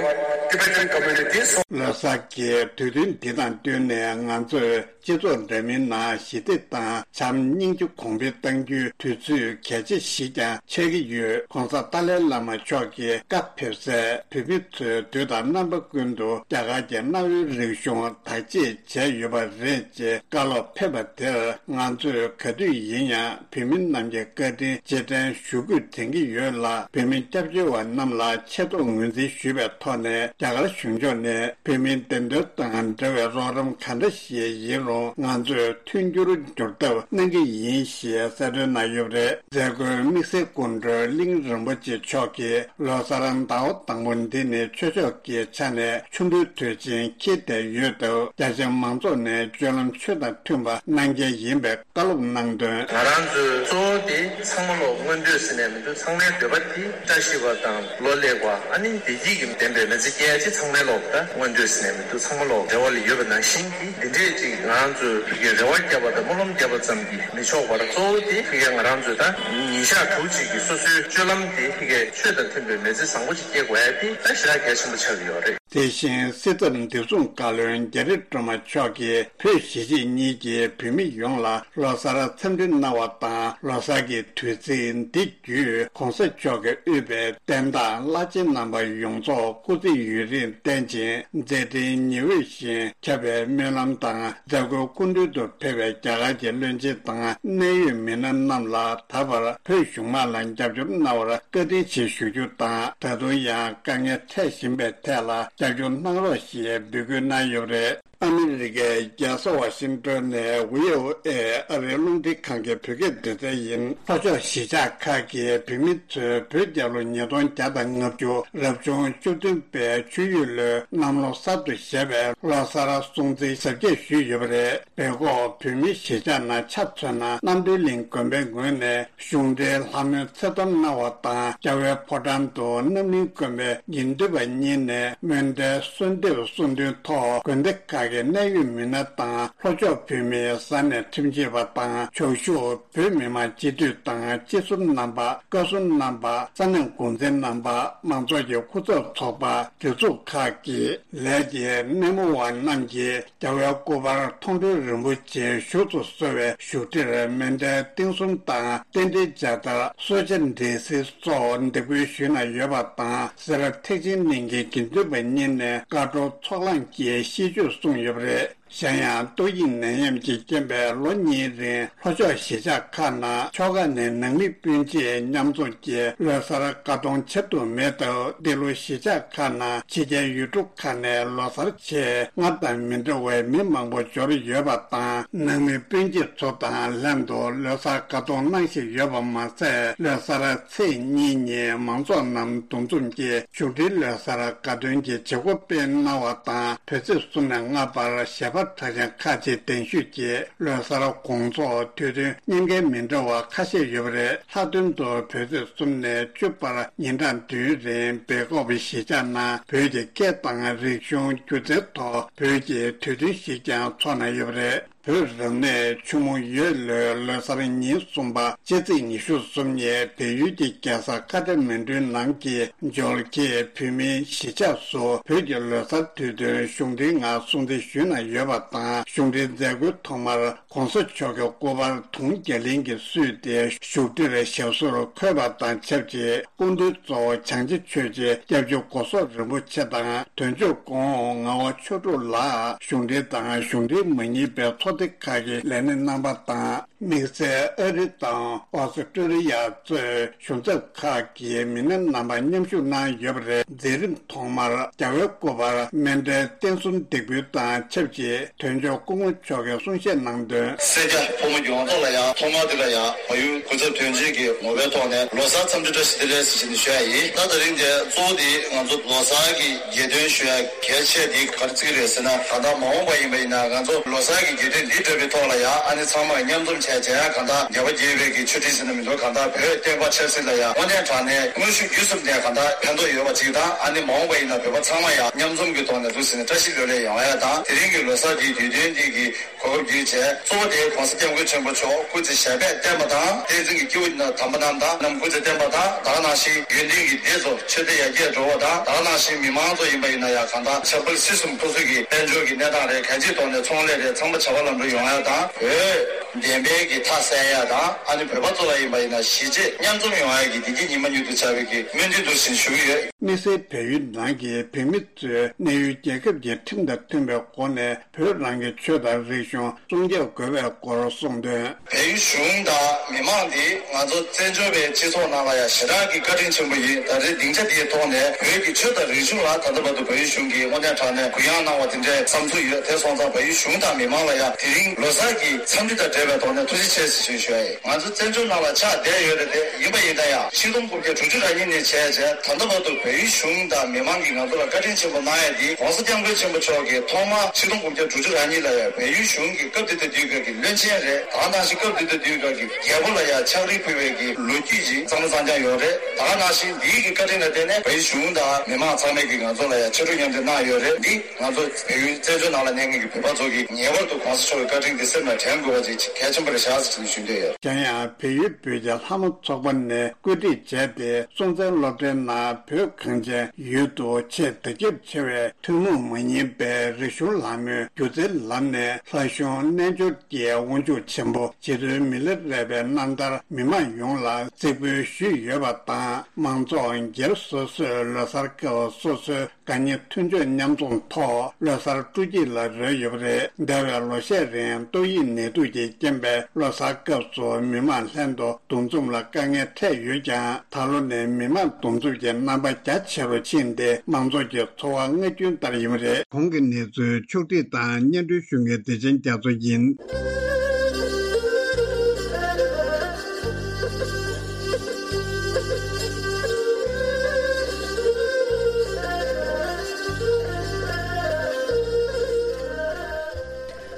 Tibetan communities. ལོ་གསར་གྱི་དུས་སྟོན་འདི་དང་བསྟུན་ནས་ང་ཚོས་སྤྱི་ཚོགས་འདྲ་མིན་ནང་ཞི་བདེ་དང་བྱམས་སྙིང་རྗེ་གོང་འཕེལ་གཏང་རྒྱུའི་དུས་ཚོད་གལ་ཆེ་ཞིག་ཀྱང་ཆགས་ཀྱི་ཡོད། ༸གོང་ས་ཏཱ་ལའི་བླ་མ་མཆོག་གིས་བཀའ་ཕེབས་སའི་བོད་མི་ཚོས་དུས་དང་རྣམ་པ་ཀུན་ཏུ་རྒྱ་གར་གྱི་གནའ་བོའི་རིག་གཞུང་བདག་གཅེས་བྱས་ཡོད་པ་རེད་ཅེས་བཀའ་སློབ་ཕེབས་པ་དེར། ང་ཚོས་ག་དུས་ཡིན་ཡང་བོད་མི་རྣམས་ཀྱི་བཀའ་དྲིན་རྗེས་དྲན་ཞུ་སྐུལ་དྲན་གྱི་ཡོད་ལ། བོད་མི་སྐྱབས་བཅོལ་བ་རྣམས་ལ་ཆེ་མཐོང་ངོས་འཛིན་ཞུས་པའི་ཐོག་ནས། རྒྱ་གར་གཞུང་ཕྱོགས་ནས་བོད་མིའི་བདེན་དོན་དང་འབྲེལ་བའི་རོགས་རམ་ག་འདྲ་ཞིག་ཡིན་རུང་ང་ཚོས་མཐུན་འགྱུར་འགྱུར་ཐབས་གནང་གི་ཡིན་ཞེས་གསལ་སྟོན་གནང་ཡོད་པ་རེད། མཛད་སྒོའི་དམིགས་བསལ་སྐུ་མགྲོན་གླིང་རིན་པོ་ཆེ་མཆོག་གིས་ལོ་གསར་ཟླ་བ་དང་པོ་འདི་ནི་ཆོས་ཕྱོགས་ཀྱི་ཆ་ནས་ཆུ་འབྲུའི་དུས་ཆེན་འཁེལ་བསྡད་ཡོད་སྟབས། རྒྱ་ཆེ་མང་ཚོགས་ནས་སྤྱོད་ལམ་ཆོས་དང་མཐུན་པ་གནང་གལ་ཡིན་པའི་བཀའ་སློབ་གནང་དོན། ང་རང་ཚོའི་གཙོ་བོ་དེ་ཚང་མ་ལོག་མངོན་འདོད་ཟེར་ནས་མི་འདུག་ཚང་མའི་འདོད་པ་དེ་བཀྲ་ཤིས་པ་དང་ལོ་ལེགས་པ། ཨ་ནི་བདེ་སྐྱིད་ཀྱི་ལྡན་པའི་མི་ཚེ་སྐྱེལ་ཡ་ཅིག་ཚང་མའི་ལོག་ད་མངོན་འདོད་ཟེར་ནས་མི་འདུག་ཚང་མ་ལོག་རེ་བ་ལ་ཡོད་པ་ནང་བཞིན་གྱི་འདི་འདྲས་ཅིག་ང་རང་ཚོས་ཕ་གིའི་རེ་བ་བརྒྱབ་པ་དང་སྨོན་ལམ་བརྒྱབ་པ་ཙམ་གྱིས་མི་ཆོག་པར། གཙོ་བོ་དེ་ཕ་གིའི་ང་རང་ཚོས་ད་ཉིན་ཞག་དྲུག་ཅིག་གི་སོ་སོའི་སྤྱོད་ལམ་དེ་ཕ་གིའི་ཆོས་དང་མཐུན་པའི་མི་ཚེ་བཟང་པོ་ཅིག་སྐྱེལ་དགོས་ཡ་དེ་ད་ཞེ་དྲག་གལ་ཆེན་པོ་ཆགས་ཀྱི་ཡོད་རེད། དེ་བཞིན་སྲིད་ཚབ་བདེ་སྲུང་བཀའ་བློན་རྒྱ་རི་སྒྲོལ་མ་མཆོག་གིས་བོད་གཞིས་བྱེས་གཉིས་ཀྱི་བོད་མི་ཡོངས་ལ་ལོ་གསར་འཚམས་འདྲི་གནང་བ་དང་། ལོ་གསར་གྱི་དུས་ཚིགས་འདི་བརྒྱུད་༸གོང་ས་མཆོག་གིས་དབུས་པའི་བསྟན་བདག་བླ་ཆེན་རྣམ་པ་ཡོངས་རྫོགས་སྐུ་ཚེ་ཡུན་རིང་བརྟན་ཅིང་མཛད་འཕྲིན་ཉི་འོད་བཞིན་ཁྱབ་པའི་སྨོན་ལམ་དང་། མཛད་སྒོའི་སྐུ་མདུན་དུ་ཕེབས་པའི་རྒྱ་གར་གྱི་བློན་ཆེན་དང་གནད་ཡོད་མི་སྣ་རྣམས་ལ་ད་བར་བོད་གཞུང་མང་ལ་རྒྱབ་སྐྱོར་གནང་བར་བཀའ་དྲིན་ཆེ་ཞུ་རྒྱུ་དང་། ད་དུང་ཡང་དཀའ་ངལ་འཕྲད་བཞིན་པའི་ཐད་ལ་རྒྱབ་སྐྱོར་གནང་རོགས་ཞེས་འབོད་སྐུལ་གནང་ཡོད་པ་རེད། ཨ་མི་རི་ཀའི་རྒྱལ་ས་ཝ་ཤིང་ཏོན་ནས་བྷི་ཨོ་ཨེ་ཨ་རིའི་རླུང་འཕྲིན་ཁང་གི་བོད་སྐད་སྡེ་ཚན་ཡིན། ལྷོ་ཕྱོགས་གཞིས་ཆགས་ཁག་གི་བོད་མི་ཚོས་བོད་རྒྱལ་ལོ་ཉིས་སྟོང་བརྒྱ་དང་ལྔ་བཅུ་རབ་བྱུང་བཅུ་བདུན་པའི་ཆུ་ཡོས་ལོའི་གནམ་ལོ་གསར་དུ་བཞད་པའི་ལོ་གསར་སྲུང་བརྩི་གཟབ་རྒྱས་ཞུས་ཡོད་པ་རེད། བོད་ཁོག་བོད་མིའི་གཞིས་ཆགས་ནང་ཆ་མཚོན་ན། རྣམ་གྲོལ་གླིང་དགོན་པའི་ངོས་ནས་གཞུང་འབྲེལ་ལྷ་མོའི་ཚེ་གཏོར་གནང་བ་དང་། རྒྱལ་བའི་ཕོ་བྲང་དུ་རྣམ་གླིང་དགོན་པའི་དགེ་འདུན་པ་གཉིས་ནས་མཎྜལ་གསོལ་འདེབས་གསུང་འདོན་ཐོག་དགོན་སྡེ་ཁག་གི་གནད་ཡོད་མི་སྣ་དང་། ལྷོ་ཕྱོགས་བོད་མིའི་ས་གནས་ཁྲིམས་ཞིབ་པ་དང་། ཕྱོགས་བཞུགས་བོད་མི་མང་སྤྱི་འཐུས་དང་སྤྱི་ཟུར་རྣམ་པ། བཀའ་ཟུར་རྣམ་པ། ས་གནས་འགོ་འཛིན་རྣམ་པ། མང་ཚོགས་ཀྱི་སྐུ་ཚབ་ཚོགས་པ། སྒྲིག་འཛུགས་ཁག་གི་ལས་ཀྱི་སྣེ་མོ་བ་རྣམས་ཀྱིས་རྒྱལ་བའི་སྐུ་པར་མཐོང་གྲོལ་རིན་པོ་ཆེ་བཞུགས་སུ་གསོལ་བའི་བཞུགས་ཁྲིར་མཎྜལ་རྟེན་གསུམ་དང་། རྟེན་འབྲེལ་མཇལ་དར། གསོལ་ཇ་འབྲས་སིལ་སོགས་འདེགས་འབུལ་ཞུས་གནང་ཡོད་པ་དང་། སེར་ཐེག་ཆེན་གླིང་གི་དགེ་འདུན་པ་གཉིས་ནས་བཀའ་བགྲོ་ཚོགས་ལངས་ཀྱིས་ཤིས་བརྗོད་གསུངས་ཡོད་པ་རེད། གཞན་ཡང་ཏོག་དབྱིབས་ནད་ཡམས་ཀྱི་རྐྱེན་པས་ལོ་གཉིས་རིང་ལྷོ་ཕྱོགས་གཞིས་ཆགས་ཁག་ནང་ཆོལ་ཁ་ནས་ནང་མི་སྤུན་མཆེད་མཉམ་འཛོམས་ཀྱིས་ལོ་གསར་དགའ་སྟོན་བྱེད་ཐུབ་མེད་སྟབས། འདི་ལོ་གཞིས་ཆགས་ཁག་ནང་ཕྱི་རྒྱལ་ཡུལ་གྲུ་ཁག་ནས་ལོ་གསར་ཆེད་སྔར་དང་མི་འདྲ་བའི་མི་མང་པོ་འབྱོར་ཡོད་པ་དང་། ནང་མི་སྤུན་མཆེད་ཚོ་དང་ལྷན་དུ་ལོ་གསར་དགའ་སྟོན་གནང་བཞིན་ཡོད་པ་མ་ཟད། ལོ་གསར་ཚེས་གཉིས་ཉིན་མང་ཚོགས་རྣམས་འདུ་འཛོམས་ཀྱིས་བཞུགས་ཁྲིའི་ལོ་གསར་དགའ་སྟོན་གྱི་བྱེད་སྒོ་སྤེལ་གནང་བ་དང་། བོད་ཚེས་གསུམ་ནས་ལྔ་བར་གཞས་པ་གྲགས་ཅན་ཁག་ཅིག་གདན་ཞུས་ཀྱིས་ལོ་གསར་དགོང་ཚོགས་དུས་སྟོན་གཉན་འགན་མི་འདྲ་བ་ཁ་ཤས་ཡོད་པ་རེད། ལྷག་དོན་དུ་བོད་ཚེས་གསུམ་ནས་བཅུ་བར་ཉིན་གྲངས་བདུན་རིང་སྦེལ་ཀོབ་གཞིས་ཆགས་ནང་བོད་ཀྱི་སྐད་དང་རིག་གཞུང་སྒྱུ་རྩལ་ཐོག་བོད་ཀྱི་དུས་སྟོན་ཞིག་ཀྱང་འཚོགས་གནང་ཡོད་པ་རེད། བོད་རབ་གནས་ཆུ་མོ་ཡོས་ལོའི་ལོ་གསར་ཉིན་གསུམ་པ་སྤྱི་ཚེས་ཉི་ཤུ་གསུམ་ཉིན་བལ་ཡུལ་གྱི་རྒྱལ་ས་ཁ་ཐ་མན་གྲུའི་ནང་གི་འཇོལ་ཁེ་བོད་མིའི་གཞིས་ཆགས་སུ་བོད་ཀྱི་ལོ་གསར་དུས་སྟོན་གཞུང་འབྲེལ་ངང་སྲུང་བརྩི་ཞུས་གནང་ཡོད་པ་དང་། གཞུང་འབྲེལ་མཛད་སྒོའི་ཐོག་མར་༸གོང་ས་མཆོག་གི་སྐུ་པར་དུང་རྒྱ་གླིང་གིས་བསུས་ཏེ་བཞུགས་ཁྲིར་ཞབས་སོར་འཁོད་པ་དང་ཆབས་ཅིག་སྐུ་མདུན་གཙོ་བོ་བྱང་ཆེ་ཆོས་རྗེ་སྐྱབས་རྗེ་སྒོ་བཟང་རིན་པོ་ཆེ་དང་དོན་གཅོད་སྐུ་ངོ་ངག་དབང་ཆོས་དྲུག་ལགས་གཞུང་འབྲེལ་དང་གཞུང་འབྲེལ་མ་ཡིན་པའི་ཚོགས་སྡེ་ཁག་གི་ལས་སྣེ་རྣམ་པ་དང་། དམིགས་བསལ་ཨ་རི་དང་ཨོ་སི་ཀྲོ་ལི་ཡ་གཙོས་གཞུང་ཚབ་ཁག་གི་མི་སྣ་རྣམ་པ་མཉམ་ཞུགས་གནང་ཡོད་པ་རེད། མཛད་རིམ་ཐོག་མར་རྒྱལ་བའི་སྐུ་པར་མཎྜལ་རྟེན་གསུམ་འདེགས་འབུལ་དང་ཆབས་ཅིག་དོན་གཅོད་སྐུ་ངོ་མཆོག་གིས་གསུང་བཤད་གནང་དོན། སེར་སྐྱ་ཕོ་མོ་ཡོངས་རྫོགས་ལ་ཡང་ཐོག་མར་འདི་ལ་ཡང་བལ་ཡུལ་སྐུ་ཚབ་དོན་གཅོད་ཀྱི་ངོ་བོའི་ཐོག་ནས་ལོ་གསར་འཚམས་འདྲི་བཀྲ་ཤིས་བདེ་ལེགས་ཟེར་བཞིན་ཞུ་ཡ་ཡིན། ད་དེ་རིང་འདིར་གཙོ་བོ་དེ་ང་ཚོ་ལོ་གསར་གྱི་གྱེར་འདོན་ཞུ་ཡ་གལ་ཆེ་དེ་ག་རེ་བརྩི་གི་རེད་ཟེར་ན། གང་ལྟར་མ་འོངས་པ་ཡིན་པ་ཡིན་ན་ང་ཚོ་ལོ་གསར་གྱི་གྱེར་འདོན་འདི་འགྲུབ་པའི་ཐོག་ལ་ཡང་ཨ་ནི་ཚང་མ་མཉམ་འཛོམས་བྱས་བྱས་གང་ལྟར་ཉེ་བར་རྒྱས་པའི་གི་ཆོས་ཁྲིད་ཟེར་ན་མི་འདུག་གང་ལྟར་བོད་བསྟན་པ་ཆབ་སྲིད་ལ་ཡང་དངོས་གནས་དྲང་གནས་དངོས་ཤུགས་བརྒྱུད་གསུམ་ནས་གང་ལྟར་ཕན་ཐོགས་ཡོད་པ་ཅིག་དང་། ཨ་ནི་མ་འོངས་པ་ཡིན་ན་བོད་པ་ཚང་མ་ཡང་མཉམ་འཛོམས་ཀྱི་ཐོག་ནས་འདུག་ཟེར་ནས་བཀྲ་ཤིས་ལོ་ལེགས་ཡོང་ཡ་དང་། དེ་རིང་གི་ལོ་གསར་གྱི་དུས་སྟོན་འདི་གི་གོ་སྐབས་བརྒྱུད་བྱས་གཙོ་བོ་དེ་༸གོང་ས་༸སྐྱབས་མགོན་ཆེན་པོ་མཆོག་སྐུ་ཚེ་ཞབས་པད་བརྟན་པ་དང་། བསྟན་འཛིན་གྱི་སྐྱེས་བུ་དམ་པ་རྣམས་དང་རྣམས་སྐུ་ཚེ་བརྟན་པ་དང་། ད་ག་ནང་བཞིན་ཡོན་ཏན་གྱི་སྡེ་ཚོ་ཆོས་སྡེ་ཡར་རྒྱས་འགྲོ་བ་དང་། ད་ག་ནང་བཞིན་མི་མང་ཚོ་ཡིན་པ་ཡིན་ན་ཡང་གང་ལྟར་ཆབ་སྲིད་སྲིད་གསུམ་མཐུན་སྲོལ་གྱི་དཔལ་འབྱོར་གྱི་གནས་སྟངས་རེད། གང་ཅིའི་ཐོག་ནས་ཚོང་ལས་རེད། ཚང་མ་བྱ་བ་ལམ་འགྲོ་ཡོང་ཡ་དང་། བོད་བདེན་པའི་གི་མཐའ་གསལ་ཡ་དང་། ཨ་ནི་བོད་པ་ཚོ་ལ་ཡིན་པ་ཡིན་ན་གཞིས་བྱེས་མཉམ་འཛོམས་ཡོང་ཡ་གི་བདེ་སྐྱིད་ཉི་མ་མྱུར་དུ་འཆར་བའི་གི་སྨོན་འདུན་འདུག་ཟེར་ཞུ་གི་ཡོད། དམིགས་བསལ་བལ་ཡུལ་ནང་གི་བོད་མི་ཚོས་གནས་ཡུལ་རྒྱལ་ཁབ་ཀྱི་ཁྲིམས་དང་མཐུན་པའི་སྒོ་ནས་བོད་རང་གི་ཆོས་དང་རིག་གཞུང་སྲུང་སྐྱོབ་དགོས་པའི་སྐོར་གསུངས་དོན། བལ་ཡུལ་གཞུང་དང་མི་མང་འདི་ང་ཚོ་བཙན་བྱོལ་བའི་སྤྱི་ཚོགས་ནང་ལ་ཡང་ཞེ་དྲག་གི་བཀའ་དྲིན་ཆེན་པོ་ཡིན། ད་རེས་སྡིངས་ཆ་འདིའི་ཐོག་ནས་བོད་ཀྱི་ཆོས་དང་རིག་གཞུང་ལ་ད་ལྟ་བར་དུ་བལ་ཡུལ་གཞུང་གིས་དངོས་གནས་དྲང་གནས་གུ་ཡངས་གནང་བ་དེ་འདྲའི་བསམ་ཚུལ་ཡོད། དེ་སོང་ཙང་བལ་ཡུལ་གཞུང་དང་མི་མང་ལ་ཡང་དེ་རིང་ལོ་གསར་གྱི་འཚམས་འདྲི་དང་འབྲེལ་བའི་ཐོག་ནས་ཐུགས་རྗེ་ཆེ་ཞེས་ཞུ་ཡ་ཡིན། ང་ཚོ་བཙན་བྱོལ་ནང་ལ་ཆགས་བསྡད་ཡོད་རེད་དེ། ཡིན་པ་ཡིན་ན་ཡང་ཆིག་སྟོང་དགུ་བརྒྱ་དྲུག་ཅུ་རེ་གཉིས་ནས་བྱས་བྱས་ད་ལྟ་བར་དུ་བལ་ཡུལ་གཞུང་དང་མི་མང་གིས་ང་ཚོ་ལ་བཀའ་དྲིན་ཆེན་པོ་གནང་ཡ་འདི་༸གོང་ས་༸སྐྱབས་མགོན་ཆེན་པོ་མཆོག་གིས་ཐོག་མར་ཆིག་སྟོང་དགུ་བརྒྱ་དྲུག་ཅུ་རེ་གཉིས་ལ་ཡང་བལ་ཡུལ་གཞུང་གི་སྐབས་དེ་དུས་དུས་སྐབས་ཀྱི་བློན་ཆེན་རེད། ད་ག་ནང་བཞིན་སྐབས་དེ་དུས་དུས་སྐབས་ཀྱི་རྒྱལ་པོ་ལ་ཡང་ཕྱག་བྲིས་ཕུལ་བའི་གི་ལོ་རྒྱུས་ཅིག་གཙང་མ་གཙང་རྐྱང་ཡོད་རེད། ད་ག་ནང་བཞིན་འདིའི་གི་བཀའ་དྲིན་ལ་བརྟེན་ནས་བལ་ཡུལ་གཞུང་དང་མི་མང་ཚང་མས་ཀྱིས་ང་ཚོ་ལ་ཡང་ཕྱག་རོགས་མཉམ་འདེགས་གནང་ཡོད་རེད། འདི་ང་ཚོ་བལ་ཡུལ་བཙན་བྱོལ་ནང་ལ་གནས་མཁན་གྱི་བོད་པ་ཚོ་གིས་ངེས་པར་དུ་༸གོང་ས་མཆོག་གི་བཀའ་དྲིན་འདི་སེམས་ལ་དྲན་དགོས་པ་ཅིག་གལ་ཆེན་པོ་རེད་ཤག་ཟེར་ནས་ཞུ་འདོད་ཡོད། གཞན་ཡང་བལ་ཡུལ་བོད་ཀྱི་ལྷ་མོ་ཚོགས་པ་ནས་བཀོད་སྒྲིག་བྱས་ཏེ་སྲོང་བཙན་སློབ་གྲྭའི་ནང་བོད་གངས་ཅན་ཡུལ་དུ་ཆེས་དར་ཁྱབ་ཆེ་བའི་ཐུན་མོང་མ་ཡིན་པའི་རིག་གཞུང་ལྷ་མོའི་སྒྱུ་རྩལ་ལམ་ནས་ལྷ་གཞུང་རྣལ་འབྱོར་གྱི་དབང་ཕྱུག་ཆེན་པོ་རྗེ་བཙུན་མི་ལ་རས་པའི་རྣམ་ཐར་མི་མང་ཡོངས་ལ་གཟིགས་འབུལ་ཞུས་ཡོད་པ་དང་། མང་ཚོགས་སྒེར་སོ་སོས་ལོ་གསར་སྐབས་སོ་སོའི་དགའ་ཉེ་མཐུན་ཕྱོགས་མཉམ་འཛོམས་ཐོག་ལོ་གསར་སྤྲོ་སྐྱིད་ལ་རོལ་ཡོད་པ་རེད། འདས་པའི་ལོ་ཤས་རིང་ཏོག་དབྱིབས་ནད་དུག་གི་རྐྱེན་པས་ལོ་གསར་སྐབས་སུ་མི་མང་ལྷན་དུ་འདུ་འཛོམས་ལ་དཀའ་ངལ་འཕྲད་ཡོད་ཀྱང་། ད་ལོ་ནས་མི་མང་འདུ་འཛོམས་ཀྱི་རྣམ་པ་རྒྱ་ཆེ་རུ་ཕྱིན་ཏེ། མང་ཚོགས་ཀྱི་འཚོ་བ་སྔར་རྒྱུན་ལྟར་ཡིན་པ་རེད། གོང་གི་གནས་ཚུལ་ཕྱོགས་བསྒྲིགས་དང་སྙན་སྒྲོན་ཞུ་མཁན་བདེ་ཆེན་རྒྱ་མཚོ་ཡིན།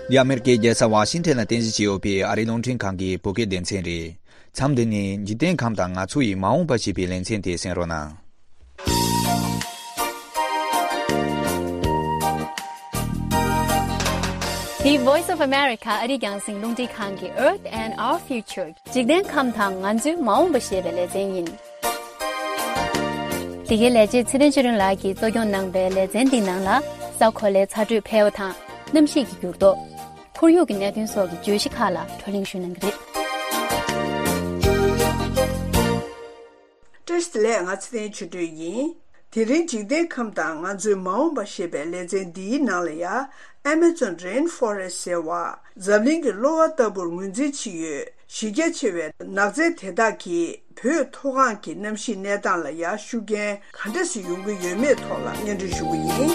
འདི་ཨ་མེ་རི་ཀའི་རྒྱལ་ས་ཝ་ཤིང་ཊོན་ལ་རྟེན་གཞི་བྱས་ཡོད་པའི་ཨ་རིའི་རླུང་འཕྲིན་ཁང་གི་བོད་སྐད་སྡེ་ཚན་རེད། མཚམས་འདི་ནས་འཇིག་རྟེན་ཁམས་དང་ང་ཚོ་ཡི་མ་འོངས་པ་ཞེས་པའི་ལེ་ཚན་དེ་གསན་རོགས་གནང་། འདི་Voice of America ཨ་རིའི་རྒྱང་སྲིང་རླུང་འཕྲིན་ཁང་གི་Earth and Our Future འཇིག་རྟེན་ཁམས་དང་ང་ཚོའི་མ་འོངས་པ་ཞེས་པའི་ལེ་ཚན་ཡིན། འདི་གའི་ལས་བྱེད་ཚེ་བརྟན་ཆོས་སྒྲོན་ལགས་ཀྱིས་གཙོ་སྐྱོང་གནང་པའི་ལེ་ཚན་འདིའི་ནང་ལ། ས་གོ་ལའི་ཚ་དྲོད་འཕེལ་བ་དང་། གནམ་གཤིས་ཀྱི་འགྱུར་ལྡོག་ཁོར་ཡུག་གི་གནད་དོན་སོགས་ཀྱི་བརྗོད་གཞི་ཁག་ལ་བགྲོ་གླེང་ཞུ་གནང་གི་རེད། བཀྲ་ཤིས་བདེ་ལེགས། ང་ཚེ་བརྟན་ཆོས་སྒྲོན་ཡིན། དེ་རིང་འཇིག་རྟེན་ཁམས་དང་ང་ཚོའི་མ་འོངས་པ་ཞེས་པའི་ལེ་ཚན་འདིའི་ནང་ལ་ཡང་། Amazon Rainforest ཟེར་བ་འཛམ་གླིང་གི་གློ་བ་ལྟ་བུར་ངོས་འཛིན་བྱེད་ཡུལ་གཞི་རྒྱ་ཆེ་བའི་ནགས་ཚལ་དེ་དག་གིས་བོད་མཐོ་སྒང་གི་གནམ་གཤིས་གནས་སྟངས་ལ་ཡང་ཤུགས་རྐྱེན་ག་འདྲ་ཞིག་ཡོང་གི་ཡོད་མེད་ཐོག་ལ་སྙན་སྒྲོན་ཞུ་གི་ཡིན།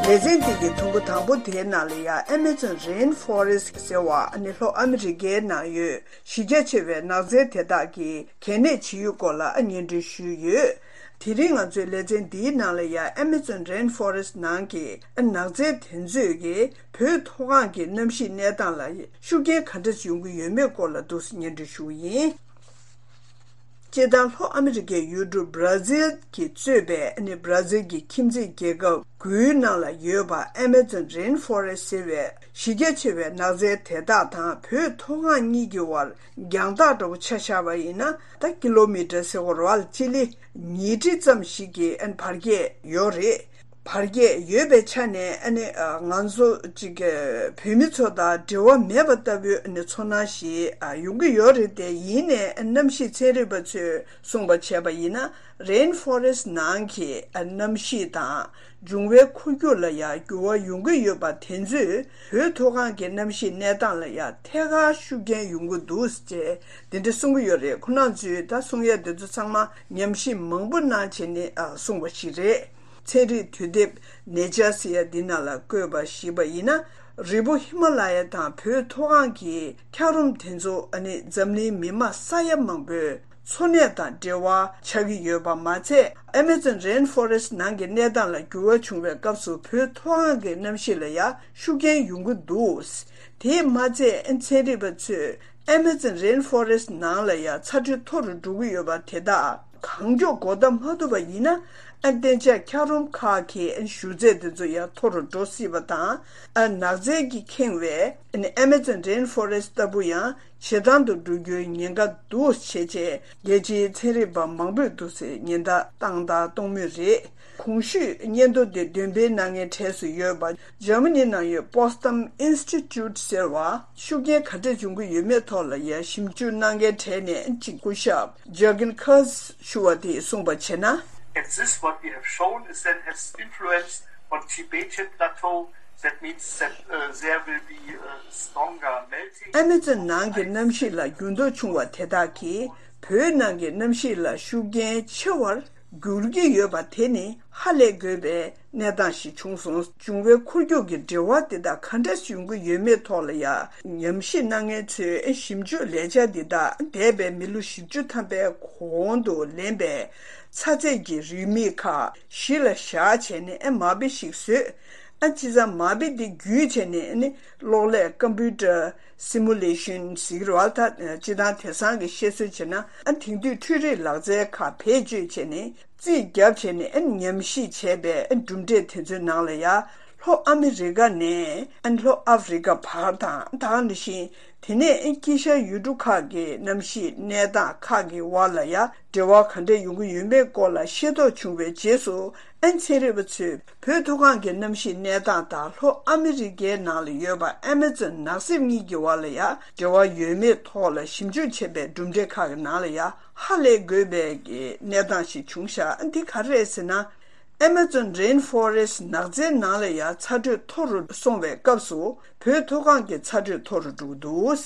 ལེ་ཚན་འདི་གི་དུམ་བུ་དང་པོ་དེའི་ནང་ལ་ཡང་། Amazon Rainforest ཟེར་བ་ནི་ལྷོ་ཨ་མི་རི་ཀའི་ནང་ཡོད་གཞི་རྒྱ་ཆེ་བའི་ནགས་ཚལ་དེ་དག་གི་གལ་གནད་ཇི་ཡོད་སྐོར་ལ་སྙན་སྒྲོན་ཞུས་ཡོད། དེ་རིང་ང་ཚོའི་ལེ་ཚན་འདིའི་ནང་ལ་ཡང་། Amazon Rainforest ནང་གི་ནགས་ཚལ་དེ་ཚོས་ཀྱིས་བོད་མཐོ་སྒང་གི་གནམ་གཤིས་གནས་སྟངས་ལ་ཤུགས་རྐྱེན་ག་འདྲ་ཡོང་གི་ཡོད་མེད་སྐོར་ལ་འདུག་སེ་སྙན་སྒྲོན་ཞུ་གི་ཡིན། སྤྱིར་བཏང་ལྷོ་ཨ་མི་རི་ཀའི་ཡུལ་གྲུ་Brazil གྱིས་གཙོས་པའི་ནི་Brazil གྱི་ཁྱིམ་མཚེས་རྒྱལ་ཁབ་དགུའི་ནང་ལ་ཡོད་པ་Amazon Rainforest ཟེར་བའི་གཞི་རྒྱ་ཆེ་བའི་ནགས་ཚལ་དེ་དག་དང་བོད་མཐོ་སྒང་གཉིས་ཀྱི་བར་རྒྱང་ཐག་འདྲ་བོ་ཆ་བཞག་པ་ཡིན་ན། ད་ཀི་ལོ་མི་ཊར་ཟེར་བ་རེད་བ། སྤྱི་ལེ་ཉིས་ཁྲི་ཙམ་ཞིག་གི་ཨ་ནི་བར་ཁྱད་ཡོད་རེད། བར་ཁྱད་ཡོད་པའི་ཆ་ནས་ཨ་ནི་ཨ་ང་ཚོ་ཅིག་གི་བོད་མི་ཚོ་དང་འབྲེལ་བ་མེད་པ་ལྟ་བུའི་ཨ་ནི་ཚོར་སྣང་ཞིག་ཨ་ཡོང་གི་ཡོད་རེད་དེ། ཡིན་ནའི་གནམ་གཤིས་ཚན་རིག་པ་ཚོས་གསུངས་པ་བྱས་པ་ཡིན་ན། Rainforest ནང་གི་ཨ་གནམ་གཤིས་དང་འབྱུང་བའི་འཁོར་རྒྱུག་ལ་ཡང་འགྱུར་བ་ཡོང་གི་ཡོད་པ་དེ་ཚོས་བོད་མཐོ་སྒང་གི་གནམ་གཤིས་གནས་སྟངས་ལ་ཡང་ཐད་ཀར་ཤུགས་རྐྱེན་ཡོང་གི་འདུག་ཅེས་འདི་འདྲ་གསུང་གི་ཡོད་རེད། ཁོང་རྣམ་ཚོས་ད་གསུང་ཡ་དེ་ཚོ་ཚང་མ་ཉམས་ཞིབ་མང་པོ་གནང་བྱས་ནས་ཨ་གསུངས་པ་ཞིག་རེད། ཚན་རིག་དུས་དེབ་Nature ཟེར་ཡ་འདི་ནང་ལ་བཀོད་པ་ཞིག་པ་ཡིན་ན། རི་བོ་ཧི་མ་ལ་ཡ་དང་བོད་མཐོ་སྒང་གི་འཁྱགས་རོམ་དེ་ཚོ་ཨ་ནི་འཛམ་གླིང་མི་མང་ས་ཡ་མང་པོའི་འཚོ་གནས་དང་འབྲེལ་བ་ཆགས་ཀྱི་ཡོད་པ་མ་ཚད། Amazon Rainforest ནང་གི་གནས་སྟངས་ལ་འགྱུར་བ་བྱུང་བའི་སྐབས་སུ་བོད་མཐོ་སྒང་གི་གནམ་གཤིས་ལ་ཡང་ཤུགས་རྐྱེན་ཡོང་གི་འདུག་དེས་མ་ཚད་ཚན་རིག་པ་ཚོས་Amazon Rainforest ནང་ལ་ཡང་ཚ་དྲོད་མཐོ་རུ་འགྲོ་གི་ཡོད་པ་དེ་དག་གང་མགྱོགས་འགོག་ཐབས་མ་ཐུབ་པ་ཡིན་ན། ཨ་གཏན་འཇགས་འཁྱགས་རོམ་ཁག་གི་ཨ་བཞུར་རྫས་དེ་ཚོ་ཡང་མཐོ་རུ་འགྲོ་སྲིད་པ་དང་། ཨ་ནགས་ཚལ་གྱིས་ཁེངས་པའི་ཨ་Amazon Rainforest ལྟ་བུ་ཡང་ཇེ་དྭངས་དུ་འགྲོ་རྒྱུའི་ཉེན་ཁ་འདུག་ཅེས་བྱས་རྒྱལ་སྤྱིའི་ཚན་རིག་པ་མང་པོས་འདུག་སེ་ཉེན་བརྡ་བཏང་དང་གཏོང་མུས་རེད། གོང་ཞུས་སྙན་ཐོ་དེ་འདོན་སྤེལ་གནང་མཁན་གྲས་སུ་ཡོད་པ་འཇར་མ་ནི་ནང་ཡོད་Potsdam Institute ཟེར་བ་ཤུགས་རྐྱེན་ག་འདྲ་འབྱུང་གི་ཡོད་མེད་ཐོག་ལ་ཡང་ཞིབ་འཇུག་གནང་མཁན་གྲས་ནས་གཅིག་སྐུ་ཞབས་Jürgen Kurz ཞུ་བ་དེས་གསུངས་པ་བྱས་ན། At this, what we have shown is that has influenced on Tibetan plateau. That means that uh, there will be uh, stronger melting. Amazon ནང་གི་གནམ་གཤིས་ལ་འགྱུར་ལྡོག་བྱུང་བ་དེ་དག་གིས་བོད་ནང་གི་གནམ་གཤིས་ལ་ཤུགས་རྐྱེན་ཆེ་བར་འགྱུར་གྱི་ཡོད་པ་དེ་ནི་ཧ་ལས་དགོས་པའི་གནས་སྟངས་ཤིག་བྱུང་སོང་། འབྱུང་བའི་འཁོར་རྒྱུག་གི་འབྲེལ་བ་དེ་དག་ག་འདྲ་ཡོང་གི་ཡོད་མེད་ཐོག་ལ་ཡང་ཉམས་ཞིབ་གནང་མཁན་ཚོས་ཞིབ་འཇུག་ལས་འཆར་འདི་དག་འདས་པའི་མི་ལོ་བཞི་བཅུ་ཐམ་པའི་གོང་དུ་ལེན་པའི་ཚ་ཚད་ཀྱི་རིན་མེད་ཁག་གཞི་ལ་བཞག་བྱས་ནས་མ་དཔེ་ཞིག་བཟོས། ཨ་བྱས་ཙང་མ་དཔེ་འདི་བརྒྱུད་བྱས་ནས་ནི་གློག་ཀླད་Computer Simulation ཟེར་གྱི་རེད་བ། ད་སྤྱིར་བཏང་དེང་སང་གི་བཤད་སྲོལ་བྱས་ན། ཨ་དེང་དུས་འཕྲུལ་རིག་ལག་རྩལ་ཁག་བེད་སྤྱོད་བྱས་ནས་རྩིས་བརྒྱབ་བྱས་ནས་ཨ་ཉམས་ཞིབ་བྱས་པའི་ཨ་གྲུབ་འབྲས་དེ་ཚོའི་ནང་ལ་ཡང་། ལྷོ་ཨ་མི་རི་ཀ་ནས་ཨ་ལྷོ་ཨ་ཧྥེ་རི་ཀ་བར་དང་། ད་ག་ནང་བཞིན་དེ་ནས་ཨ་དཀྱིལ་ཤར་ཡུལ་གྲུ་ཁག་གི་གནམ་གཤིས་གནས་སྟངས་ཁག་གི་བར་ལ་ཡང་འབྲེལ་བ་ག་འདྲ་ཡོང་གི་ཡོད་མེད་སྐོར་ལ་ཤེས་རྟོགས་བྱུང་བའི་རྗེས་སུ། ཨན་ཚན་རིག་པ་ཚོས་བོད་མཐོ་སྒང་གི་གནམ་གཤིས་གནས་སྟངས་དང་ལྷོ་ཨ་མི་རི་ཀའི་ནང་ལ་ཡོད་པ་ཨ་མ་ཛོན་ནགས་གསེབ་གཉིས་ཀྱི་བར་ལ་ཡང་འབྲེལ་བ་ཡོད་མེད་ཐོག་ལ་ཞིབ་འཇུག་བྱས་པའི་གྲུབ་འབྲས་ཁག་གི་ནང་ལ་ཡང་ཧ་ལས་དགོས་པའི་གནས་སྟངས་ཤིག་བྱུང་ཤག་འདི་ག་རེ་རེད་ཟེར་ན། ཨ་མ་ཛོན་རེན་ཕོ་རེ་སི་ནགས་ཚལ་ནང་ལ་ཡང་ཚ་དྲོད་མཐོ་རུ་སོང་བའི་སྐབས་སུ་བོད་མཐོ་སྒང་གི་ཚ་དྲོད་མཐོ་རུ་འགྲོ་གི་འདུག་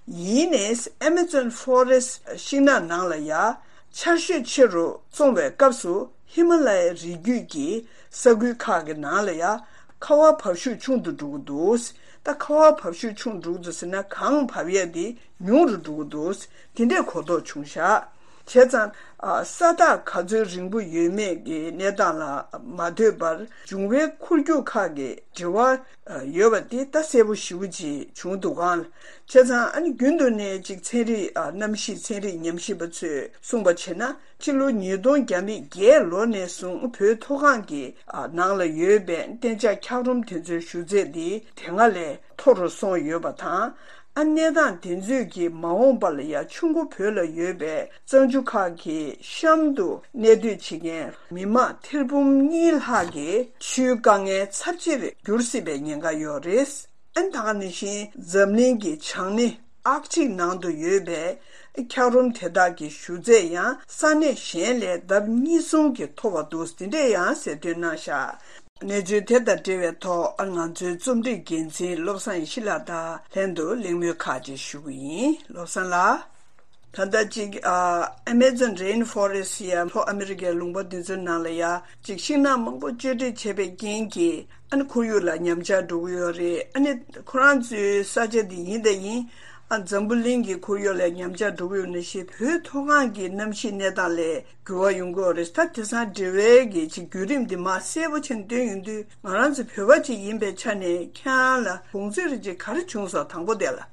ཡིན་ནའི་ཨ་མ་ཛོན་ཕོ་རེ་སི་ཤིང་ནགས་ནང་ལ་ཡང་ཆར་ཞོད་ཆེ་རུ་སོང་བའི་སྐབས་སུ་ཧི་མ་ལ་ཡའི་རི་རྒྱུད་ཀྱི་ས་ཁུལ་ཁག་གི་ནང་ལ་ཡང་ཁ་བ་འབབ་ཤུགས་ཆུང་དུ་འགྲོ་གི་འདུག་ད་ཁ་བ་འབབ་ཤུགས་ཆུང་དུ་འགྲོ་གི་འདུག་ཟེར་ན་གངས་བབས་ཡས་དེ་ཉུང་རུ་འགྲོ་གི་འདུག་དེ་འདྲའི་གོ་རྟོགས་བྱུང་ཤག་བྱས་ཙང་། ས་རྟགས་ག་ཚོད་རིང་པོ་ཡོད་མེད་ཀྱི་གནས་སྟངས་ལ་མ་ལྟོས་པར་འབྱུང་བའི་འཁོར་རྒྱུག་ཁག་གི་འབྲེལ་བ་ཡོད་པ་དེ་ད་གསལ་པོ་ཞེ་པོ་ཅིག་བྱུང་འདུག་ག་བྱས་ཙང་ཨ་ནི་རྒྱུན་དུ་ནས་ཅིག་ཚན་རིག་གནམ་གཤིས་ཚན་རིག་ཉམས་ཞིབ་པ་ཚོས་གསུངས་པ་བྱས་ན། སྤྱི་ལོ་ཉིས་སྟོང་བརྒྱ་མེད་བརྒྱད་ལོ་ནས་བཟུང་བོད་མཐོ་སྒང་གི་ནང་ལ་ཡོད་པའི་གཏན་འཇགས་འཁྱགས་རོམ་དེ་ཚོའི་བཞུར་རྫས་འདི་དེ་སྔ་ལས་མཐོ་རུ་སོང་ཡོད་པ་དང་། ཨ་གནས་སྟངས་དེ་ཚོས་ཀྱིས་མ་འོངས་པ་ལ་ཡང་ཆུ་མགོ་བོད་ལ་ཡོད་པའི་གཙང་ཆུ་ཁག་གི་གཤམ་དུ་གནས་སྡོད་བྱེད་མཁན་མི་མང་ཐེར་འབུམ་གཉིས་ལྷག་གི་ཆུའི་དཀའ་ངལ་ཚབས་ཆེར་འགྱུར་སྲིད་པའི་ཉེན་ཁ་ཡོད་རེད། ཨ་ནི་ད་ག་ནང་བཞིན་འཛམ་གླིང་གི་བྱང་སྣེ། ཨར་ཀ་ཊིག་ནང་དུ་ཡོད་པའི་འཁྱགས་རོམ་དེ་དག་གི་ཞུ་ཚད་ཡང་ས་གནས་གཞན་ལས་ལྡབ་གཉིས་གསུམ་གྱིས་མཐོ་བ་འདུག། འདི་འདྲས་ཡང་གསལ་སྟོན་གནང་བཞག། གནས་ཚུལ་དེ་དང་འབྲེལ་བའི་ཐོག་ང་ཚོའི་རྩོམ་སྒྲིག་འགན་འཛིན་བློ་བཟང་ཡེ་ཤེས་ལགས་དང་ལྷན་དུ་གླེང་མོལ་ཁག་ཅིག་ཞུ་གི་ཡིན། བློ་བཟང་ལགས། ད་ལྟ་ཅིག་ཨ་Amazon Rainforest ཡ་ལྷོ་ཨ་མི་རི་ཀའི་ལུང་པ་འདི་ཚོའི་ནང་ལ་ཡ་ཅིག་ཤིང་ནགས་མང་པོ་གཅོད་འབྲེག་བྱས་པའི་རྐྱེན་གྱིས་ཨ་ནི་ཁོར་ཡུག་ལ་ཉམས་ཆག་འགྲོ་གི་ཡོད་རེད། ཨ་ནི་ཁོ་རང་ཚོའི་ས་ཆ་འདི་ཡིན་དང་ཡིན། ཨ་འཛམ་བུ་གླིང་གི་ཁོར་ཡུག་ལ་ཉམས་ཆག་འགྲོ་གི་ཡོད་ནང་བཞིན་བོད་མཐོ་སྒང་གི་གནམ་གཤིས་གནས་སྟངས་ལ་འགྱུར་བ་ཡོང་གི་ཡོད་རེད། ད་དེང་སང་འབྲེལ་བའི་གི་ཅིག་བརྒྱུད་རིམ་འདི་མར་གསལ་པོ་བྱས་ནས་སྟོན་ཡོང་དུས་ང་རང་ཚོ་བོད་པ་ཅིག་ཡིན་པའི་ཆ་ནས་ཁྱེད་རང་ལ་དགོངས་ཚུལ་རེ་ཅིག་ག་རེ་བྱུང་སོང་། དང་པོ་དེ་ལ།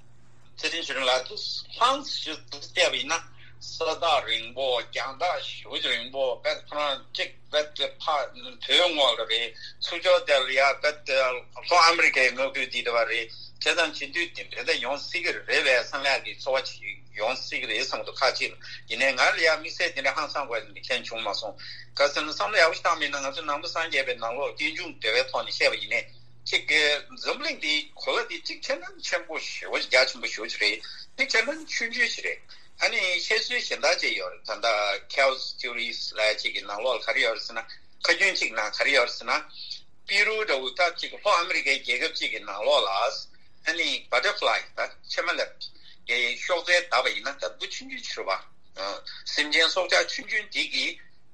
ཚེ་རིང་ཆོས་སྒྲོན་ལགས། ལྷང་ཞིག་བལྟས་པ་ཡིན་ན་ས་ཐག་རིང་པོ། རྒྱང་ཐག་ཞེ་པོ་ཅིག་རིང་པོ། བལ་ཁོ་རང་གཅིག་བལ་དེ་ཕ་བོད་ངོས་ལ་རེད། ཚུར་ཕྱོགས་དེ་ལ་ཡ་བལ་དེ་ལྷོ་ཨ་མི་རི་ཀའི་མངའ་ཁུལ་འདི་འདྲ་བ་རེད། དེ་དང་བྱེད་དུས་དེ་འདྲ་ད་ཡོང་སྲིད་ཀྱི་རེད་པས་བསམ་ཡག་གི་ཚོར་བ་ཅིག་ཡོང་སྲིད་ཀྱི་རེད་བསམ་གྱི་འདུག། ཁ་ཅིག་ཡིན་ནའི་ང་ལ་ཡ་དམིགས་བསལ་དེ་འདྲ་ཧང་སང་དགོས་དེ་འདྲ་མཁན་བྱུང་མ་སོང་། ག་ཟེར་ན་བསམ་བློ་ཡག་པོ་ཞིག་བཏང་མིན་ན་ང་ཚོ་ནང་པ་སངས་རྒྱས་པའི་ནང་ལོགས་རྟེན་འབྱུང་འབྲེལ་བའི་ཐོག་ནས་བཤད་པ་ཡིན་ནའི། གཅིག་གི་འཛམ་གླིང་འདི་གོ་ལ་འདི་གཅིག་བྱས་ན་ཆེན་པོ་ཞེ་པོ་རྒྱ་ཆེན་པོ་ཞེ་པོ་ཅིག་རེད། གཅིག་བྱས་ན་ཆུང་ཆུང་ཞིག་རེད། ཨ་ནི་བཤད་སྲོལ་གཞན་དག་ཅིག་ཡོད་རེད། ད་ལྟ་Chaos Theories ལབ་ཅིག་གི་ནང་ལོགས་ལ་ག་རེ་ཡོད་རེད་ཟེར་ན། ཁ་རྒྱུན་གཅིག་ནང་ག་རེ་ཡོད་རེད་ཟེར་ན། པི་རུ་འདྲ་བོ་ད་གཅིག་ལྷོ་ཨ་མི་རི་ཀའི་རྒྱལ་ཁབ་ཅིག་གི་ནང་ལོགས་ལ་ཨ་ནི་butterfly ད་ཕྱེ་མ་ལེབ་ཀྱི་གཤོག་རྩལ་བརྡབས་པ་ཡིན་ན་ད་འབུ་ཆུང་ཆུང་ཅིག་རེད་པ། སེམས་ཅན་སྲོག་ཆགས་ཆུང་ཆུང་འདི་གི་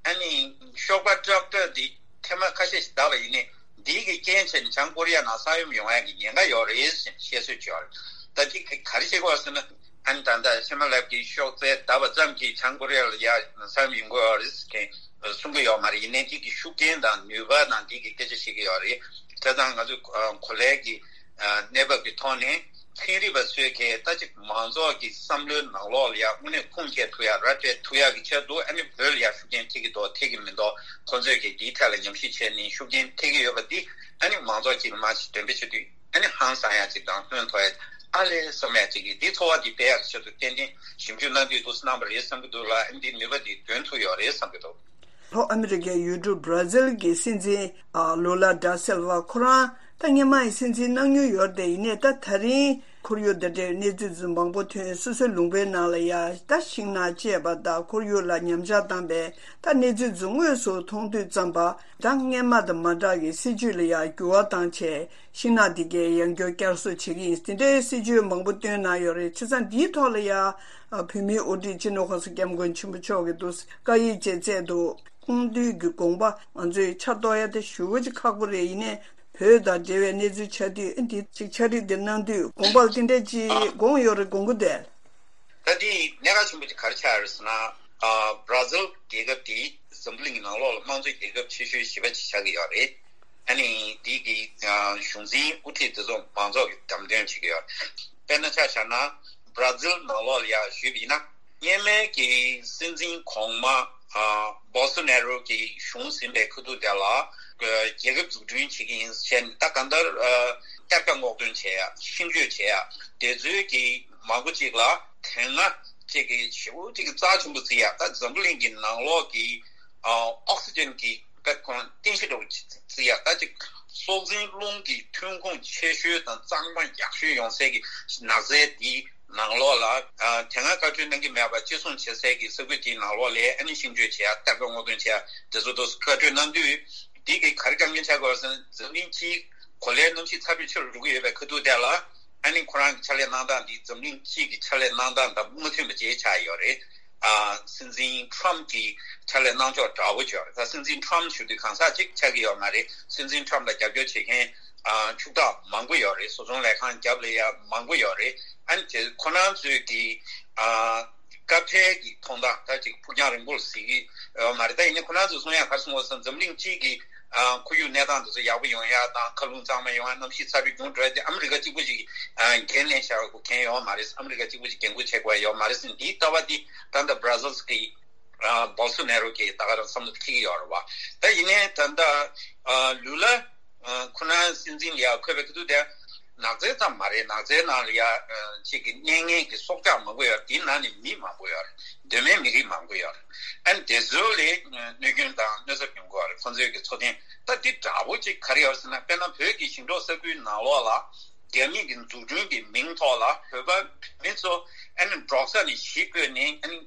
ཨ་ནི་གཤོག་པ་ཀྲག་ཀྲག་འདི་ཐེངས་མ་ཁ་ཤས་ཤིག་བརྡབས་པ་ཡིན་ནའི་འདི་གི་རྐྱེན་བྱས་ནས་བྱང་ཀོ་རི་ཡ་ནང་ས་ཡོམ་ཡོང་ཡག་གི་ཉེན་ཁ་ཡོད་རེད་ཟེར་བཤད་སྲོལ་ཅིག་ཡོད་རེད། ད་འདི་གི་ག་རེ་བྱེད་དགོས་ཟེར་ན། ཨ་ནི་ད་ལྟ་ཕྱེ་མ་ལེབ་ཀྱི་གཤོག་རྩལ་བརྡབས་པ་ཙམ་གྱིས་བྱང་ཀོ་རི་ཡ་ལ་ཡ་ས་ཡོམ་ཡོང་གི་ཡོད་རེད་ཟེར་མཁན་གསུང་གི་ཡོད་མ་རེད། ཡིན་ནའི་འདི་གི་ཤུགས་རྐྱེན་དང་ནུས་པ་དང་འདི་གི་སྐད་ཆ་བཤད་ཀྱི་ཡོད་རེད། བྱས་ཙང་ང་ཚོས་གོ་ལའི་གི་གནས་བབ་ཀྱི་ཐོག་ནས་ཚན་རིག་པ་ཚོས་གལ་ད་ཅིག་མང་ཚོགས་ཀྱི་བསམ་བློའི་ནང་ལོགས་ལ་ཡ་དངོས་གནས་ཁུངས་སྐྱེལ་ཐུབ་ཡ་ར་སྤྲད་ཐུབ་ཡ་གི་ཆེད་དུ་ཨ་ནི་བོད་ལ་ཡ་ཤུགས་རྐྱེན་ཐེབས་ཀྱི་འདུག་ཐེབས་ཀྱི་མི་འདུག་ཁོང་ཚོས་ཀྱི་འདིའི་ཐད་ལ་ཉམས་ཞིབ་བྱས་ནས་ཤུགས་རྐྱེན་ཐེབས་ཀྱི་ཡོད་པ་འདི་ཨ་ནི་མང་ཚོགས་ཀྱིས་མ་ཅིག་འདོན་སྤེལ་བྱེད་དུས་ཨ་ནི་ཧང་སང་ཡ་ཅིག་དང་ཕན་ཐོགས་ཡ་ཨ་ལས་བསམ་ཡ་ཅིག་གི་འདི་ཚོར་བ་འདི་སྤེལ་ཡ་གི་ཆེད་དུ་ཏན་ཏན་ཞིབ་འཇུག་གནང་དུས་འདུག་སེ་གནང་པ་རེད་བསམ་གྱི་འདུག་ལ། ཨ་ནི་འདི་ནུས་པ་འདི་འདོན་ཐུབ་ཡོད་རེད་བསམ་གྱི་འདུག། ལྷོ་ཨ་མི་རི་ཀའི་ཡུལ་གྲུ་བྷ་ར་ཛིལ་གྱི་སྲིད་འཛིན་ཨ་ལུ་ལ་ད་སིལ་ཝ་ཁོ་རང་ད་སྔོན་མ་ཡི་སྲིད་འཛིན་གནང་མྱོང་ཡོད་རེད་དེ། ཡིན་ནའི་ད་ད་རིང་ཁོར་ཡུག་འདི་འདྲའི་གནས་ཚུལ་ཚོ་མང་པོ་ཐོན། སོ་སོའི་ལུང་པའི་ནང་ལ་ཡ་ད་ཤིང་ནགས་བཅད་པ་དང་ཁོར་ཡུག་ལ་ཉམས་ཆག་བཏང་པའི་ད་གནས་ཚུལ་ཚོ་དངོས་སུ་མཐོང་དུས་ཙམ་པ་ད་སྔོན་མ་དང་མ་འདྲ་གི་སྲིད་ཇུས་ལ་ཡ་འགྱུར་བ་བཏང་བྱས། ཤིང་ནགས་འདི་གའི་ཡང་བསྐྱར་བསྐྱར་གསོ་བྱེད་ཀྱི་ཡིན། དེ་འདྲའི་སྲིད་ཇུས་མང་པོ་བཏོན་གནང་ཡོད་རེད། བྱས་ཙང་འདིའི་ཐོག་ལ་ཡ་བོད་མིའི་དབུ་ཁྲིད་སྤྱི་ནོར་༸གོང་ས་༸སྐྱབས་མགོན་ཆེན་པོ་མཆོག་གིས་འདུག་བཀའ་ཡིག་ཅིག་བསྩལ་འདུག། སྐུ་མདུན་གྱི་དགོངས་པ་ང་ཚོས་ཆ་གཏོགས་ཡ་དེ་ཞེ་པོ་ཅིག་ཁག་པོ་རེད། ཡིན་ནའི་བོད་དང་འབྲེལ་བའི་གནས་ཚུལ་ཆགས་དུས་འདི་ཅིག་ཕྱག་བྲིས་འདི་གནང་དུས་དགོངས་པ་ལ་དེ་འདྲ་ཅིག་དགོངས་ཡོད་རེད། དགོངས་ཀྱི་འདུག། ད་འདི་གནད་འགག་ཆེན་པོ་ཅིག་ག་རེ་ཆགས་ཡོད་རེད་ཟེར་ན། ཨ་བྷ་ར་ཛིལ་རྒྱལ་ཁབ་འདི་འཛམ་བུ་གླིང་གི་ནང་ལོགས་ལ་དམངས་གཙོའི་རྒྱལ་ཁབ་ཆེ་ཤོས་བཞི་པ་ཅིག་ཆགས་ཀྱི་ཡོད་རེད། ཨ་ནི་འདི་གི་ཨ་གཞུང་འཛིན་དབུ་ཁྲིད་དེ་ཚོ་མང་ཚོགས་ཀྱིས་བདམས་ཐོན་བྱེད་ཀྱི་ཡོད་རེད། དཔེར་ན་ཆ་བཞག་ན་བྷ་ར་ཛིལ་ནང་ལོགས་ལ་ཡ་ཞུས་པ་ཡིན་ན། སྔོན་མའི་གི་སྲིད་འཛིན་གོང་མ་ཨ་བོལ་སོ་ནེ་རོ་གི་གཞུང་ཟིན་པའི་ཁ་ཐུག་དེ་ལ་རྒྱལ་ཁབ་འཛུགས་སྐྲུན་བྱེད་ཀྱི་ཡིན་ཟེར་ནས་ད་གང་ལྟར་ཨ་བསྐྱར་བཀའ་སྔོག་འདོན་བྱེད་ཡ། ཤིང་གཅོད་བྱེད་ཡ་དེ་ཚོའི་གི་མང་པོ་ཅིག་ལ་དེ་སྔ་ཅིག་གི་ཞེ་པོ་ཅིག་གི་རྩ་ཆེན་པོ་བརྩི་ཡ། ད་འཛམ་བུ་གླིང་གི་ནང་ལོགས་ཀྱི་ཨ་ཨོག་སི་ཇན་གི་ད་ཁོང་རྟེན་གཞི་འདྲ་བོ་ཅིག་བརྩི་ཡ། ད་ཅིག་སྲོག་འཛིན་རླུང་གི་ཐོན་ཁུངས་ཆེ་ཤོས་དང་གཙང་མ་ཡག་ཤོས་ཡོང་སའི་གི་ནགས་ཚལ་འདི་ནང་ལོགས་ལ་ཨ་དེ་སྔ་བཀའ་འཁྲོལ་གནང་གི་མེད་པ་བཅད་བཟུང་བྱེད་སའི་གི་ས་ཁུལ་དེའི་ནང་ལོགས་ལ་ཨ་ནི་ཤིང་གཅོད་བྱེད་ཡ། བསྐྱར་བཀའ་སྔོག་འདོན་བྱེད་ཡ་དེ་ཚོ་དུ་བཀའ་འཁྲོལ་གནང་དུས་འདི་གི་ག་རེ་དཀའ་ངལ་ཆགས་དགོས་ཟེར་ན། འཛམ་གླིང་སྤྱིའི་གོ་ལའི་གནམ་གཤིས་ཚ་བའི་ཆེ་རུ་འགྲོ་གི་ཡོད་པའི་ཁ་ཐུག་དེ་ལ་ཨ་ནི་ཁོ་རང་གི་ཕྱག་ལས་གནང་སྟངས་འདི་འཛམ་གླིང་སྤྱི་གི་ཕྱག་ལས་གནང་སྟངས་དང་མ་མཐུན་པ་ཅིག་ཆགས་ཡོད་རེད། ཨ་སྲིད་འཛིན་ཊམ་གྱི་ཕྱག་ལས་གནང་ཕྱོགས་འདྲ་བོ་ཅིག་ཡོད་རེད། ད་སྲིད་འཛིན་ཊམ་ཞུ་དུས་གང་ཟག་ཅིག་ཆགས་ཀྱི་ཡོད་མ་རེད། སྲིད་འཛིན་ཊམ་ལ་རྒྱབ་སྐྱོར་བྱེད་མཁན་ཨ་ཕྱུག་བདག་མང་པོ་ཡོད་རེད། བཟོ་ཚོང་ལས་ཁང་རྒྱབ་ལ་ཡ་མང་པོ་ཡོད་རེད། ཨ་ནི་དེ་ཁོ་རང་ཚོས་ཀྱི་ཨ་སྐབས་འཕྲལ་གྱི་མཐོང་སྟངས་ད་ཅིག་ཕུགས་རྒྱང་རིང་པོར་གཟིགས་ཀྱི་ཡོད་མ་རེད། ད་ཡིན་ནའི་ཁོ་རང་ཚོས་གསུང་ཡ་ག་རེ་གསུང་བ་ཟེར་ན། འཛམ་གླིང་སྤྱི་གི་ཨ་ཁོར་ཡུག་གནས་སྟངས་དེ་ཚོ་ཡག་པོ་ཡོང་ཡ་དང་། མཁའ་རླུང་གཙང་མ་ཡོང་ཡ། གནམ་གཤིས་ཚ་བའི་འགྱུར་འགྲོ་ཡ་དེ་ཨ་མི་རི་ཀ་གཅིག་པུ་ཞིག་ཨ་འགན་ལེན་བཞག་དགོས་མཁན་ཡོད་མ་རེད། ཨ་མི་རི་ཀ་གཅིག་པུ་ཞིག་འགན་འཁུར་བྱེད་དགོས་ཡ་ཡོད་མ་རེད་ཟེར་ནས་འདིའི་ལྟ་བ་འདི་ད་ལྟ་བྷ་ར་ཛིལ་གི་ཨ་བོལ་སོ་ནེ་རོ་གིས་ད་ག་རང་བསམ་བློ་འཁྱེར་གྱི་ཡོད་རེད་བ། ད་ཡིན་ནའི་ད་ལྟ་ཨ་ལུ་ལ་ཨ་ཁོ་རང་སྲིད་འཛིན་ལ་ཡ་འཁོད་པའི་ཁ་ཐུག་དེ་ནགས་ཚལ་ཙམ་མ་རེད། ནགས་ཚལ་ནང་ལ་ཡ་ཨ་ཅིག་གི་གནས་ངན་གྱི་སྲོག་ཆགས་མང་པོ་ཡོད་རེད། དེའི་ནང་ནས་མི་མང་པོ་ཡོད་རེད། གདོད་མའི་མི་རིགས་མང་པོ་ཡོད་རེད། ཨ་ནི་དེ་ཚོ་ལ་གནོད་སྐྱོན་དང་གནོད་ཚབས་ཡོང་གི་ཡོད་རེད། ཁོང་ཚོའི་གི་འཚོ་རྟེན། ད་འདི་འདྲ་བོ་ཅིག་ག་རེ་ཡོད་ཟེར་ན། དཔེར་ན་བོད་ཀྱི་ཞིང་འབྲོག་ས་ཁུལ་ནང་ལོགས་ལ་ རྒྱ་མི་གི་འཛུགས་སྐྲུན་གྱི་མིང་ཐོག་ལ་བོད་པ་བོད་མི་ཚོ་ཨ་ནི་འབྲོག་ས་ནས་གཞིས་བསྐོས་ནས་ཨ་ནི་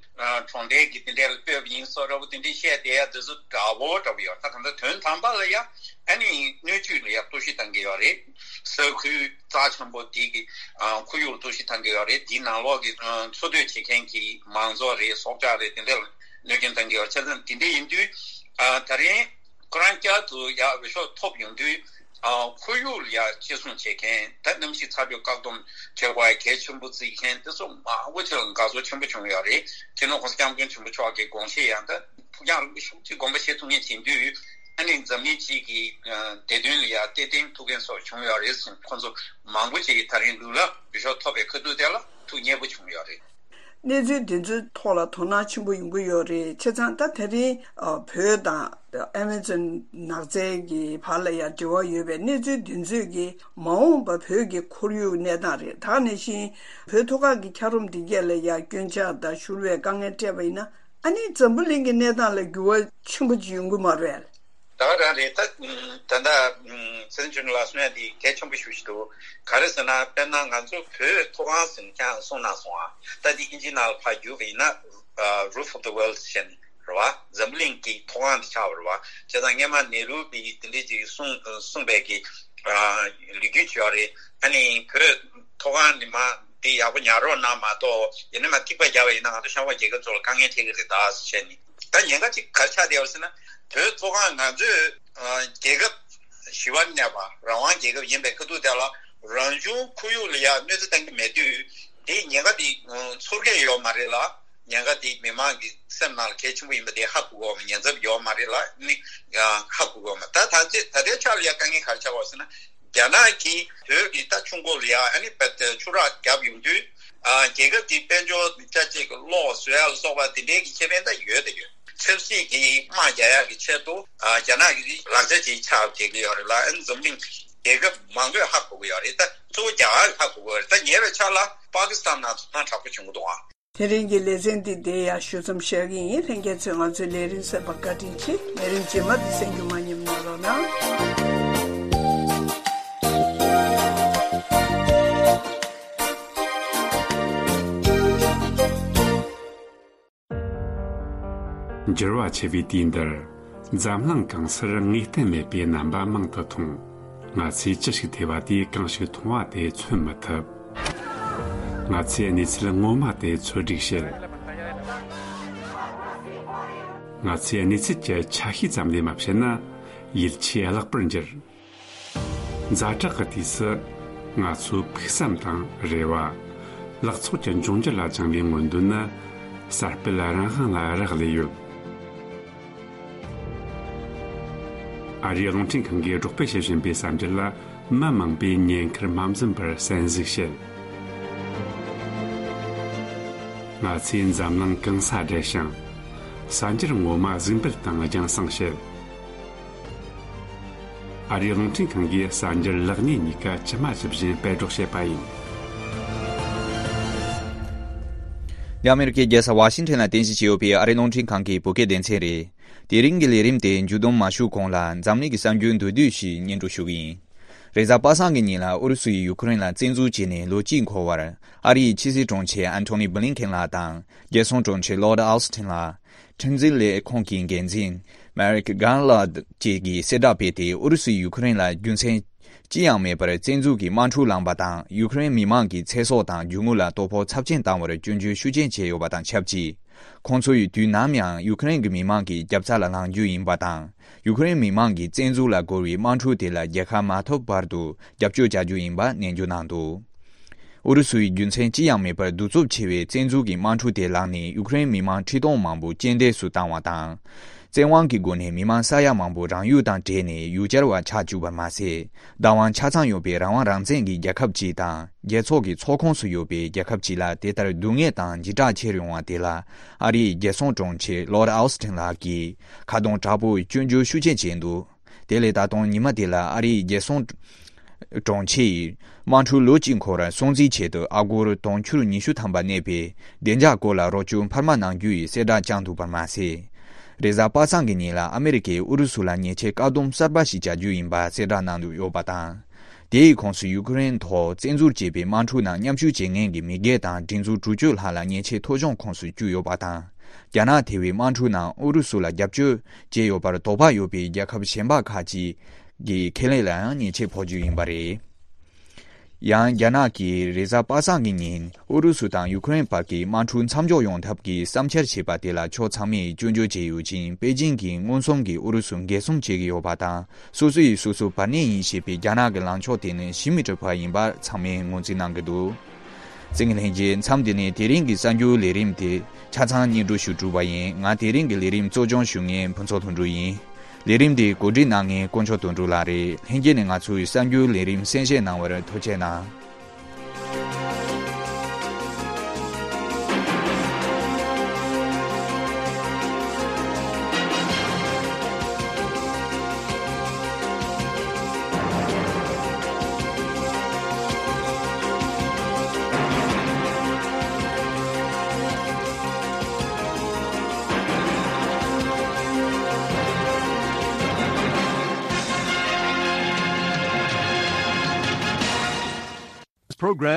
གྲོང་རྡལ་གྱི་དེ་འདྲ་ལ་སྤོས་པ་ཡིན་སོགས་འདྲ་པོ་དེ་འདྲའི་བཤད་བསྡད་ཡ་དེ་ཚོ་འདྲ་པོ་འདྲ་པོ་ཡོད། ད་གང་ལྟར་དོན་དམ་པ་ལ་ཡ་ཨ་ནི་སྣོད་བཅུད་ལ་ཡ་གཏོར་བཤིག་བཏང་གི་ཡོད་རེད། ས་ཁུལ་རྩ་ཆེན་པོ་དེ་གི་ཁོར་ཡུག་ལ་གཏོར་བཤིག་བཏང་གི་ཡོད་རེད། དེའི་ནང་ལོགས་ཀྱི་འཚོ་སྡོད་བྱེད་མཁན་གྱི་མང་ཚོགས་རེད། སྲོག་ཆགས་རེད། དེ་འདྲ་ལ་གནོད་སྐྱོན་བཏང་གི་ཡོད། བྱས་ཙང་དེ་འདྲ་ཡིན་དུས་ད་རིང་ཁོ་རང་བསྐྱར་དུ་ཡ་འོས་ཤོག་ཐོབ་ཡོང་དུས། ཨ། ཁོར་ཡུག་ལ་ཡ་གཅེས་སྲུང་བྱེད་མཁན། ད་གནམ་གཤིས་ཚ་དྲོད་བཀག་སྡོམ་བྱེད་དགོས་ཡ་གལ་ཆེན་པོ་བརྩི་མཁན་དེ་ཚོ་མང་པོ་ཅིག་ལ་དགའ་ཚོར་ཆེན་པོ་བྱུང་ཡོད་རེད། སྤྱི་ནོར་༸གོང་ས་༸སྐྱབས་མགོན་ཆེན་པོ་མཆོག་གི་དགོངས་བཞེད་ཡང་ད་ཕུགས་རྒྱང་རིང་པོ་ཞེ་པོ་ཅིག་དགོངས་པ་བཞེས་ཐུབ་མཁན་བྱེད་དུས། ཨ་ནི་འཛམ་གླིང་སྤྱི་གི་ཨ་བདེ་དོན་ལ་ཡ་གཏེར་སྟོན་ཐུབ་མཁན་སོགས་བྱུང་ཡོད་རེད་ཟེར། ཁོང་ཚོ་མང་པོ་ཅིག་གིས་ད་རིང་ལུག་ལ་འོས་ཤོག་ཐོབ་པའི་ཁ་ཐུག་དེ་ལ་ཐུགས་མཉེས་པོ་བྱུང་ཡོད་རེད། གནས་ཚུལ་འདི་ཚོའི་ཐོག་ལ་དོ་སྣང་ཆེན་པོ་ཡོང་གི་ཡོད་རེད། བྱས་ཙང་ད་དེ་རིང་ཨ་བོད་དང་ཨ་མེ་ཛོན་ནགས་ཚལ་གྱི་བར་ལ་ཡང་འབྲེལ་བ་ཡོད་པའི་གནས་ཚུལ་འདི་ཚོས་ཀྱི་མ་འོངས་པ་བོད་ཀྱི་ཁོར་ཡུག་གནས་སྟངས་རེད། ད་ག་ནང་བཞིན་བོད་མཐོ་སྒང་གི་འཁྱགས་རོམ་འདི་གས་ལ་ཡང་སྐྱོན་ཆག་དང་བཞུར་བའི་དཀའ་ངལ་སྤྲད་པ་ཡིན་ན། ཨ་ནི་འཛམ་བུ་གླིང་གི་གནས་སྟངས་ལ་འགྱུར་བ་ཆེན་པོ་ཅིག་ཡོང་གི་མ་རེད། ད་ག་རང་རེད། ད་ད་ལྟ་སྲིད་འཛིན་ལགས་གསུང་ཡ་འདི་གལ་ཆེན་པོ་ཞེ་པོ་ཅིག་འདུག་ག་རེ་ཟེར་ན། དཔེར་ན་ང་ཚོ་བོད་མཐོ་སྒང་ཟེར་ནས་ཀྱང་གསུངས་གནང་སོང་ཨ། ད་འདི་ཨིན་ཇིའི་ནང་ལ་ཕར་བསྒྱུར་བ་ཡིན་ན། Roof of the World ཟེར་ནས་རེད་བ། འཛམ་བུ་གླིང་གི་མཐོ་སྒང་དེ་ཆགས་པ་རེད་བ། བྱས་ཙང་སྔས་མ་ནེ་རུ་བི་དེ་འདྲས་ཅིག་གསུངས་གསུངས་པའི་གི་ལོ་རྒྱུས་ཅིག་ཡོད་རེད། ཨ་ནི་བོད་མཐོ་སྒང་ནས་མར་འདི་ཡག་པོ་ཉར་རོགས་གནང་མ་གཏོགས། ཡིན་ན་མར་ཐིགས་པ་བརྒྱབ་པ་ཡིན་ན་ང་ཚོ་ཤར་ཁུག་རྒྱལ་ཁབ་ཚོ་ལ་དཀའ་ངལ་འཕྲད་ཀྱི་རེད་ད་ཟེར་བྱས་ནས། ད་ཉེན་ཁ་ཅིག་ག་རེ་ཆགས་བསྡད་པ་ཟེར་ན། བོད་མཐོ་སྒང་ང་ཚོས་ཨ་རྒྱལ་ཁབ་ཞི་བར་གནས་པ་རང་དབང་རྒྱལ་ཁབ་ཡིན་པའི་ཁ་ཐུག་དེ་ལ་རང་བྱུང་ཁོར་ཡུག་ལ་ཡ་གནོད་འཚེ་བཏང་གི་མེད་དུས། དེའི་ཉེན་ཁ་དེ་ཚོར་གི་ཡོད་མ་རེད་ལ། ཉེན་ཁ་དེ་མི་མང་གི་སེམས་ནང་ལ་གལ་ཆེན་པོ་ཡིན་པ་དེ་ཧ་གོ་གི་ཡོད་མ། ཉེན་ཚབས་ཡོད་མ་རེད་ལ་ནི་ཧ་གོ་གི་ཡོད་མ། ད་ད་ལྟའི་ད་ལྟའི་ཆ་ལ་ཡ་དཀའ་ངལ་ག་རེ་ཆགས་པ་ཟེར་ན། རྒྱ་ནག་གིས་བོད་ཀྱི་ད་ཆུ་མགོ་ལ་ཡ་ཨ་ནི་བད་ཆུ་རགས་བརྒྱབ་ཡོང་དུས། ཨ་རྒྱལ་ཁབ་ཀྱི་དཔལ་འབྱོར་ཆ་གཅིག་གི་གློག་བཟོ་ཡ་ལ་སོགས་པ་དེ་འདྲའི་གི་ཁེ་ཕན་ད་ཡོད་དེ་ཡོད། ཆབ་སྲིད་ཀྱི་དམག་རྒྱག་ཡ་གི་ཆེད་དུ་ཨ་རྒྱ་ནག་གི་ལག་ཆ་ཅིག་ཆགས་བསྡད་ཀྱི་ཡོད་རེད་ལ། ཨ་ནི་འཛམ་གླིང་རྒྱལ་ཁབ་མང་པོས་ཧ་གོ་གི་ཡོད་རེད། ད་གཙོ་བོ་རྒྱ་གར་གྱིས་ཧ་གོ་གི་ཡོད་རེད། ད་ཉེ་བའི་ཆར་ལ་པ་ཀི་སི་ཐན་ནང་དོ་སྣང་དྲག་པོ་བྱུང་གི་འདུག་ཨ། དེ་རིང་གི་ལེ་ཚན་འདི་འདིར་ཡང་ཞུ་མཚམས་བཞག་གི་ཡིན། ལྷན་རྒྱས་ཚོས་ང་ཚོའི་ལས་རིམ་གསན་པར་བཀའ་དྲིན་ཆེ། ལས་རིམ་རྗེས་མ་འདི་གསན་རྒྱུ་མ་ཉམས་གནང་རོགས་གནང་། འགྱུར་བ་ཆེ་བའི་དུས་འདིར། འཛམ་གླིང་གང་སར་ངེས་གཏན་མེད་པའི་རྣམ་པ་མང་དུ་མཐོང་། ང་ཚོས་ཅི་ཞིག་ཐོས་པ་དེས་གང་ཞིག་མཐོང་བ་དེ་མཚོན་མི་ཐུབ། ང་ཚོས་གནས་ཚུལ་ངོ་མ་དེ་འཚོལ་སྒྲིག་བྱེད། ང་ཚོས་གནས་ཚུལ་གྱི་ཆ་ཤས་ཙམ་ལས་མ་བཤད་ན། ཡིད་ཆེས་བརླག་པར་འགྱུར། ཛ་དྲག་གི་དུས་སུ། ང་ཚོའི་ཕུགས་བསམ་དང་རེ་བ། ལག་ཚོགས་ཀྱི་འབྱུང་འགྱུར་ལ་བཅངས་པའི་མངོན་འདོད་ནི། གསར་སྤེལ་རང་དབང་ལ་རག་ལས་ཡོད། ཨ་རིའི་རླུང་འཕྲིན་ཁང་གིས་སྒྲོག་སྤེལ་བྱེད་བཞིན་པའི་གསར་འགྱུར་ལ། མི་མང་པོས་ཉེན་ཁར་མ་འཛེམས་པར་གསན་གཟིགས་བྱེད། ང་ཚོས་འཛམ་གླིང་གང་སར་བསྡད་ཞིང་། གསར་འགྱུར་ངོ་མ་གཟིགས་འབུལ་དང་རྒྱང་སྲིང་བྱེད། ཨ་རིའི་རླུང་འཕྲིན་ཁང་གིས་གསར་འགྱུར་ལེགས་ཉེས་གཉིས་ཀ་ཇི་མ་ཇི་བཞིན་སྤེལ་སྒྲོག་བྱེད་པ་ཡིན། འདི་ཨ་མེ་རི་ཀའི་རྒྱལ་ས་ཝ་ཤིང་ཊོན་ལ་རྟེན་གཞི་བྱས་ཡོད་པའི་ཨ་རིའི་རླུང་འཕྲིན་ཁང་གི་བོད་སྐད་སྡེ་ཚན་རེད། དེ་རིང་གི་ལས་རིམ་དེ་མཇུག་བསྡོམས་མ་ཞུས་གོང་ལ། འཛམ་གླིང་གི་གསར་འགྱུར་མདོར་བསྡུས་ཤིག་སྙན་སྒྲོན་ཞུ་གི་ཡིན། རེས་གཟའ་པ་སངས་ཀྱི་ཉིན་ལ་ཨུ་རུ་སུ་ཡིས་ཡུ་ཁུ་རེན་ལ་བཙན་འཛུལ་བྱས་ནས་ལོ་གཅིག་འཁོར་བར། ཨ་རིའི་ཕྱི་སྲིད་དྲུང་ཆེ་ཨན་ཐོ་ནི་བྷི་ལིན་ཁེན་ལགས་དང་། རྒྱལ་སྲུང་དྲུང་ཆེ་ལོར་ཌི་ཨོ་སི་ཊིན་ལགས། ཁྲིམས་འཛིན་ལས་ཁུངས་ཀྱི་འགན་འཛིན་མེ་རིག་གྷར་ལཱརྡ་བཅས་ཀྱིས་གསལ་བསྒྲགས་སྤེལ་ཏེ། ཨུ་རུ་སུས་ཡུ་ཁུ་རེན་ལ་རྒྱུ་མཚན་ཅི་ཡང་མེད་པར་བཙན་འཛུལ་གྱི་དམག་འཁྲུག་བསླངས་པ་དང་། ཡུ་ཁུ་རེན་མི་མང་གི་ཚེ་སྲོག་དང་རྒྱུ་དངོས་ལ་དོ་ཕོག་ཚབས་ཆེན་བཏང་བར་སྐྱོན་བརྗོད་ཤུགས་ཆེན་བྱས་ཡོད་པ་དང་ཆབས་ཅིག། ཁོང་ཚོ་ཡིས་དུས་ནམ་ཡང་ཡུ་ཁུ་རེན་གྱི་མི་མང་གི་རྒྱབ་རྩ་ལ་ལངས་རྒྱུ་ཡིན་པ་དང་། ཡུ་ཁུ་རེན་མི་མང་གིས་བཙན་འཛུལ་ལ་རྒོལ་བའི་དམག་འཁྲུག་དེ་ལ་རྒྱལ་ཁ་མ་ཐོབ་བར་དུ་རྒྱབ་སྐྱོར་བྱ་རྒྱུ་ཡིན་པ་ནན་བརྗོད་གནང་འདུག། ཨུ་རུ་སུ་ཡིས་རྒྱུ་མཚན་ཅི་ཡང་མེད་པར་གདུག་རྩུབ་ཆེ་བའི་བཙན་འཛུལ་གྱི་དམག་འཁྲུག་དེ་བསླངས་ནས། ཡུ་ཁུ་རེན་མི་མང་ཁྲི་སྟོང་མང་པོ་རྐྱེན་འདས་སུ་བཏང་བ་དང་། བཙན་དབང་གི་སྒོ་ནས་མི་མང་ས་ཡ་མང་པོ་རང་ཡུལ་དང་བྲལ་ནས་ཡུལ་གྱར་བ་ཆགས་བཅུག་པར་མ་ཟད། བདག་དབང་ཆ་ཚང་ཡོད་པའི་རང་དབང་རང་བཙན་གྱི་རྒྱལ་ཁབ་ཅིག་དང་། རྒྱལ་ཚོགས་ཀྱི་ཚོགས་ཁོངས་སུ་ཡོད་པའི་རྒྱལ་ཁབ་ཅིག་ལ་དེ་ལྟར་སྡུག་བསྔལ་དང་འཇིགས་སྐྲག་ཆེ་རུ་ཡོང་བ་དེ་ལ། ཨ་རིའི་རྒྱལ་སྲུང་དྲུང་ཆེ་ལོར་ཨོ་སི་ཊིན་ལགས་ཀྱིས་ཁ་རྡུང་དྲག་པོས་སྐྱོན་བརྗོད་ཤུགས་ཆེན་བྱས་འདུག། དེ་ལས་ད་དུང་ཉི་མ་དེ་ལ་ཨ་རིའི་རྒྱལ་སྲུང་དྲུང་ཆེ་ཡིས། དམག་འཁྲུག་ལོ་གཅིག་འཁོར་བར་སྲུང་བརྩིའི་ཆེད་དུ་ཨ་སྒོར་དུང་ཕྱུར་ཉི་ཤུ་ཐམ་པ་གནས་པའི་བདེ་འཇགས་སྐོར་ལ་རོགས་སྐྱོར་འཕར་མ་གནང་རྒྱུ་ཡི་གསལ་བསྒྲགས་བསྐྱངས་འདུག་པར་མ་ཟད། རེས་གཟའ་པ་སངས་ཀྱི་ཉིན་ལ་ཨ་མེ་རི་ཀས་ཨུ་རུ་སུ་ལ་ཉེས་ཆད་བཀག་སྡོམ་གསར་པ་ཞིག་བྱ་རྒྱུ་ཡིན་པ་གསལ་བསྒྲགས་གནང་འདུག་ཡོད་པ་དང་། དེའི་ཁོངས་སུ་ཡུ་ཀེ་རེན་ཐོག་བཙན་འཛུལ་བྱས་པའི་དམག་འཁྲུག་ནང་མཉམ་ཞུགས་བྱེད་མཁན་གྱི་མི་སྒེར་དང་སྒྲིག་འཛུགས་དྲུག་ཅུ་ལྷག་ལ་ཉེས་ཆད་ཐོ་གཞུང་ཁོངས་སུ་བཅུག་ཡོད་པ་དང་། རྒྱ་ནག་ཐེ་བའི་དམག་འཁྲུག་ནང་ཨུ་རུ་སུ་ལ་རྒྱབ་སྐྱོར་བྱས་ཡོད་པར་དོགས་པ་ཡོད་པའི་རྒྱལ་ཁབ་གཞན་པ་ཁག་ཅིག་གི་ཁེ་ལས་ལ་ཡང་ཉེས་ཆད་ཕོག་རྒྱུ་ཡིན་པ་རེད། ཡང་རྒྱ་ནག་གིས་རེས་གཟའ་པ་སངས་ཀྱི་ཉིན་ཨུ་རུ་སུ་དང་ཡུ་ཀེ་རེན་བར་གྱི་དམག་འཁྲུག་མཚམས་འཇོག་ཡོང་ཐབས་ཀྱི་བསམ་འཆར་བྱས་པ་དེ་ལ་ཕྱོགས་ཚང་མས་སྐྱོན་བརྗོད་བྱས་ཡོད་ཅིང་པེ་ཅིང་གིས་མངོན་སུམ་གྱིས་ཨུ་རུ་སུ་འགན་སྲུང་བྱེད་ཀྱི་ཡོད་པ་དང་། སོ་སོ་ཡིས་སོ་སོ་བར་གནས་ཡིན་ཞེས་པའི་རྒྱ་ནག་གི་ལངས་ཕྱོགས་དེ་ནི་ཞི་མི་ཊི་ཕར་ཡིན་པ་ཚང་མས་ངོས་འཛིན་གནང་གི་འདུག། བཙན་ལྷན་རྒྱས། མཚམས་འདི་ནས་དེ་རིང་གི་གསར་འགྱུར་ལས་རིམ་དེ་ཆ་ཚང་སྙན་སྒྲོན་ཞུ་གྲུབ་པ་ཡིན། ང་དེ་རིང་གི་ལས་རིམ་གཙོ་སྐྱོང་ཞུ་མཁན་ཕུན་ཚོགས་དོན་གྲུབ་ཡིན། ལས་རིམ་འདི་གོ་སྒྲིག་གནང་མཁན་དཀོན་མཆོག་དོན་གྲུབ་ལགས་རེད། ལྷན་རྒྱས་ནས་ང་ཚོའི་གསར་འགྱུར་ལས་རིམ་གསན་བཞེས་གནང་བར་ཐུགས་རྗེ་གནང་། This program